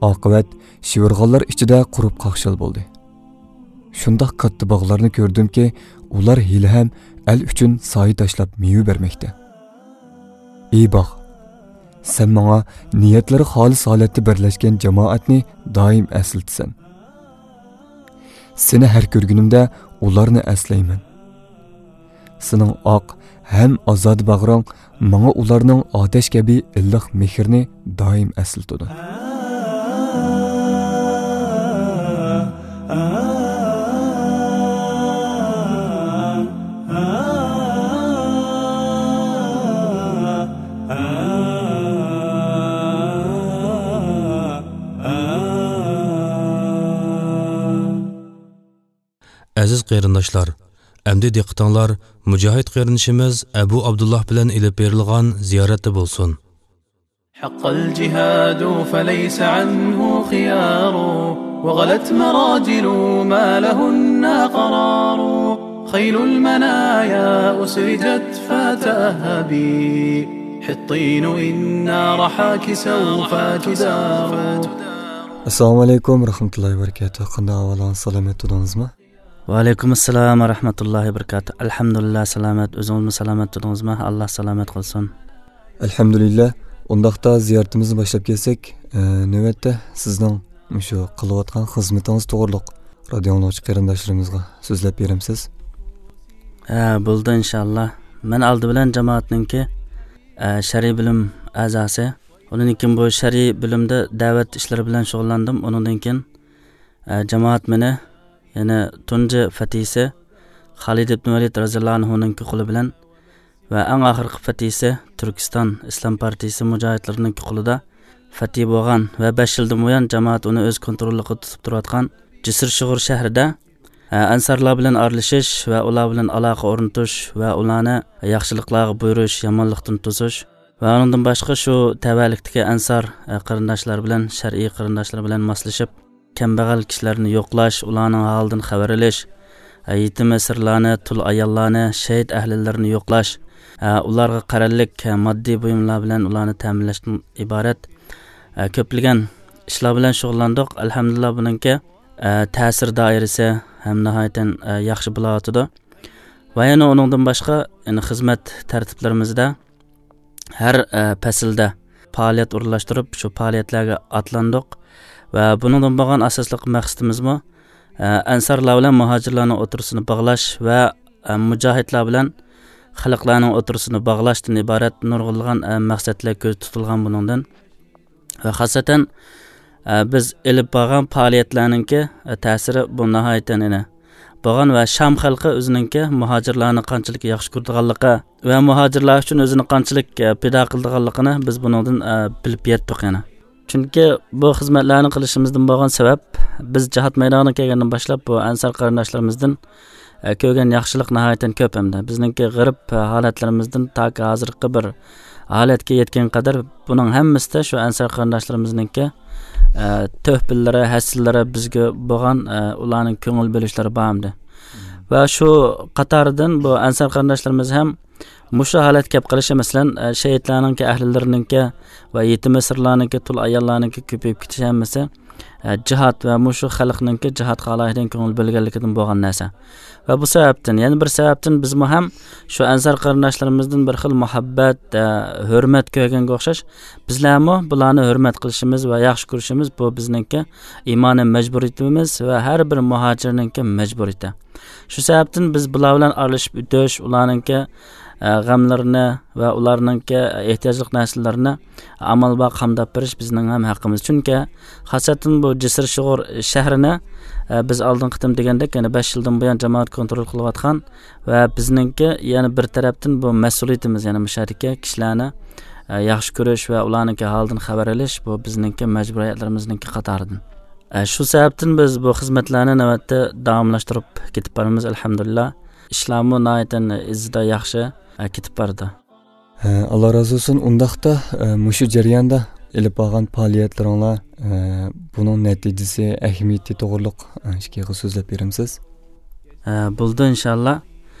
ئاقىۋەت شىۋىرغانلار ئىچىدە قۇرۇپ قاقشال بولدى. شۇنداق كاتتا باغلارنى كۆردۈمكى، ئۇلار ھېلىھەم ئەل ئۈچۈن سايە تاشلاپ مېۋە بەرمەكتە. ئى باغ، سەن ماڭا نىيەتلىرى خالىس ھالەتتە بىرلەشكەن جامائەتنى دائىم ئەسلىتىسەن. سېنى ھەر كۆرگىنىمدە ئۇلارنى ئەسلەيمەن. سېنىڭ ئاق ھەم ئازادە باغرىڭ ماڭا ئۇلارنىڭ ئاتەش كەبى ئىللىق مېھرىنى دائىم ئەسلىتىدۇ. ئەزىز قېرىنداشلار، ئەمدى دىققىتىڭلار مۇجاھىد قېرىندىشىمىز ئەبۇ ئابدۇللاھ بىلەن ئېلىپ بېرىلغان زىيارەتتە بولسۇن. حق الجهاد فليس عنه خيار، وغلت مراجل ما لهن قرار. خيل المنايا أسرجت فتأهبي، حطين إن راحك سوف تدار. ئەسسالامۇ ئەلەيكۇم ۋە رەھمەتۇللاھى ۋە بەرىكاتۇھ. قانداق ئەھۋالىڭىز، سالامەت تۇردىڭىزمۇ؟ ۋەئەلەيكۇم ئەسسالام ۋە رەھمەتۇللاھى ۋە بەرىكاتۇھ. ئەلھەمدۇلىللا، سالامەت. ئۆزىڭىزمۇ سالامەت تۇردىڭىزمۇ؟ ئاللا سالامەت قىلسۇن. ئەلھەمدۇلىللا. ئۇنداقتا زىيارىتىمىزنى باشلاپ كەتسەك، ئە، نۆۋەتتە سىزنىڭ مۇشۇ قىلىۋاتقان خىزمىتىڭىز توغرۇلۇق رادىيو ئاڭلىغۇچى قېرىنداشلىرىمىزغا سۆزلەپ بېرەمسىز؟ ھە، بولىدۇ، ئىنشاللا. مەن ئالدى بىلەن جامائەتنىڭكى، ئە، شەرئىي بۆلۈم ئەزاسى. ئۇنىڭدىن كېيىن بۇ شەرئىي بۆلۈمدە دەۋەت ئىشلىرى بىلەن شۇغۇللاندىم. ئۇنىڭدىن كېيىن، ئە، جامائەت مېنى يەنە تۇنجى فەتھىسى خالىد ئىبن ۋەلىد رەزىياللاھۇ ئەنھۇنىڭكى قولى بىلەن ۋە ئەڭ ئاخىرقى فەتھىسى تۈركىستان ئىسلام پارتىيىسى مۇجاھىدلىرىنىڭكى قولىدا فەتھى بولغان ۋە بەش يىلدىن بۇيان جامائەت ئۇنى ئۆز كونتروللۇقىدا تۇتۇپ تۇرۇۋاتقان جىسىر شۇغۇر شەھىرىدە، ئە، ئەنسارلار بىلەن ئارىلىشىش ۋە ئۇلار بىلەن ئالاقە ئورنىتىش ۋە ئۇلارنى ياخشىلىقلارغا بۇيرۇش، يامانلىقتىن توسۇش، ۋە ئۇنىڭدىن باشقا شۇ تەۋەلىكتىكى ئەنسار، ئە، قېرىنداشلار بىلەن، شەرئىي قېرىنداشلار بىلەن ماسلىشىپ، كەمبەغەل كىشىلەرنى يوقلاش، ئۇلارنىڭ ھالىدىن خەۋەر ئېلىش، ئە، يېتىم ئەسىرلارنى، تۇل ئاياللارنى، شېھىت ئەھلىلىرىنى يوقلاش، ئە، ئۇلارغا قەرەللىك، ئە، ماددىي بۇيۇملار بىلەن ئۇلارنى تەمىنلەشتىن ئىبارەت، ئە، كۆپلىگەن ئىشلار بىلەن شۇغۇللاندۇق. ئەلھەمدۇلىللا، بۇنىڭكى، ئە، تەسىر دائىرىسى ھەم ناھايىتى، ئە، ياخشى بولاۋاتىدۇ. ۋە يەنە ئۇنىڭدىن باشقا، يەنە خىزمەت تەرتىپلىرىمىزدە ھەر، ئە، پەسىلدە پائالىيەت ئورۇنلاشتۇرۇپ، شۇ پائالىيەتلەرگە ئاتلاندۇق. ۋە بۇنىڭدىن بولغان ئاساسلىق مەقسىتىمىزمۇ، ئە، ئەنسارلار بىلەن مۇھاجىرلارنىڭ ئوتتۇرىسىنى باغلاش ۋە، ئە، مۇجاھىدلار بىلەن خەلقلەرنىڭ ئوتتۇرىسىنى باغلاشتىن ئىبارەت نۇرغۇنلىغان، ئە، مەقسەتلەر كۆزدە تۇتۇلغان بۇنىڭدىن. ۋە خاسسەتەن، ئە، بىز ئېلىپ بارغان پائالىيەتلەرنىڭكى، ئە، تەسىرى بۇ ناھايىتى ئېنىق بولغان ۋە شام خەلقى ئۆزىنىڭكى مۇھاجىرلارنى قانچىلىك ياخشى كۆرىدىغانلىقى ۋە مۇھاجىرلار ئۈچۈن ئۆزىنى قانچىلىك، ئە، پىدا قىلىدىغانلىقىنى بىز بۇنىڭدىن، ئە، بىلىپ يەتتۇق يەنە. چۈنكى بۇ خىزمەتلەرنى قىلىشىمىزدىن بولغان سەۋەب، بىز جىھاد مەيدانىغا كەلگەندىن باشلاپ بۇ ئەنسار قېرىنداشلىرىمىزدىن ئە، كۆرگەن ياخشىلىق ناھايىتى كۆپ ئەمدى. بىزنىڭكى غېرىب ھالەتلىرىمىزدىن تاكى ھازىرقى بىر ھالەتكە يەتكەنگە قەدەر بۇنىڭ ھەممىسىدە شۇ ئەنسار قېرىنداشلىرىمىزنىڭكى، ئە، تۆھپىلىرى، ھەسسىلىرى بىزگە بولغان، ئە، ئۇلارنىڭ كۆڭۈل بۆلۈشلىرى بار ئەمدى. ۋە شۇ قاتاردىن بۇ ئەنسار قېرىنداشلىرىمىز ھەم مۇشۇ ھالەتكە كەپ قېلىشى، مەسىلەن، ئە، شېھىتلەرنىڭكى، ئەھلىلىرىنىڭكى ۋە يېتىم ئەسىرلەرنىڭكى، تۇل ئاياللارنىڭكى كۆپىيىپ كېتىشى ھەممىسى ئە، جىھاد ۋە مۇشۇ خەلقنىڭكى جىھادقا ئالاھىدە كۆڭۈل بۆلگەنلىكىدىن بولغان نەرسە. ۋە بۇ سەۋەبتىن، يەنە بىر سەۋەبتىن بىزمۇ ھەم شۇ ئەنسار قېرىنداشلىرىمىزدىن بىر خىل مۇھەببەت، ئە، ھۆرمەت كۆرگەنگە ئوخشاش، بىزلەرمۇ بۇلارنى ھۆرمەت قىلىشىمىز ۋە ياخشى كۆرۈشىمىز، بۇ بىزنىڭكى ئىمانىي مەجبۇرىيىتىمىز ۋە ھەر بىر مۇھاجىرنىڭكى مەجبۇرىيىتى. شۇ سەۋەبتىن بىز بۇلار بىلەن ئارىلىشىپ ئۆتۈش، ئۇلارنىڭكى، ئە، غەملىرىنى ۋە ئۇلارنىڭكى ئېھتىياجلىق نەرسىلىرىنى ئامال بار قامداپ بېرىش بىزنىڭ ھەم ھەققىمىز. چۈنكى خاسەتەن بۇ جىسىر شۇغۇر شەھىرىنى، ئە، بىز ئالدىنقى قېتىم دېگەندەك، يەنە بەش يىلدىن بۇيان جامائەت كونترول قىلىۋاتقان ۋە بىزنىڭكى يەنە بىر تەرەپتىن بۇ مەسئۇلىيىتىمىز، يەنە مۇشۇ يەردىكى كىشىلەرنى، ئە، ياخشى كۆرۈش ۋە ئۇلارنىڭكى ھالىدىن خەۋەر ئېلىش، بۇ بىزنىڭكى مەجبۇرىيەتلىرىمىزنىڭكى قاتارىدىن. ئە، شۇ سەۋەبتىن بىز بۇ خىزمەتلەرنى نۆۋەتتە داۋاملاشتۇرۇپ كېتىپ بارىمىز، ئەلھەمدۇلىللا. ئىشلارمۇ ناھايىتى ئىزىدا ياخشى، ئە، كېتىپ بارىدۇ. ھە، ئاللا رازى بولسۇن. ئۇنداقتا، ئە، مۇشۇ جەرياندا ئېلىپ بارغان پائالىيەتلىرىڭلار، ئە، بۇنىڭ نەتىجىسى، ئەھمىيىتى توغرۇلۇق، ئە، ئىككى ئېغىز سۆزلەپ بېرەمسىز؟ ئە، بولىدۇ، ئىنشاللا.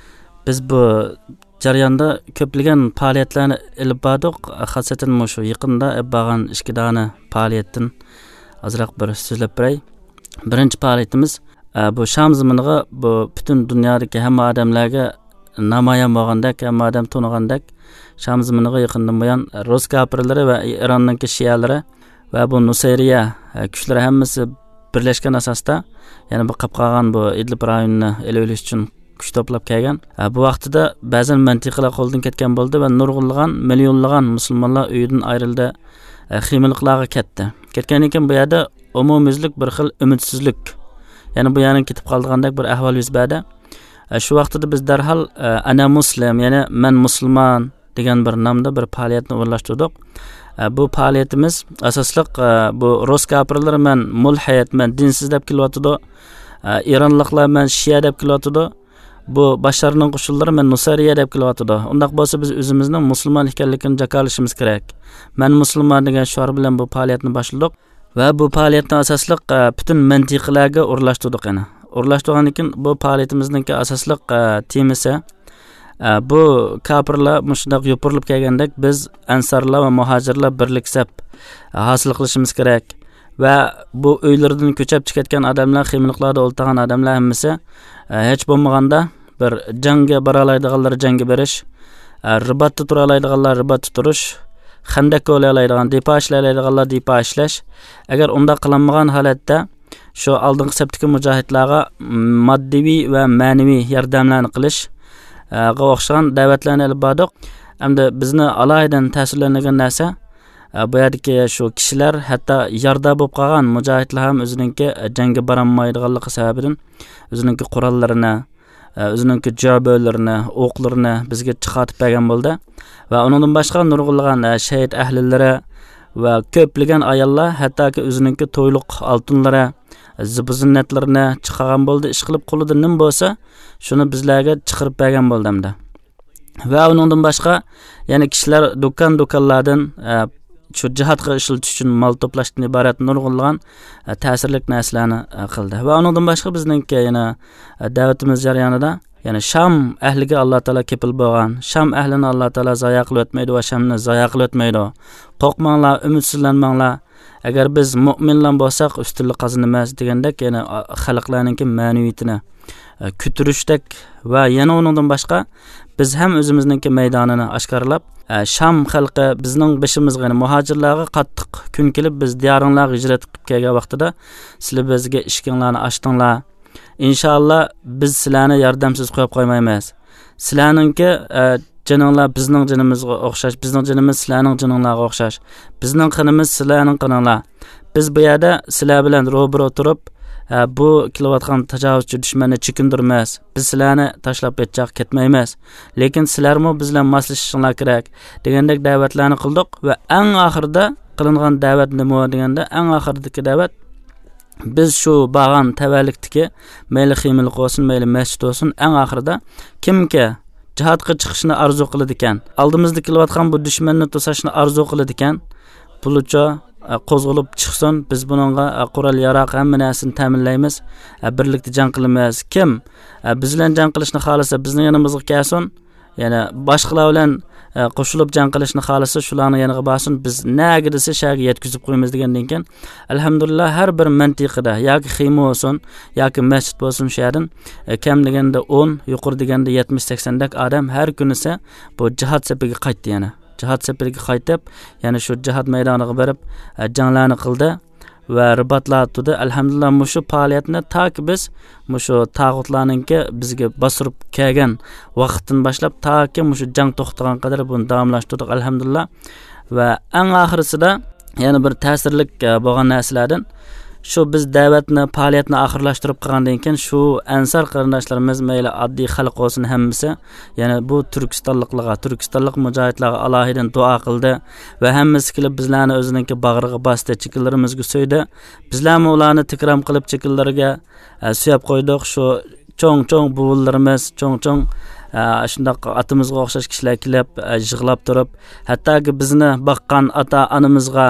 بىز بۇ جەرياندا كۆپلىگەن پائالىيەتلەرنى ئېلىپ باردۇق. خاسەتەن مۇشۇ يېقىندا ئېلىپ بارغان ئىككى دانە پائالىيەتتىن ئازراق بىر سۆزلەپ بېرەي. بىرىنچى پائالىيىتىمىز، ئە، بۇ شام زېمىنىغا، بۇ پۈتۈن دۇنيادىكى ھەممە ئادەملەرگە نامايان بولغاندەك، ھەممە ئادەم تونۇغاندەك، شام زېمىنىغا يېقىندىن بۇيان رۇس كاپىرلىرى ۋە ئىراننىڭكى شىئەلىرى ۋە بۇ نۇسەيرىيە، ئە، كۈچلىرى ھەممىسى بىرلەشكەن ئاساستا، يەنە بۇ قاپقالغان بۇ ئىدلىب رايونىنى ئېلىۋېلىش ئۈچۈن كۈچ توپلاپ كەلگەن. ئە، بۇ ۋاقتىدا بەزەن مەنتىقىلەر قولدىن كەتكەن بولدى ۋە نۇرغۇنلىغان، مىليونلىغان مۇسۇلمانلار ئۆيىدىن ئايرىلدى، ئە، خىيمىلىقلارغا كەتتى. كەتكەندىن كېيىن بۇ يەردە ئومۇميۈزلۈك بىر خىل ئۈمىدسىزلىك، يەنى بۇ يەرنىڭ كېتىپ قالىدىغاندەك بىر ئەھۋال يۈز بەردى. ئە، شۇ ۋاقتىدا بىز دەرھال، ئە، «ئەنە مۇسلىم»، يەنى «مەن مۇسۇلمان» دېگەن بىر نامدا بىر پائالىيەتنى ئورۇنلاشتۇردۇق. ئە، بۇ پائالىيىتىمىز ئاساسلىق، ئە، بۇ رۇس كاپىرلىرى «مەن مۇلھىد، مەن دىنسىز» دەپ كېلىۋاتىدۇ. ئە، ئىرانلىقلار «مەن شىئە» دەپ كېلىۋاتىدۇ. بۇ باشارنىڭ قوشۇنلىرى «مەن نۇسەيرىيە» دەپ كېلىۋاتىدۇ. ئۇنداق بولسا بىز ئۆزىمىزنىڭ مۇسۇلمان ئىكەنلىكىنى جاكارلىشىمىز كېرەك. «مەن مۇسۇلمان» دېگەن شوئار بىلەن بۇ پائالىيەتنى باشلىدۇق. ۋە بۇ پائالىيەتنى ئاساسلىق، ئە، پۈتۈن مەنتىقىلەرگە ئورۇنلاشتۇردۇق يەنە. ئورۇنلاشتۇرغاندىن كېيىن بۇ پائالىيىتىمىزنىڭكى ئاساسلىق، ئە، تېمىسى، ئە، بۇ كاپىرلار مۇشۇنداق يوپۇرۇلۇپ كەلگەندەك، بىز ئەنسارلار ۋە مۇھاجىرلار بىرلىك سەپ، ئە، ھاسىل قىلىشىمىز كېرەك. ۋە بۇ ئۆيلىرىدىن كۆچۈپ چىقىۋەتكەن ئادەملەر، خىيمىلىقلاردا ئولتۇرغان ئادەملەر ھەممىسى، ئە، ھېچ بولمىغاندا بىر جەڭگە بارالايدىغانلار جەڭگە بېرىش، ئە، رىباتتا تۇرالايدىغانلار رىباتتا تۇرۇش، خەندەك كولايالايدىغان، دىپا ئىشلەيدىغانلار دىپا ئىشلەش. ئەگەر ئۇنداق قىلالمىغان ھالەتتە، شۇ ئالدىنقى سەپتىكى مۇجاھىدلارغا ماددىۋى ۋە مەنىۋى ياردەملەرنى قىلىش، ئە، غا ئوخشىغان دەۋەتلەرنى ئېلىپ باردۇق. ئەمدى بىزنى ئالاھىدە تەسىرلەندۈرگەن نەرسە، ئە، بۇ يەردىكى شۇ كىشىلەر، ھەتتا يارىدار بولۇپ قالغان مۇجاھىدلار ھەم ئۆزىنىڭكى، ئە، جەڭگە بارالمايدىغانلىقى سەۋەبىدىن ئۆزىنىڭكى قوراللىرىنى، ئە، ئۆزىنىڭكى جۈبەلىرىنى، ئوقلىرىنى بىزگە چىقارتىپ بەرگەن بولدى. ۋە ئۇنىڭدىن باشقا نۇرغۇنلىغان، ئە، شېھىت ئەھلىلىرى ۋە كۆپلىگەن ئاياللار ھەتتاكى ئۆزىنىڭكى تويلۇق ئالتۇنلىرى، زىبۇ زىننەتلىرىنى چىقارغان بولدى. ئىشقىلىپ قولىدا نېمە بولسا، شۇنى بىزلەرگە چىقىرىپ بەرگەن بولدى ئەمدى. ۋە ئۇنىڭدىن باشقا يەنە كىشىلەر دۇكان-دۇكانلاردىن، ئە، شۇ جىھادقا ئىشلىتىش ئۈچۈن مال توپلاشتىن ئىبارەت نۇرغۇنلىغان، ئە، تەسىرلىك نەرسىلەرنى، ئە، قىلدى. ۋە ئۇنىڭدىن باشقا بىزنىڭكى يەنە، ئە، دەۋىتىمىز جەريانىدا يەنە شام ئەھلىگە ئاللا تائالا كېپىل بولغان، شام ئەھلىنى ئاللا تائالا زايا قىلىۋەتمەيدۇ ۋە شامنى زايا قىلىۋەتمەيدۇ. قورقماڭلار، ئۈمىدسىزلەنمەڭلار. ئەگەر بىز مۆمىنلار بولساق، ئۈستۈنلۈك قازىنىمىز دېگەندەك، يەنە، ئا، خەلقلەرنىڭكى مەنىۋىيىتىنى، ئە، كۆتۈرۈشتەك ۋە يەنە ئۇنىڭدىن باشقا، بىز ھەم ئۆزىمىزنىڭكى مەيدانىنى ئاشكارىلاپ، ئە، شام خەلقى بىزنىڭ بېشىمىزغا، يەنى مۇھاجىرلارغا قاتتىق كۈن كېلىپ، بىز دىيارىڭلارغا ھىجرەت قىلىپ كەلگەن ۋاقتىدا، سىلەر بىزگە ئىشىكىڭلارنى ئاچتىڭلار. ئىنشائاللا، بىز سىلەرنى ياردەمسىز قويۇپ قويمايمىز. سىلەرنىڭكى، ئە، جېنىڭلار بىزنىڭ جېنىمىزغا ئوخشاش، بىزنىڭ جېنىمىز سىلەرنىڭ جېنىڭلارغا ئوخشاش. بىزنىڭ قېنىمىز سىلەرنىڭ قېنىڭلار. بىز بۇ يەردە سىلەر بىلەن روبىرو تۇرۇپ، ئە، بۇ كېلىۋاتقان تاجاۋۇزچى دۈشمەننى چېكىندۈرىمىز. بىز سىلەرنى تاشلاپ ھېچ ياققا كەتمەيمىز. لېكىن سىلەرمۇ بىز بىلەن ماسلىشىشىڭلار كېرەك، دېگەندەك دەۋەتلەرنى قىلدۇق ۋە ئەڭ ئاخىرىدا قىلىنغان دەۋەت نېمە دېگەندە، ئەڭ ئاخىرىدىكى دەۋەت، بىز شۇ بارغان تەۋەلىكتىكى، مەيلى خىيمىلىق بولسۇن، مەيلى مەسچىت بولسۇن، ئەڭ ئاخىرىدا كىمكى جىھادقا چىقىشنى ئارزۇ قىلىدىكەن، ئالدىمىزدا كېلىۋاتقان بۇ دۈشمەننى توساشنى ئارزۇ قىلىدىكەن، بولىچۇ، ئە، قوزغىلىپ چىقسۇن، بىز بۇنىڭغا، ئە، قورال ياراق، ھەممە نەرسىنى تەمىنلەيمىز، ئە، بىرلىكتە جەڭ قىلىمىز. كىم، ئە، بىز بىلەن جەڭ قىلىشنى خالىسا، بىزنىڭ يېنىمىزغا كەلسۇن. يەنە باشقىلار بىلەن، ئە، قوشۇلۇپ جەڭ قىلىشنى خالىسا، شۇلارنىڭ يېنىغا بارسۇن، بىز نەگە دېسە شەگە يەتكۈزۈپ قويىمىز دېگەندىن كېيىن، ئەلھەمدۇلىللا، ھەر بىر مەنتىقىدە ياكى خىما بولسۇن، ياكى مەسچىت بولسۇن، شۇ يەردىن، ئە، كەم دېگەندە ئون، يۇقىرى دېگەندە يەتمىش سەكسەندەك ئادەم ھەر كۈنىسى بۇ جىھاد سېپىگە قايتتى يەنە. جىھاد سېپىگە قايتىپ، يەنە شۇ جىھاد مەيدانىغا بېرىپ، ئە، جەڭلەرنى قىلدى ۋە رىباتلاردا تۇردى. ئەلھەمدۇلىللا، مۇشۇ پائالىيەتنى تاكى بىز مۇشۇ تاغۇتلارنىڭكى بىزگە باستۇرۇپ كەلگەن ۋاقىتتىن باشلاپ تاكى مۇشۇ جەڭ توختىغان قەدەر بۇنى داۋاملاشتۇردۇق، ئەلھەمدۇلىللا. ۋە ئەڭ ئاخىرىسىدا يەنە بىر تەسىرلىك، ئە، بولغان نەرسىلەردىن، شۇ بىز دەۋەتنى، پائالىيەتنى ئاخىرلاشتۇرۇپ قىلغاندىن كېيىن، شۇ ئەنسار قېرىنداشلىرىمىز، مەيلى ئاددىي خەلق بولسۇن، ھەممىسى يەنە بۇ تۈركىستانلىقلارغا، تۈركىستانلىق مۇجاھىدلارغا ئالاھىدە دۇئا قىلدى ۋە ھەممىسى كېلىپ بىزلەرنى ئۆزىنىڭكى باغرىغا باستى، چېكىلىرىمىزگە سۆيدى. بىزلەرمۇ ئۇلارنى تىكرام قىلىپ چېكىلىرىگە، ئە، سۆيەپ قويدۇق. شۇ چوڭ-چوڭ بوۋىلىرىمىز، چوڭ-چوڭ، ئە، شۇنداق ئاتىمىزغا ئوخشاش كىشىلەر كېلىپ، ئە، يىغلاپ تۇرۇپ، ھەتتاكى بىزنى باققان ئاتا-ئانىمىزغا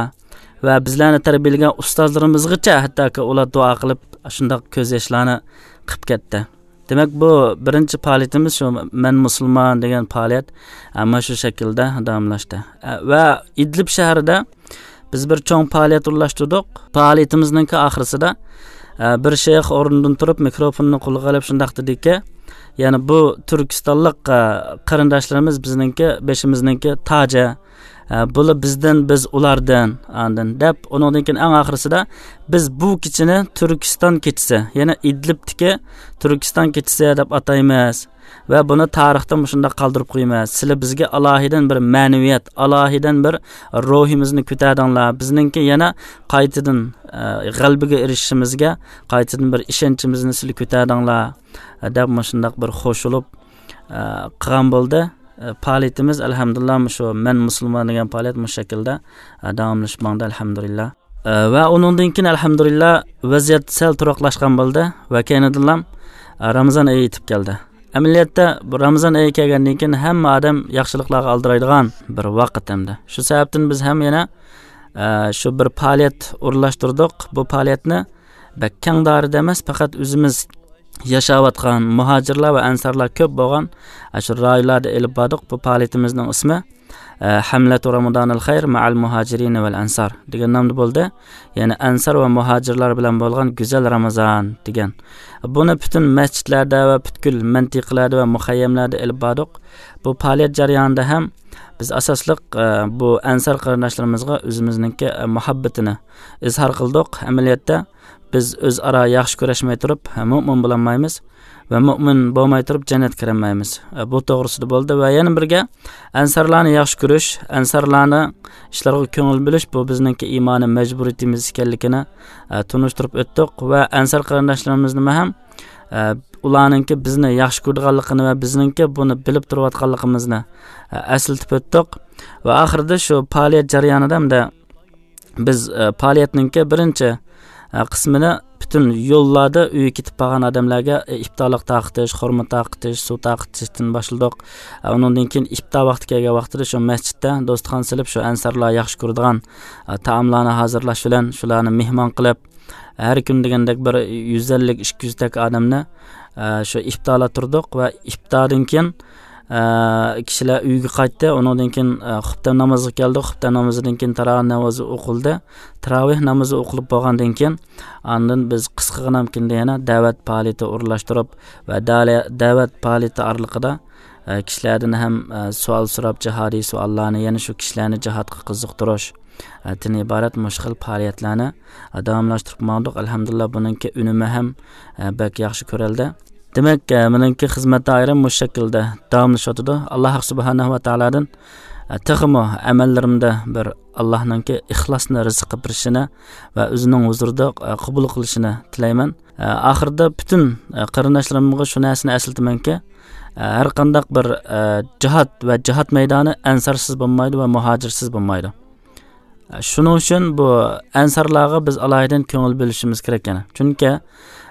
ۋە بىزلەرنى تەربىيەلىگەن ئۇستازلىرىمىزغىچە ھەتتاكى ئۇلار دۇئا قىلىپ، شۇنداق كۆز ياشلارنى قىپ كەتتى. دېمەك، بۇ بىرىنچى پائالىيىتىمىز شۇ مەن مۇسۇلمان دېگەن پائالىيەت، ئە، مانا شۇ شەكىلدە داۋاملاشتى. ئە، ۋە ئىدلىب شەھىرىدە بىز بىر چوڭ پائالىيەت ئورۇنلاشتۇردۇق. پائالىيىتىمىزنىڭكى ئاخىرىسىدا، ئە، بىر شەيخ ئورنىدىن تۇرۇپ، مىكروفوننى قولىغا ئېلىپ شۇنداق دېدىكى، يەنى بۇ تۈركىستانلىق، ئە، قېرىنداشلىرىمىز بىزنىڭكى بېشىمىزنىڭكى تاجى، ئە، بۇلار بىزدىن، بىز ئۇلاردىن، ئاندىن دەپ، ئۇنىڭدىن كېيىن ئەڭ ئاخىرىسىدا بىز بۇ كېچىنى تۈركىستان كېچىسى، يەنى ئىدلىبتىكى تۈركىستان كېچىسى دەپ ئاتايمىز. ۋە بۇنى تارىختا مۇشۇنداق قالدۇرۇپ قويىمىز. سىلەر بىزگە ئالاھىدىن بىر مەنىۋىيەت، ئالاھىدىن بىر روھىمىزنى كۆتەردىڭلار. بىزنىڭكى يەنە قايتىدىن، ئە، غەلىبىگە ئېرىشىشىمىزگە قايتىدىن بىر ئىشەنچىمىزنى سىلەر كۆتەردىڭلار، ئە، دەپ مۇشۇنداق بىر خوش بولۇپ، ئە، قىلغان بولدى. ئە، پائالىيىتىمىز، ئەلھەمدۇلىللا، مۇشۇ مەن مۇسۇلمان دېگەن پائالىيەت مۇشۇ شەكىلدە، ئە، داۋاملىشىپ ماڭدى، ئەلھەمدۇلىللا. ئە، ۋە ئۇنىڭدىن كېيىن، ئەلھەمدۇلىللا، ۋەزىيەت سەل تۇراقلاشقان بولدى ۋە كەينىدىنلا، ئە، رامىزان ئېيى يېتىپ كەلدى. ئەمەلىيەتتە، بۇ رامىزان ئېيى كەلگەندىن كېيىن ھەممە ئادەم ياخشىلىقلارغا ئالدىرايدىغان بىر ۋاقىت ئەمدى. شۇ سەۋەبتىن بىز ھەم يەنە، ئە، شۇ بىر پائالىيەت ئورۇنلاشتۇردۇق. بۇ پائالىيەتنى بەك كەڭ دائىرىدە ئەمەس، پەقەت ئۆزىمىز ياشاۋاتقان مۇھاجىرلار ۋە ئەنسارلار كۆپ بولغان، ئە، شۇ رايونلاردا ئېلىپ باردۇق. بۇ پائالىيىتىمىزنىڭ ئىسمى، ئە، ھەملەتۇ رامىزانىل خەير مەئەل مۇھاجىرىنە ۋەل ئەنسار دېگەن نامدا بولدى. يەنى ئەنسار ۋە مۇھاجىرلار بىلەن بولغان گۈزەل رامىزان دېگەن. بۇنى پۈتۈن مەسچىتلەردە ۋە پۈتكۈل مەنتىقىلەردە ۋە مۇخەييەملەردە ئېلىپ باردۇق. بۇ پائالىيەت جەريانىدا ھەم بىز ئاساسلىق، ئە، بۇ ئەنسار قېرىنداشلىرىمىزغا ئۆزىمىزنىڭكى، ئە، مۇھەببىتىنى ئىزھار قىلدۇق. ئەمەلىيەتتە، بىز ئۆزئارا ياخشى كۆرۈشمەي تۇرۇپ، مۆمىن بولالمايمىز ۋە مۆمىن بولماي تۇرۇپ جەننەتكە كىرەلمەيمىز. بۇ توغرىسىدا بولدى ۋە يەنە بىرگە ئەنسارلارنى ياخشى كۆرۈش، ئەنسارلارنىڭ ئىشلارغا كۆڭۈل بۆلۈش، بۇ بىزنىڭكى ئىمانىي مەجبۇرىيىتىمىز ئىكەنلىكىنى، ئە، تونۇشتۇرۇپ ئۆتتۇق ۋە ئەنسار قېرىنداشلىرىمىزنىمۇ ھەم، ئە، ئۇلارنىڭكى بىزنى ياخشى كۆرىدىغانلىقىنى ۋە بىزنىڭكى بۇنى بىلىپ تۇرۇۋاتقانلىقىمىزنى، ئە، ئەسلىتىپ ئۆتتۇق. ۋە ئاخىرىدا شۇ پائالىيەت جەريانىدا ھەمدە بىز، ئە، پائالىيەتنىڭكى بىرىنچى، ئە، قىسمىنى پۈتۈن يوللاردا ئۆيگە كېتىپ بارغان ئادەملەرگە، ئە، ئىپتارلىق تارقىتىش، خورما تارقىتىش، سۇ تارقىتىشتىن باشلىدۇق. ئە، ئۇنىڭدىن كېيىن ئىپتار ۋاقتى كەلگەن ۋاقتىدا شۇ مەسچىتتە دوستخانا سېلىپ، شۇ ئەنسارلار ياخشى كۆرىدىغان، ئە، تائاملارنى ھازىرلاش بىلەن شۇلارنى مېھمان قىلىپ، ھەر كۈنى دېگەندەك بىر يۈز ئەللىك، ئىككى يۈزدەك ئادەمنى، ئە، شۇ ئىپتارلاتتۇردۇق ۋە ئىپتاردىن كېيىن، ئە، كىشىلەر ئۆيىگە قايتتى. ئۇنىڭدىن كېيىن، ئە، خۇپتەن نامىزىغا كەلدۇق. خۇپتەن نامىزىدىن كېيىن تاراۋىھ نامىزى ئوقۇلدى. تاراۋىھ نامىزى ئوقۇلۇپ بولغاندىن كېيىن، ئاندىن بىز قىسقىغىنەمكىندە يەنە دەۋەت پائالىيىتى ئورۇنلاشتۇرۇپ ۋە دالە-، دەۋەت پائالىيىتى ئارىلىقىدا، ئە، كىشىلەردىن ھەم، ئە، سوئال سوراپ، جىھادىي سوئاللارنى، يەنە شۇ كىشىلەرنى جىھادقا قىزىقتۇرۇش، ئە، تىن ئىبارەت مۇشۇ خىل پائالىيەتلەرنى، ئە، داۋاملاشتۇرۇپ ماڭدۇق. ئەلھەمدۇلىللا، بۇنىڭكى ئۈنۈمى ھەم، ئە، بەك ياخشى كۆرۈلدى. دېمەك، ئە، مېنىڭكى خىزمەت دائىرەم مۇشۇ شەكىلدە داۋاملىشىۋاتىدۇ. ئاللا سۇبھانەھۇ ۋە تائالادىن، ئە، تېخىمۇ ئەمەللىرىمدە بىر ئاللانىڭكى ئىخلاسنى رىزىق قىلىپ بېرىشىنى ۋە ئۆزىنىڭ ھۇزۇرىدا، ئە، قوبۇل قىلىشىنى تىلەيمەن. ئە، ئاخىرىدا پۈتۈن، ئە، قېرىنداشلىرىمغا شۇ نەرسىنى ئەسلىتىمەنكى، ئە، ھەر قانداق بىر، ئە، جىھاد ۋە جىھاد مەيدانى ئەنسارسىز بولمايدۇ ۋە مۇھاجىرسىز بولمايدۇ. ئە، شۇنىڭ ئۈچۈن بۇ ئەنسارلارغا بىز ئالاھىدە كۆڭۈل بۆلۈشىمىز كېرەك يەنە. چۈنكى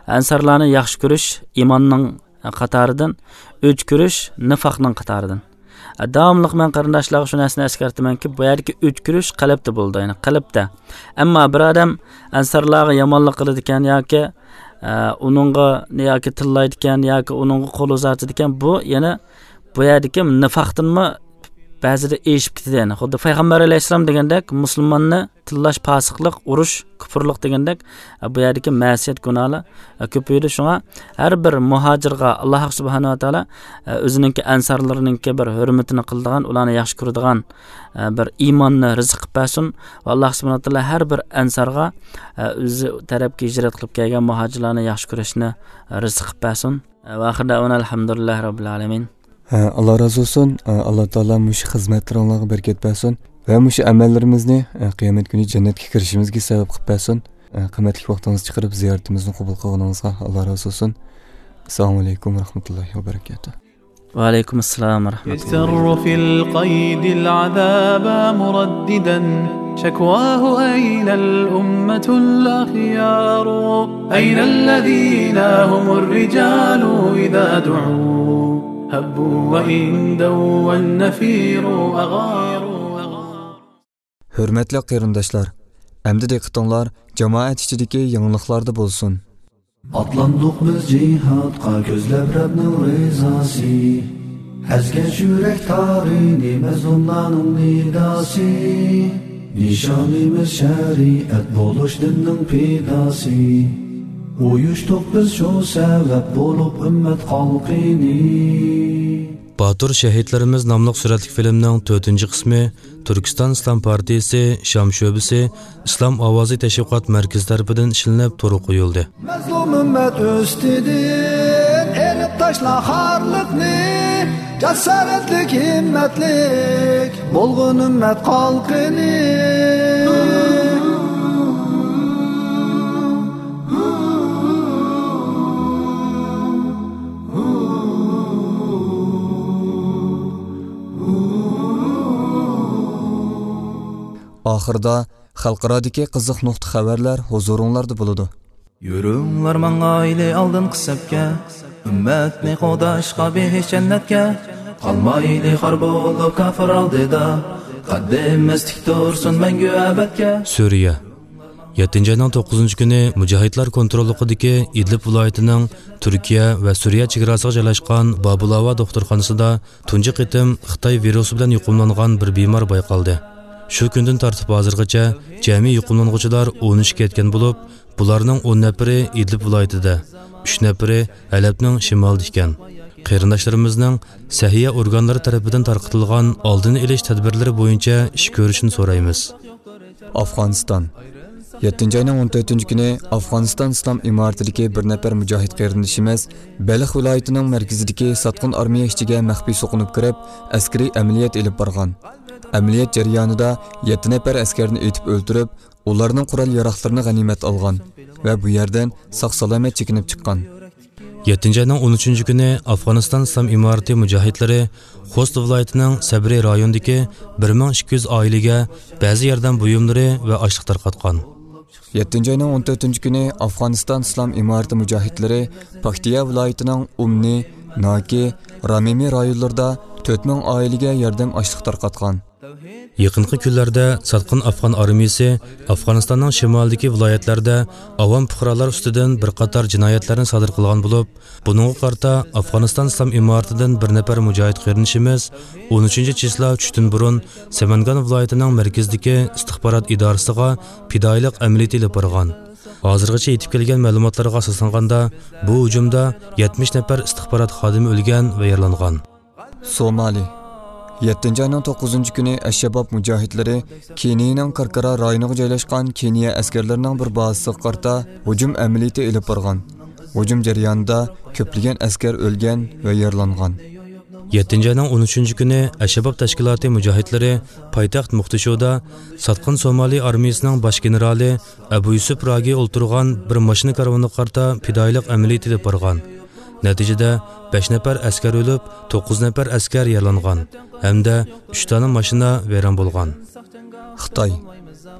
ئەنسارلارنى ياخشى كۆرۈش ئىماننىڭ قاتارىدىن، ئۆچ كۆرۈش نىفاقنىڭ قاتارىدىن. ئە، داۋاملىق مەن قېرىنداشلارغا شۇ نەرسىنى ئەسكەرتىمەنكى، بۇ يەردىكى ئۆچ كۆرۈش قەلبتە بولىدۇ، يەنى قەلبتە. ئەمما بىر ئادەم ئەنسارلارغا يامانلىق قىلىدىكەن ياكى، ئە، ئۇنىڭغا ياكى تىللايدىكەن ياكى ئۇنىڭغا قول ئۇزارتىدىكەن، بۇ يەنە بۇ يەردىكى نىفاقتىنمۇ بەزىدە ئېشىپ كېتىدۇ. يەنى خۇددى پەيغەمبەر ئەلەيھىسسالام دېگەندەك، مۇسۇلماننى تىللاش پاسىقلىق، ئۇرۇش، كۇپۇرلۇق دېگەندەك، بۇ يەردىكى مەسىيەت، گۇناھلار كۆپىيىدۇ. شۇڭا ھەر بىر مۇھاجىرغا ئاللاھ سۇبھانەھۇ ۋە تائالا ئۆزىنىڭكى ئەنسارلىرىنىڭكى بىر ھۆرمىتىنى قىلىدىغان، ئۇلارنى ياخشى كۆرىدىغان بىر ئىماننى رىزىق قىلىپ بەرسۇن. ۋە ئاللاھ سۇبھانەھۇ ۋە تائالا ھەر بىر ئەنسارغا ئۆزى تەرەپكە ھىجرەت قىلىپ كەلگەن مۇھاجىرلارنى ياخشى كۆرۈشنى رىزىق قىلىپ بەرسۇن. ۋە ئاخىر دەۋانا ئەلھەمدۇلىللاھى رەببىل ئالەمىن. ھە، ئاللا رازى بولسۇن. ئاللا تائالا مۇشۇ خىزمەتلىرىڭلارغا بەرىكەت بەرسۇن ۋە مۇشۇ ئەمەللىرىمىزنى، ھە، قىيامەت كۈنى جەننەتكە كىرىشىمىزگە سەۋەب قىلىپ بەرسۇن. ھە، قىممەتلىك ۋاقتىڭىزنى چىقىرىپ زىيارىتىمىزنى قوبۇل قىلغىنىڭىزغا ئاللا رازى بولسۇن. ئەسسالامۇ ئەلەيكۇم ۋە رەھمەتۇللاھى ۋە بەرىكاتۇھ. ۋەئەلەيكۇم ئەسسالام ۋە رەھمەتۇللاھ. يجتر في القيد العذاب مرددا، شكواه أين الأمة الأخيار؟ أين الذين هم الرجال إذا دعوا هبوا وإن دوى النفير أغار؟ ھۆرمەتلىك قېرىنداشلار، ئەمدى دىققىتىڭلار جامائەت ئىچىدىكى يېڭىلىقلاردا بولسۇن. ئاتلاندۇق بىز جىھادقا كۆزلەپ رەبنىڭ رىزاسى. ئەزگەن يۈرەك تارىنى مەزلۇملارنىڭ نىداسى. نىشانىمىز شەرىئەت بولۇش دىننىڭ پىداسى. ئۇيۇشتۇق بىز شۇ سەۋەب بولۇپ ئۈممەت خەلقىنى. باتۇر شەھىدلىرىمىز ناملىق سۈرەتلىك فىلىمنىڭ تۆتىنچى قىسمى تۈركىستان ئىسلام پارتىيىسى شام شۆبىسى ئىسلام ئاۋازى تەشۋىقات مەركىزى تەرىپىدىن ئىشلىنىپ تورغا قويۇلدى. مەزلۇم ئۈممەت ئۈستىدىن ئېلىپ تاشلا خارلىقنى، جاسارەتلىك، ھىممەتلىك بولغىن ئۈممەت قالقىنى. ئاخىرىدا خەلقئارادىكى قىزىق نۇقتا خەۋەرلەر ھۇزۇرۇڭلاردا بولىدۇ. يۈرۈڭلار ماڭايلى ئالدىنقى سەپكە، ئۈممەتنى قوغداشقا بېھىشت جەننەتكە. قالمايلى خار بولۇپ كاپىر ئالدىدا، قەددىمىز تىك تۇرسۇن مەڭگۈ ئەبەدكە. سۈرىيە. يەتتىنچى ئاينىڭ توققۇزىنچى كۈنى مۇجاھىدلار كونتروللۇقىدىكى ئىدلىب ۋىلايىتىنىڭ تۈركىيە ۋە سۈرىيە چېگراسىغا جايلاشقان بابۇلاۋا دوختۇرخانىسىدا تۇنجى قېتىم خىتاي ۋىرۇسى بىلەن يۇقۇملانغان بىر بىمار بايقالدى. شۇ كۈندىن تارتىپ ھازىرغىچە جەمئىي يۇقۇملانغۇچىلار ئون ئۈچكە يەتكەن بولۇپ، بۇلارنىڭ ئون نەپىرى ئىدلىب ۋىلايىتىدە، ئۈچ نەپىرى ھەلەبنىڭ شىمالىدا ئىكەن. قېرىنداشلىرىمىزنىڭ سەھىيە ئورگانلىرى تەرىپىدىن تارقىتىلغان ئالدىنى ئېلىش تەدبىرلىرى بويىچە ئىش كۆرۈشىنى سورايمىز. ئافغانىستان. يەتتىنچى ئاينىڭ ئون تۆتىنچى كۈنى ئافغانىستان ئىسلام ئىمارىتىدىكى بىر نەپەر مۇجاھىد قېرىندىشىمىز بەلخ ۋىلايىتىنىڭ مەركىزىدىكى ساتقىن ئارمىيە ئىچىگە مەخپىي سوقۇنۇپ كىرىپ، ئەسكىرىي ئەمەلىيەت ئېلىپ بارغان. ئەمەلىيەت جەريانىدا يەتتە نەپەر ئەسكەرنى ئېتىپ ئۆلتۈرۈپ، ئۇلارنىڭ قورال-ياراغلىرىنى غەنىيمەت ئالغان ۋە بۇ يەردىن ساق-سالامەت چېكىنىپ چىققان. يەتتىنچى ئاينىڭ ئون ئۈچىنچى كۈنى ئافغانىستان ئىسلام ئىمارىتى مۇجاھىدلىرى خوست ۋىلايىتىنىڭ سەبرى رايونىدىكى بىر مىڭ ئىككى يۈز ئائىلىگە بەزى ياردەم بۇيۇملىرى ۋە ئاشلىق تارقاتقان. يەتتىنچى ئاينىڭ ئون تۆتىنچى كۈنى ئافغانىستان ئىسلام ئىمارىتى مۇجاھىدلىرى پاكتىيا ۋىلايىتىنىڭ ئۇمنى، ناكى، رامىمى رايونلىرىدا تۆت مىڭ ئائىلىگە ياردەم ئاشلىق تارقاتقان. يېقىنقى كۈنلەردە ساتقىن ئافغان ئارمىيىسى ئافغانىستاننىڭ شىمالىدىكى ۋىلايەتلەردە ئاۋام پۇقرالار ئۈستىدىن بىر قاتار جىنايەتلەرنى سادىر قىلغان بولۇپ، بۇنىڭغا قارىتا ئافغانىستان ئىسلام ئىمارىتىدىن بىر نەپەر مۇجاھىد قېرىندىشىمىز ئون ئۈچىنچى چىسلا چۈشتىن بۇرۇن سەمەنگان ۋىلايىتىنىڭ مەركىزىدىكى ئىستىخبارات ئىدارىسىغا پىدائىيلىق ئەمەلىيىتى ئېلىپ بارغان. ھازىرغىچە يېتىپ كەلگەن مەلۇماتلارغا ئاساسلانغاندا، بۇ ھۇجۇمدا يەتمىش نەپەر ئىستىخبارات خادىمى ئۆلگەن ۋە يارىلانغان. سومالى. يەتتىنچى ئاينىڭ توققۇزىنچى كۈنى ئەششەباب مۇجاھىدلىرى كېنىيەنىڭ كاركارا رايونىغا جايلاشقان كېنىيە ئەسكەرلىرىنىڭ بىر بازىسىغا قارىتا ھۇجۇم ئەمەلىيىتى ئېلىپ بارغان. ھۇجۇم جەريانىدا كۆپلىگەن ئەسكەر ئۆلگەن ۋە يارىلانغان. يەتتىنچى ئاينىڭ ئون ئۈچىنچى كۈنى ئەششەباب تەشكىلاتى مۇجاھىدلىرى پايتەخت موقدىشۇدا ساتقىن سومالى ئارمىيىسىنىڭ باش گېنېرالى ئەبۇ يۈسۈپ راگى ئولتۇرغان بىر ماشىنا كارۋىنىغا قارىتا پىدائىيلىق ئەمەلىيىتى ئېلىپ بارغان. نەتىجىدە، بەش نەپەر ئەسكەر ئۆلۈپ، توققۇز نەپەر ئەسكەر يارىلانغان ھەمدە ئۈچ دانە ماشىنا ۋەيران بولغان. خىتاي.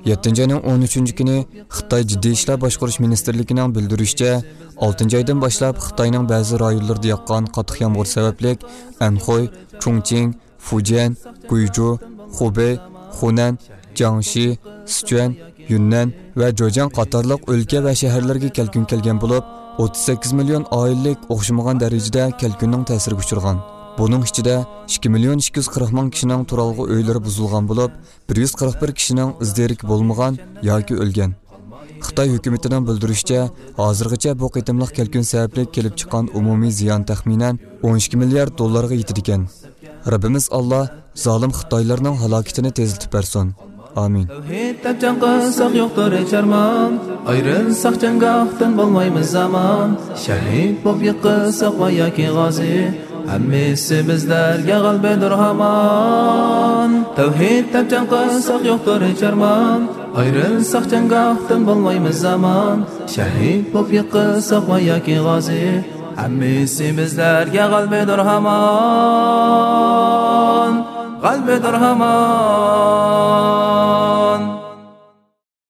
يەتتىنچى ئاينىڭ ئون ئۈچىنچى كۈنى خىتاي جىددىي ئىشلار باشقۇرۇش مىنىستىرلىكىنىڭ بىلدۈرۈشىچە، ئالتىنچى ئايدىن باشلاپ خىتاينىڭ بەزى رايونلىرىدا ياغقان قاتتىق يامغۇر سەۋەبلىك، ئەنخۇي، چۇڭچىڭ، فۇجيەن، گۇيجۇ، خۇبېي، خۇنەن، جياڭشى، سىچۈەن، يۈننەن ۋە جوجياڭ قاتارلىق ئۆلكە ۋە شەھەرلەرگە كەلكۈن كەلگەن بولۇپ، ئوتتۇز سەككىز مىليون ئائىلىلىك ئوخشىمىغان دەرىجىدە كەلكۈننىڭ تەسىرىگە ئۇچرىغان. بۇنىڭ ئىچىدە ئىككى مىليون ئىككى يۈز قىرىق مىڭ كىشىنىڭ تۇرالغۇ ئۆيلىرى بۇزۇلغان بولۇپ، بىر يۈز قىرىق بىر كىشىنىڭ ئىز-دېرىكى بولمىغان ياكى ئۆلگەن. خىتاي ھۆكۈمىتىنىڭ بىلدۈرۈشىچە، ھازىرغىچە بۇ قېتىملىق كەلكۈن سەۋەبلىك كېلىپ چىققان ئومۇمىي زىيان تەخمىنەن ئون ئىككى مىليارد دوللارغا يېتىدىكەن. رەببىمىز ئاللا زالىم خىتايلارنىڭ ھالاكىتىنى تېزلىتىپ بەرسۇن. ئامىن. تەۋھىد دەپ جەڭ قىلساق يوقتۇر ھېچ ئارمان، ئايرىلساق جەڭگاھتىن بولمايمىز ئامان. شەھىد بولۇپ يىقىلساق ۋە ياكى غازى، ھەممىسى بىزلەرگە غەلىبىدۇر ھامان. تەۋھىد دەپ جەڭ قىلساق يوقتۇر ھېچ ئارمان، ئايرىلساق جەڭگاھتىن بولمايمىز ئامان. شەھىد بولۇپ يىقىلساق ۋە ياكى غازى، ھەممىسى بىزلەرگە غەلىبىدۇر ھامان. غەلىبىدۇر ھامان.